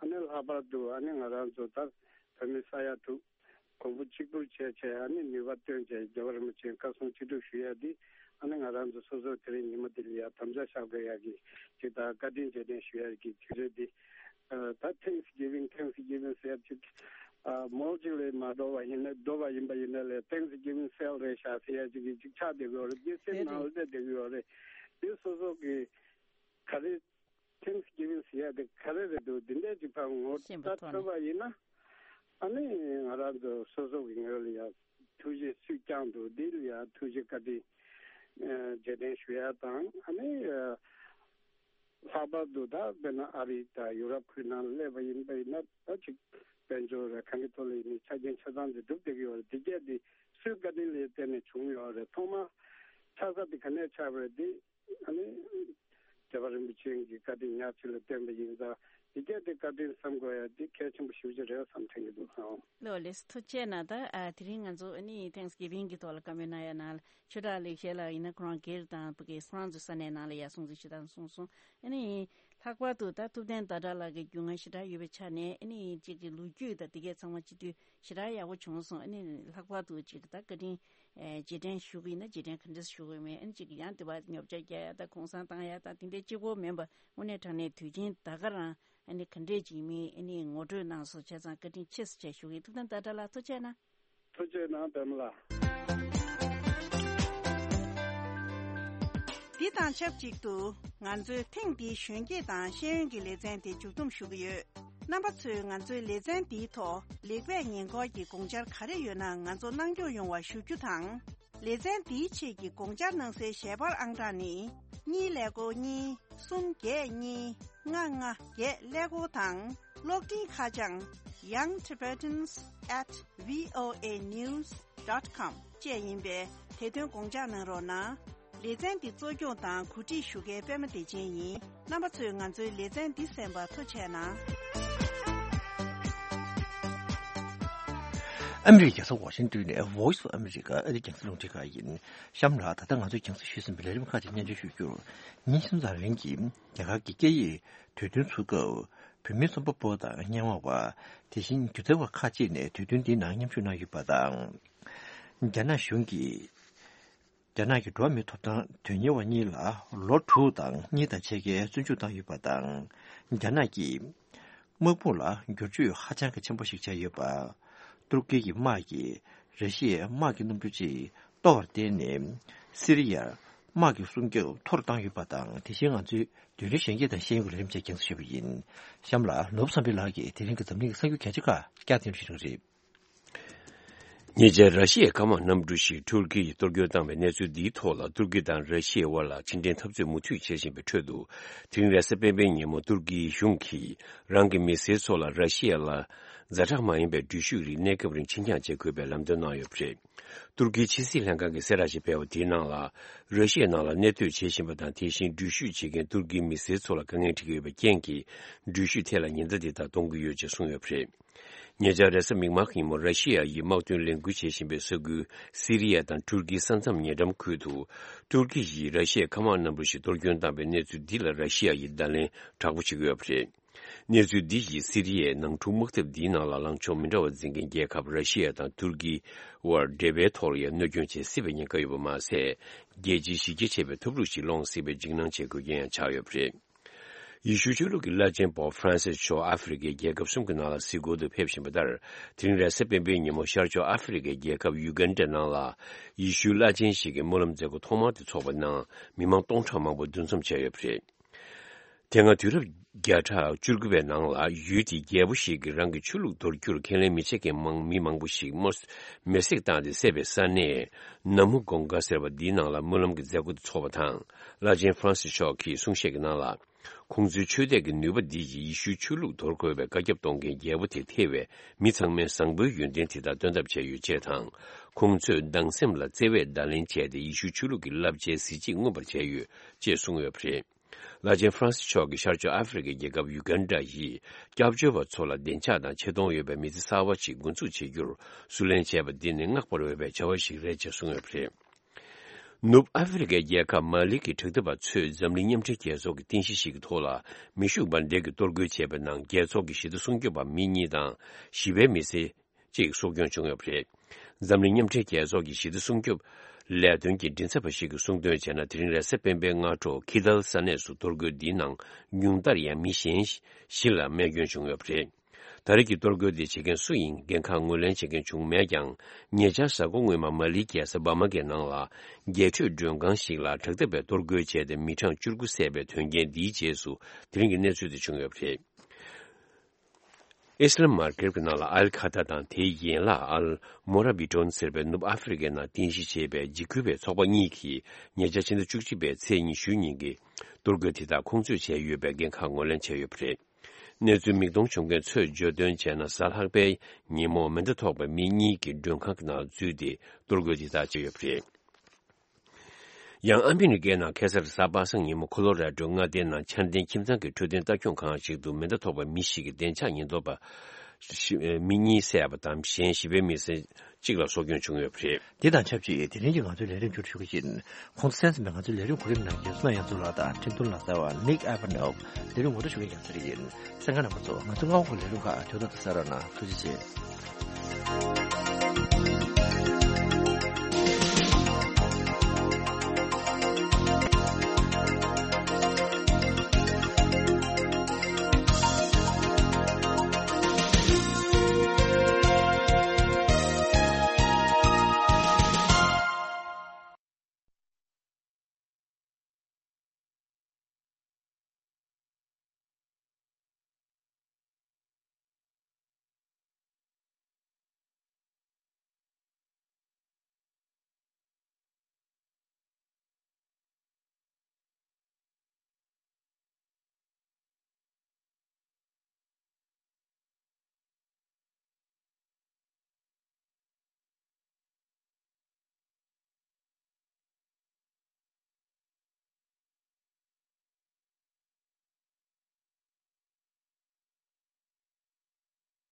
ཨ་ནི་ལྷག་པར་དུ་ཨ་ནི་ང་རང་ཚོ་ད་བོད་མི་ས་ཡ་དྲུག་གོང་བུ་གཅིག་པུར་བྱས་བྱས་ཨ་ནི་ནུས་པ་བཏོན་བྱས་རྒྱལ་བ་རིན་པོ་ཆེའི་བཀའ་གསུང་ཅི་སྒྲུབ་ཞུ་ཡ་འདི་ཨ་ནི་ང་རང་ཚོ་སོ་སོ་དེ་རིང་ཉིན་མོ་འདི་ལ་ཡ་དམ་བཅའ་བཞག་དགོས་ཡ་གི་ཅིག་ད་བཀའ་དྲིན་རྗེས་དྲན་ཞུ་ཡ་གི་དུས་ཚོད་འདི། ཨ་ད་Thanksgiving Thanksgiving ཟེར་ཅིག་ཨ་མོལ་ཅིག་ལས་མ་འགྲོ་བ་ཡིན་ན་འགྲོ་བ་ཡིན་པ་ཡིན་ན་ལས་Thanksgiving sale རེད་ཤག་ཟེར་ཡ་ཅིག་གི་ཅིག་ཆགས་བསྡད་ཀྱི་ཡོད་རེད། འདི་སེམས་ནང་ལ་བསྡད་བསྡད་ཀྱི་ཡོད་རེད། འདི་སོ་སོ་གི་ག་རེ་Thanksgiving ཟེར་ཡ་དེ་ག་རེ་རེད་འདུག་འདི་འདྲས་ཅིག་ཕར་ངོ་ཤེས་པ་ལྟ་ཐོག་ཐུབ་ནས་པ་ཡིན་ན་ཨ་ནི་ང་རང་ཚོ་སོ་སོ་གི་ངོས་ལ་ཡ་ཐུགས་རྗེ་སུས་བསྐྱངས་འདུག་འདི་ལ་ཡ་ཐུགས་རྗེ་བཀའ་དྲིན་ཨ་རྗེས་དྲན་ཞུ་ཡ་དང་ཨ་ནི་ཨ། ལྷག་པར་དུ་ད་དཔེར་ན་ཨ་རི་དང་ཡུ་རོབ་ཁུལ་ནང་སླེབས་པ་ཡིན་པ་ཡིན་ན་ད་ཅིག་དཔལ་འབྱོར་རེད་གང་གི་ཐོག་ལ་ཡིན་ནའི་ཆ་རྐྱེན་ཆ་ཚང་དེ་སྒྲུབ་བསྡད་ཀྱི་ཡོད་རེད། དེ་གས་དེ་སུའི་བཀའ་དྲིན་ལ་བརྟེན་ནས་བྱུང་ཡོད་རེད། ཐོག་མར་ཆགས་ས་དེ་ག་ནས་ཆགས་པ་རེད། དེ་ཨ་ནི་རྒྱལ་བ་རིན་པོ་ཆེ་གི་བཀའ་དྲིན་ཉག་གཅིག་ལ་བརྟེན་པ་ཡིན་ཙང་དེ་གས་དེ་བཀའ་དྲིན་བསམ་དགོས་ཡ་དེ་གལ་ཆེན་པོ་ཞེ་པོ་ཅིག་རེད་བསམ་དྲན་གྱི་འདུག་ཨང་། ལགས་ལགས་སོ། ཐུགས་རྗེ་གནང་། ད་ཨ་དེ་རིང་ང་ཚོ་ཨ་ནི་Thanksgiving་གི་ཐོག་ལ་བཀའ་མོལ་གནང་ཡ་ནང་ལ་ཆོས་གྲགས་ལེགས་བཤད་ལགས་ཡིན་ན་ཁོ་རང་སྒེར་དང་ཕ་གི་ཁོ་རང་ཚོའི་ས་གནས་ནང་ལ་ཡ་སྲུང་བརྩི་ཞུ་སྟངས་གསུངས་སོང་། ཨ་ནི་ལྷག་པར་དུ་ད་ཐུབ་བསྟན་ཟླ་གྲགས་ལགས་ཀྱི་རྒྱུས་མངའ་ཞེ་དྲག་ཡོད་པའི་ཆ་ནས་ཨ་ནི་གཅིག་གི་ལོ་རྒྱུས་དང་དེ་གས་ཚང་མ་སྤྱི་འཐུས་ཞེ་དྲག་ཡག་པོ་བྱུང་སོང་། ཨ་ནི་ལྷག་པར་དུ་གཅིག་ད་བཀའ་དྲིན་ཨེ་རྗེས་དྲན་ཞུ་གི་ཡིན་ན་རྗེས་དྲན་ག་འདྲས་ཞུ་གི་མེད། ཨ་ནི་གཅིག་ཡང་དེ་བ་ཉོ་ཆ་རྒྱག་ཡ་ད་གུང་སེང་བཏང་ཡ་ད་དེ་འདྲའི་གཅིག་པོ་མིན་པ་དངོས་གནས་དྲང་གནས་དུས་ཆེན་ད་ག་རང་ཨ་ནི་ག་འདྲས་ཅིག་མི་ཨ་ནི་ངོ་སྤྲོད་གནང་སོང་། བྱས་ཙང་བཀའ་དྲིན་ཆེ་ཟེར་བྱས་ཞུ་གི་ཡིན། ཐུབ་བསྟན་ཟླ་གྲགས་ལགས་ཐུགས་རྗེ་གནང་། ཐུགས་རྗེ་གནང་པདྨ་ལགས། འདི་དང་ཆབས་ཅིག་ཏུ་ང་ཚོའི་ཐེངས་འདིའི་གཞོན་སྐྱེས་དང་ཤེས་ཡོན་གྱི་ལེ་ཚན་དེ་མཇུག་བསྡོམས་ཞུ་གི་ཡོད། རྣམ་པ་ཚོས་ང་ཚོའི་ལེ་ཚན་འདིའི་ཐོག་ལེགས་སྤེལ་ཉེས་འགོག་གི་དགོངས་འཆར་ག་རེ་ཡོད་ན་ང་ཚོ་གནང་སྐྱོང་ཡོང་བ་ཞུ་རྒྱུ་དང་། ལེ་ཚན་འདིའི་ཆེད་ཀྱི་དགོངས་འཆར་གནང་སའི་ཞལ་པར་ཨང་གྲངས་ནི། གཉིས་ཀླད་ཀོར་གཉིས། གསུམ་བརྒྱད་གཉིས། ལྔ་ལྔ་བརྒྱད་ཀླད་ཀོར་དང་། གློག་འཕྲིན་ཁ་བྱང་young tibetans at voa news dot com བཅས་ཡིན་པས། དེ་དོན་དགོངས་འཇགས་གནང་རོགས་གནང་། ལེ་ཚན་འདི་གཙོ་སྐྱོང་དང་གོ་སྒྲིག་ཞུ་མཁན་པད་མ་བདེ་ཆེན་ཡིན། རྣམ་པ་ཚོས་ང་ཚོའི་ལེ་ཚན་འདི་གསན་པར་ཐུགས་རྗེ་གནང་། ཨ་མི་རི་ཀའི་རྒྱལ་ས་ཝ་ཤིང་ཏོན་ནས་Voice of America ཨ་རིའི་རྒྱང་སྲིང་རླུང་འཕྲིན་ཁང་ཡིན། གཤམ་ལ་ད་ལྟ་ང་ཚོས་རྒྱང་སྲིང་ཞུས་ཟིན་པའི་ལས་རིམ་ཁག་ཅིག་སྙན་སྒྲོན་ཞུ་རྒྱུར། ཉིན་གསུམ་ཙམ་རིང་གི་རྒྱ་གར་གྱི་སྐད་ཡིག་དུས་སྟོན་ཚུགས་སྐབས། བོད་མིའི་རྩོམ་པ་པོ་དང་སྙན་ངག་པ། དེ་བཞིན་སྒྱུ་རྩལ་བ་ཁག་ཅིག་ནས་དུས་སྟོན་འདིའི་ནང་མཉམ་ཞུགས་གནང་ཡོད་པ་དང་། རྒྱ་ནག་གཞུང་གིས། རྒྱ་ནག་གི་འགྲོ་བ་མིའི་ཐོབ་ཐང་དོན་གཉེར་བ་གཉིས་ལ་ལོ་དྲུག་དང་གཉིས་དང་ཕྱེད་ཀའི་བཙོན་འཇུག་བཏང་ཡོད་པ་དང་། རྒྱ་ནག་གིས་དམག་དཔུང་ལ་བསྒྱུར་བཅོས་ཧ་ཅང་གི་ཆེན་པོ་ཞིག་བྱས་ཡོད་པ། ཏུར་ཀི་གི་དམག་གིས་ར་ཤི་ཡའི་དམག་གི་གནམ་གྲུ་གཅིག་གཏོར་བར་བརྟེན་ནས། སི་རི་ཡར་དམག་གི་སྲུང་སྐྱོབ་མཐོ་རུ་བཏང་ཡོད་པ་དང་། དེ་བཞིན་ང་ཚོའི་བདུན་རེ་གཞོན་སྐྱེས་དང་ཤེས་ཡོན་གྱི་ལས་རིམ་བཅས་རྒྱང་སྲིང་ཞུས་པ་ཡིན། གཤམ་ལ་ནོར་བུ་བསམ་འཕེལ་ལགས་ཀྱིས་དེ་རིང་གི་འཛམ་གླིང་གི་གསར་འགྱུར་གལ་ཆེ་ཁག་བསྐྱར་ཟློས་ཞུ་གི་རེད། ཉེ་ཆར་ར་ཤི་ཡའི་མཁའ་དམག་གནམ་གྲུ་ཞིག་ཏུར་ཀི་ཡིས་གཏོར་སྐྱོན་བཏང་བའི་གནས་ཚུལ་འདིའི་ཐོག་ལ། ཏུར་ཀི་དང་ར་ཤི་ཡའི་དབར་ལ་ཕྱི་འབྲེལ་འཐབ་རྩོད་མུ་མཐུད་བྱེད་བཞིན་པའི་ཁྲོད་དུ། དེ་རིང་རེས་གཟའ་སྤེན་པའི་ཉིན་མོ་ཏུར་ཀིའི་གཞུང་གིས་རང་གི་མི་སེར་ཚོ་ལ་ར་ཤི་ཡ་ལ་ཛ་དྲག་མ་ཡིན་པའི་འགྲུལ་བཞུད་རིགས་གནས་སྐབས་རིང་ཕྱིར་འགྱངས་བྱེད་དགོས་པའི་ལམ་སྟོན་གནང་ཡོད་པ་རེད། ཏུར་ཀིའི་ཕྱི་སྲིད་ལྷན་ཁང་གིས་གསལ་བསྒྲགས་ཤིག་སྤེལ་བ་དེའི་ནང་ལ། ར་ཤི་ཡའི་ནང་ལ་གནས་སྡོད་བྱེད་བཞིན་པ་དང་། དེ་བཞིན་འགྲུལ་བཞུད་བྱེད་མཁན་ཏུར་ཀིའི་མི་སེར་ཚོ་ལ་དཀའ་ངལ་འཕྲད་ཀྱི་ཡོད་པའི་རྐྱེན་གྱིས། འགྲུལ་བཞུད་ཐད་ལ་ཉེན་བརྡ་འདི་དག་གཏོང་གི་ཡོད་ཅེས་གསུངས་ཡོད་པ་རེད། ཉེ་ཆར་རེས་གཟའ་མིག་དམར་གྱི་ཉིན་མོ། ར་ཤི་ཡ་ཡིས་དམག་དོན་ལས་འགུལ་བྱེད་བཞིན་པའི་ས་ཁུལ་སི་རི་ཡ་དང་ཏུར་ཀིའི་ས་མཚམས་ཉེ་འགྲམ་ཁུལ་དུ། ཏུར་ཀི་ཡིས་ར་ཤི་ཡའི་མཁའ་དམག་གནམ་གྲུ་ཞིག་གཏོར་སྐྱོན་བཏང་བའི་གནས་ཚུལ་འདི་ལ་ར་ཤི་ཡ་ཡིས་བརྡ་ལན་དྲག་པོ་བྱེད་ཀྱི་ཡོད་པ་རེད། གནས་ཚུལ་འདི་ཡིས་སི་རི་ཡའི་ནང་འཁྲུག་དམག་འཐབ་འདིའི་ནང་ལ་ལངས་ཕྱོགས་མི་འདྲ་བ་འཛིན་མཁན་རྒྱལ་ཁབ་ར་ཤི་ཡ་དང་ཏུར་ཀིའི་དབར་འབྲེལ་བའི་ཐོག་ལ་ཡང་གནོད་སྐྱོན་བྱེད་སྲིད་པའི་ཉེན་ཁ་ཡོད་པ་མ་ཟད། རྒྱལ་སྤྱིའི་གཞི་རྒྱ་ཆེ་བའི་འཐབ་འཁྲུག་ཞིག་སློང་སྲིད་པའི་འཇིགས་སྣང་བྱེད་དགོས་རྐྱེན་ཡང་ཆགས་ཡོད་པ་རེད། ཡེ་ཤུ་ཆོས་ལུགས་ཀྱི་བླ་ཆེན་པོབ་ཧྥ་རན་སིས་མཆོག་ཨ་ཧྥེ་རི་ཁའི་རྒྱལ་ཁབ་གསུམ་གྱི་ནང་ལ་གཟིགས་སྐོར་དུ་ཕེབས་བཞིན་པ་ལྟར། དེ་རིང་རེས་གཟའ་སྤེན་པའི་ཉིན་མོ་ཤར་ཕྱོགས་ཨ་ཧྥེ་རི་ཁའི་རྒྱལ་ཁབ་ཡུ་གན་ཌ་ནང་ལ། ཡེ་ཤུའི་བླ་ཆེན་ཞིག་གི་སྨོན་ལམ་མཛད་སྒོ་ཐོག་མར་དུ་འཚོགས་པའི་ནང་། མི་མང་སྟོང་ཕྲག་མང་པོ་འདུ་འཛོམས་བྱས་ཡོད་པ་རེད། དེ་སྔ་དུས་རབས་བརྒྱ་ཕྲག་བཅུ་དགུ་པའི་ནང་ལ། ཡུལ་དེའི་རྒྱལ་པོ་ཞིག་གིས་རང་གི་ཆོས་ལུགས་འདོར་རྒྱུར་ཁས་ལེན་མི་བྱེད་མཁན་མང་མི་མང་པོ་ཞིག་མེར་མེར་སྲེག་བཏང་སྟེ་བསད་པའི་ས་གནས། ན་མུ་གོང་ག་ཟེར་བ་འདིའི་ནང་ལ་སྨོན་ལམ་གྱི་མཛད་སྒོ་དེ་འཚོགས་པ་དང་། བླ་ཆེན་ཧྥ་རན་སིས་མཆོག་གིས་གསུང་བཤད་ཀྱི་ནང་ལ། ཁོང་ཚོའི་ཆོས་དད་ཀྱི་ནུས་པ་འདི་ཡིས་ཡེ་ཤུའི་ཆོས་ལུགས་འདོར་དགོས་པའི་བཀའ་ཁྱབ་གཏོང་མཁན་རྒྱལ་པོ་དེ་ཐེ་བའི་མི་ཚང་མའི་བཟང་པོའི་ཡོན་ཏན་དེ་དག་སྟོན་ཐབས་བྱས་ཡོད་ཅེས་དང་། ཁོང་ཚོས་སྡང་སེམས་ལ་བརྩེ་བས་བརྡ་ལན་བྱས་ཏེ། ཡེ་ཤུའི་ཆོས་ལུགས་ཀྱི་བསླབ་བྱའི་གཟི་བརྗིད་མངོན་པར་བྱས་ཡོད་ཅེས་གསུངས་ཡོད་པ་རེད། བླ་ཆེན་ཧྥ་རན་སི་མཆོག་གིས་ཤར་ཕྱོགས་ཨ་ཧྥེ་རི་ཁའི་རྒྱལ་ཁབ་ཡུ་གན་ཌ་ཡི་སྐྱབས་བཅོལ་བ་ཚོ་ལ་བདེ་འཇགས་དང་ཆེ་མཐོང་ཡོད་པའི་མི་ཚེ་གསར་བ་ཞིག་འགོ་འཛུགས་བྱེད་རྒྱུར་བསུ་ལེན་བྱས་པ་འདི་ནི་བསྔགས་པར་འོས་པའི་བྱ་བ་ཞིག་རེད་ཅེས་གསུངས་ཡོད་པ་རེད། ནུབ་ཨ་ཧྥེ་རི་ཁའི་རྒྱལ་ཁབ་མ་ལི་གི་དྲག་འཐབ་པ་ཚོས་འཛམ་གླིང་མཉམ་འབྲེལ་རྒྱལ་ཚོགས་ཀྱི་རྟེན་གཞི་ཞིག་གི་ཐོག་ལ་མེ་ཤུགས་འབར་མདེལ་གྱིས་གཏོར་རྒོལ་བྱས་པའི་ནང་རྒྱལ་ཚོགས་ཀྱི་ཞི་བདེ་སྲུང་སྐྱོབ་པ་མི་གཉིས་དང་བཞི་པའི་མི་སེར་གཅིག་སྲོག་སྐྱོན་བྱུང་ཡོད་པ་རེད། འཛམ་གླིང་མཉམ་འབྲེལ་རྒྱལ་ཚོགས་ཀྱི་ཞི་བདེ་སྲུང་སྐྱོབ་ལས་དོན་གྱི་མགྲིན་ཚབ་པ་ཞིག་གིས་གསུངས་དོན་བྱས་ན། དེ་རིང་རེས་གཟའ་སྤེན་པའི་སྔ་དྲོ་ཁི་ཏལ་ས་གནས་སུ་གཏོར་རྒོལ་འདིའི་ནང་ཉུང་མཐར་ཡང་མི་གཞན་བཞི་ལ་རྨས་སྐྱོན་བྱུང་ཡོད་པ་རེད། ད་རེས་ཀྱི་གཏོར་རྒོལ་འདི་བྱེད་མཁན་སུ་ཡིན་འགན་ཁག་ངོས་ལེན་བྱེད་མཁན་བྱུང་མེད་ཀྱང་། ཉེ་ཆར་གཟའ་འཁོར་སྔོན་མ་མ་ལིའི་རྒྱལ་ས་བྷ་མ་ཀའི་ནང་ལ་རྒྱལ་སྤྱིའི་མགྲོན་ཁང་ཞིག་ལ་དྲག་འཐབ་པས་གཏོར་རྒོལ་བྱས་ཏེ་མི་གྲངས་བཅུ་དགུ་བསད་པའི་དོན་རྐྱེན་འདིའི་རྗེས་སུ་དེ་རིང་གི་གནས་ཚུལ་དེ་བྱུང་ཡོད་པ་རེད། ཨི་སི་ལམ་མར་ཀེབ་ཀྱི་ནང་ལ་ཨལ་ཁ་ཐ་དང་དེའི་ཡན་ལག་ཨལ་མོ་ར་བི་ཏོན་ཟེར་བའི་ནུབ་ཨ་ཧྥེ་རི་ཁའི་ནང་རྟེན་གཞི་བྱས་པའི་འཇིགས་སྐུལ་བའི་ཚོགས་པ་གཉིས་ཀྱིས་ཉེ་ཆར་ཕྱི་ཟླ་བཅུ་གཅིག་པའི་ཚེས་ཉི་ཤུ་ཉིན་གྱི་གཏོར་རྒོལ་དེ་དག་ཁོང་ཚོས་བྱས་ཡོད་པའི་འགན་ཁག་ངོས་ལེན་བྱས་ཡོད་པ་རེད། གནས་ཚུལ་མིག་མཐོང་བྱུང་མཁན་ཚོས་བརྗོད་དོན་བྱས་ན། གཟའ་ལྷག་པའི་ཉིན་མོ་མེ་མདའ་ཐོགས་པའི་མི་གཉིས་ཀྱིས་མགྲོན་ཁང་གི་ནང་འཛུལ་ཏེ་གཏོར་རྒོལ་དེ་དག་བྱས་ཡོད་པ་རེད། ཡང་ཨ་མི་རི་ཀའི་ནང་ཁ་སང་གཟའ་པ་སངས་ཉིན་མོ་ཁོ་ལོ་ར་ཌོ་མངའ་སྡེའི་ནང་འཆར་ལྡན་ཁྱིམ་ཚང་གི་འཕྲོད་བསྟེན་ལྟ་སྐྱོང་ཁང་ཞིག་ཏུ་མེ་མདའ་ཐོགས་པའི་མི་ཞིག་གིས་བདེ་འཇགས་ཉེན་རྟོག་པ་ཞི་མི་གཉིས་བསད་པ་དང་། གཞན་བཞི་པའི་མི་སེར་གཅིག་ལ་སྲོག་སྐྱོན་བྱུང་ཡོད་པ་རེད། དེ་དང་ཆབས་ཅིག་དེ་རིང་གི་ང་ཚོའི་ལས་རིམ་མཇུག་སྒྲིལ་ཞུ་གི་ཡིན། ཁོང་ཚོ་གསན་གཟིགས་པའི་ང་ཚོའི་ལས་རིམ་གོ་རིམ་ནང་རྒྱལ་སོ་ན་ཡང་ཚུལ་ལགས་དང་འཕྲིན་གཏོང་ལག་རྩལ་བ་ནིག་ཨ་བ་ནོབ། ལས་རིམ་ངོ་སྤྲོད་ཞུ་མཁན་རྒྱལ་སྲས་ཡིན། གསན་མཁན་རྣམ་པ་ཚོ། ང་ཚོའི་སྔ་བོ་གི་ལས་རིམ་ཁག་ཐོག་ཏུ་གསན་རོགས་གནང་། ཐུགས་རྗེ་ཆེ།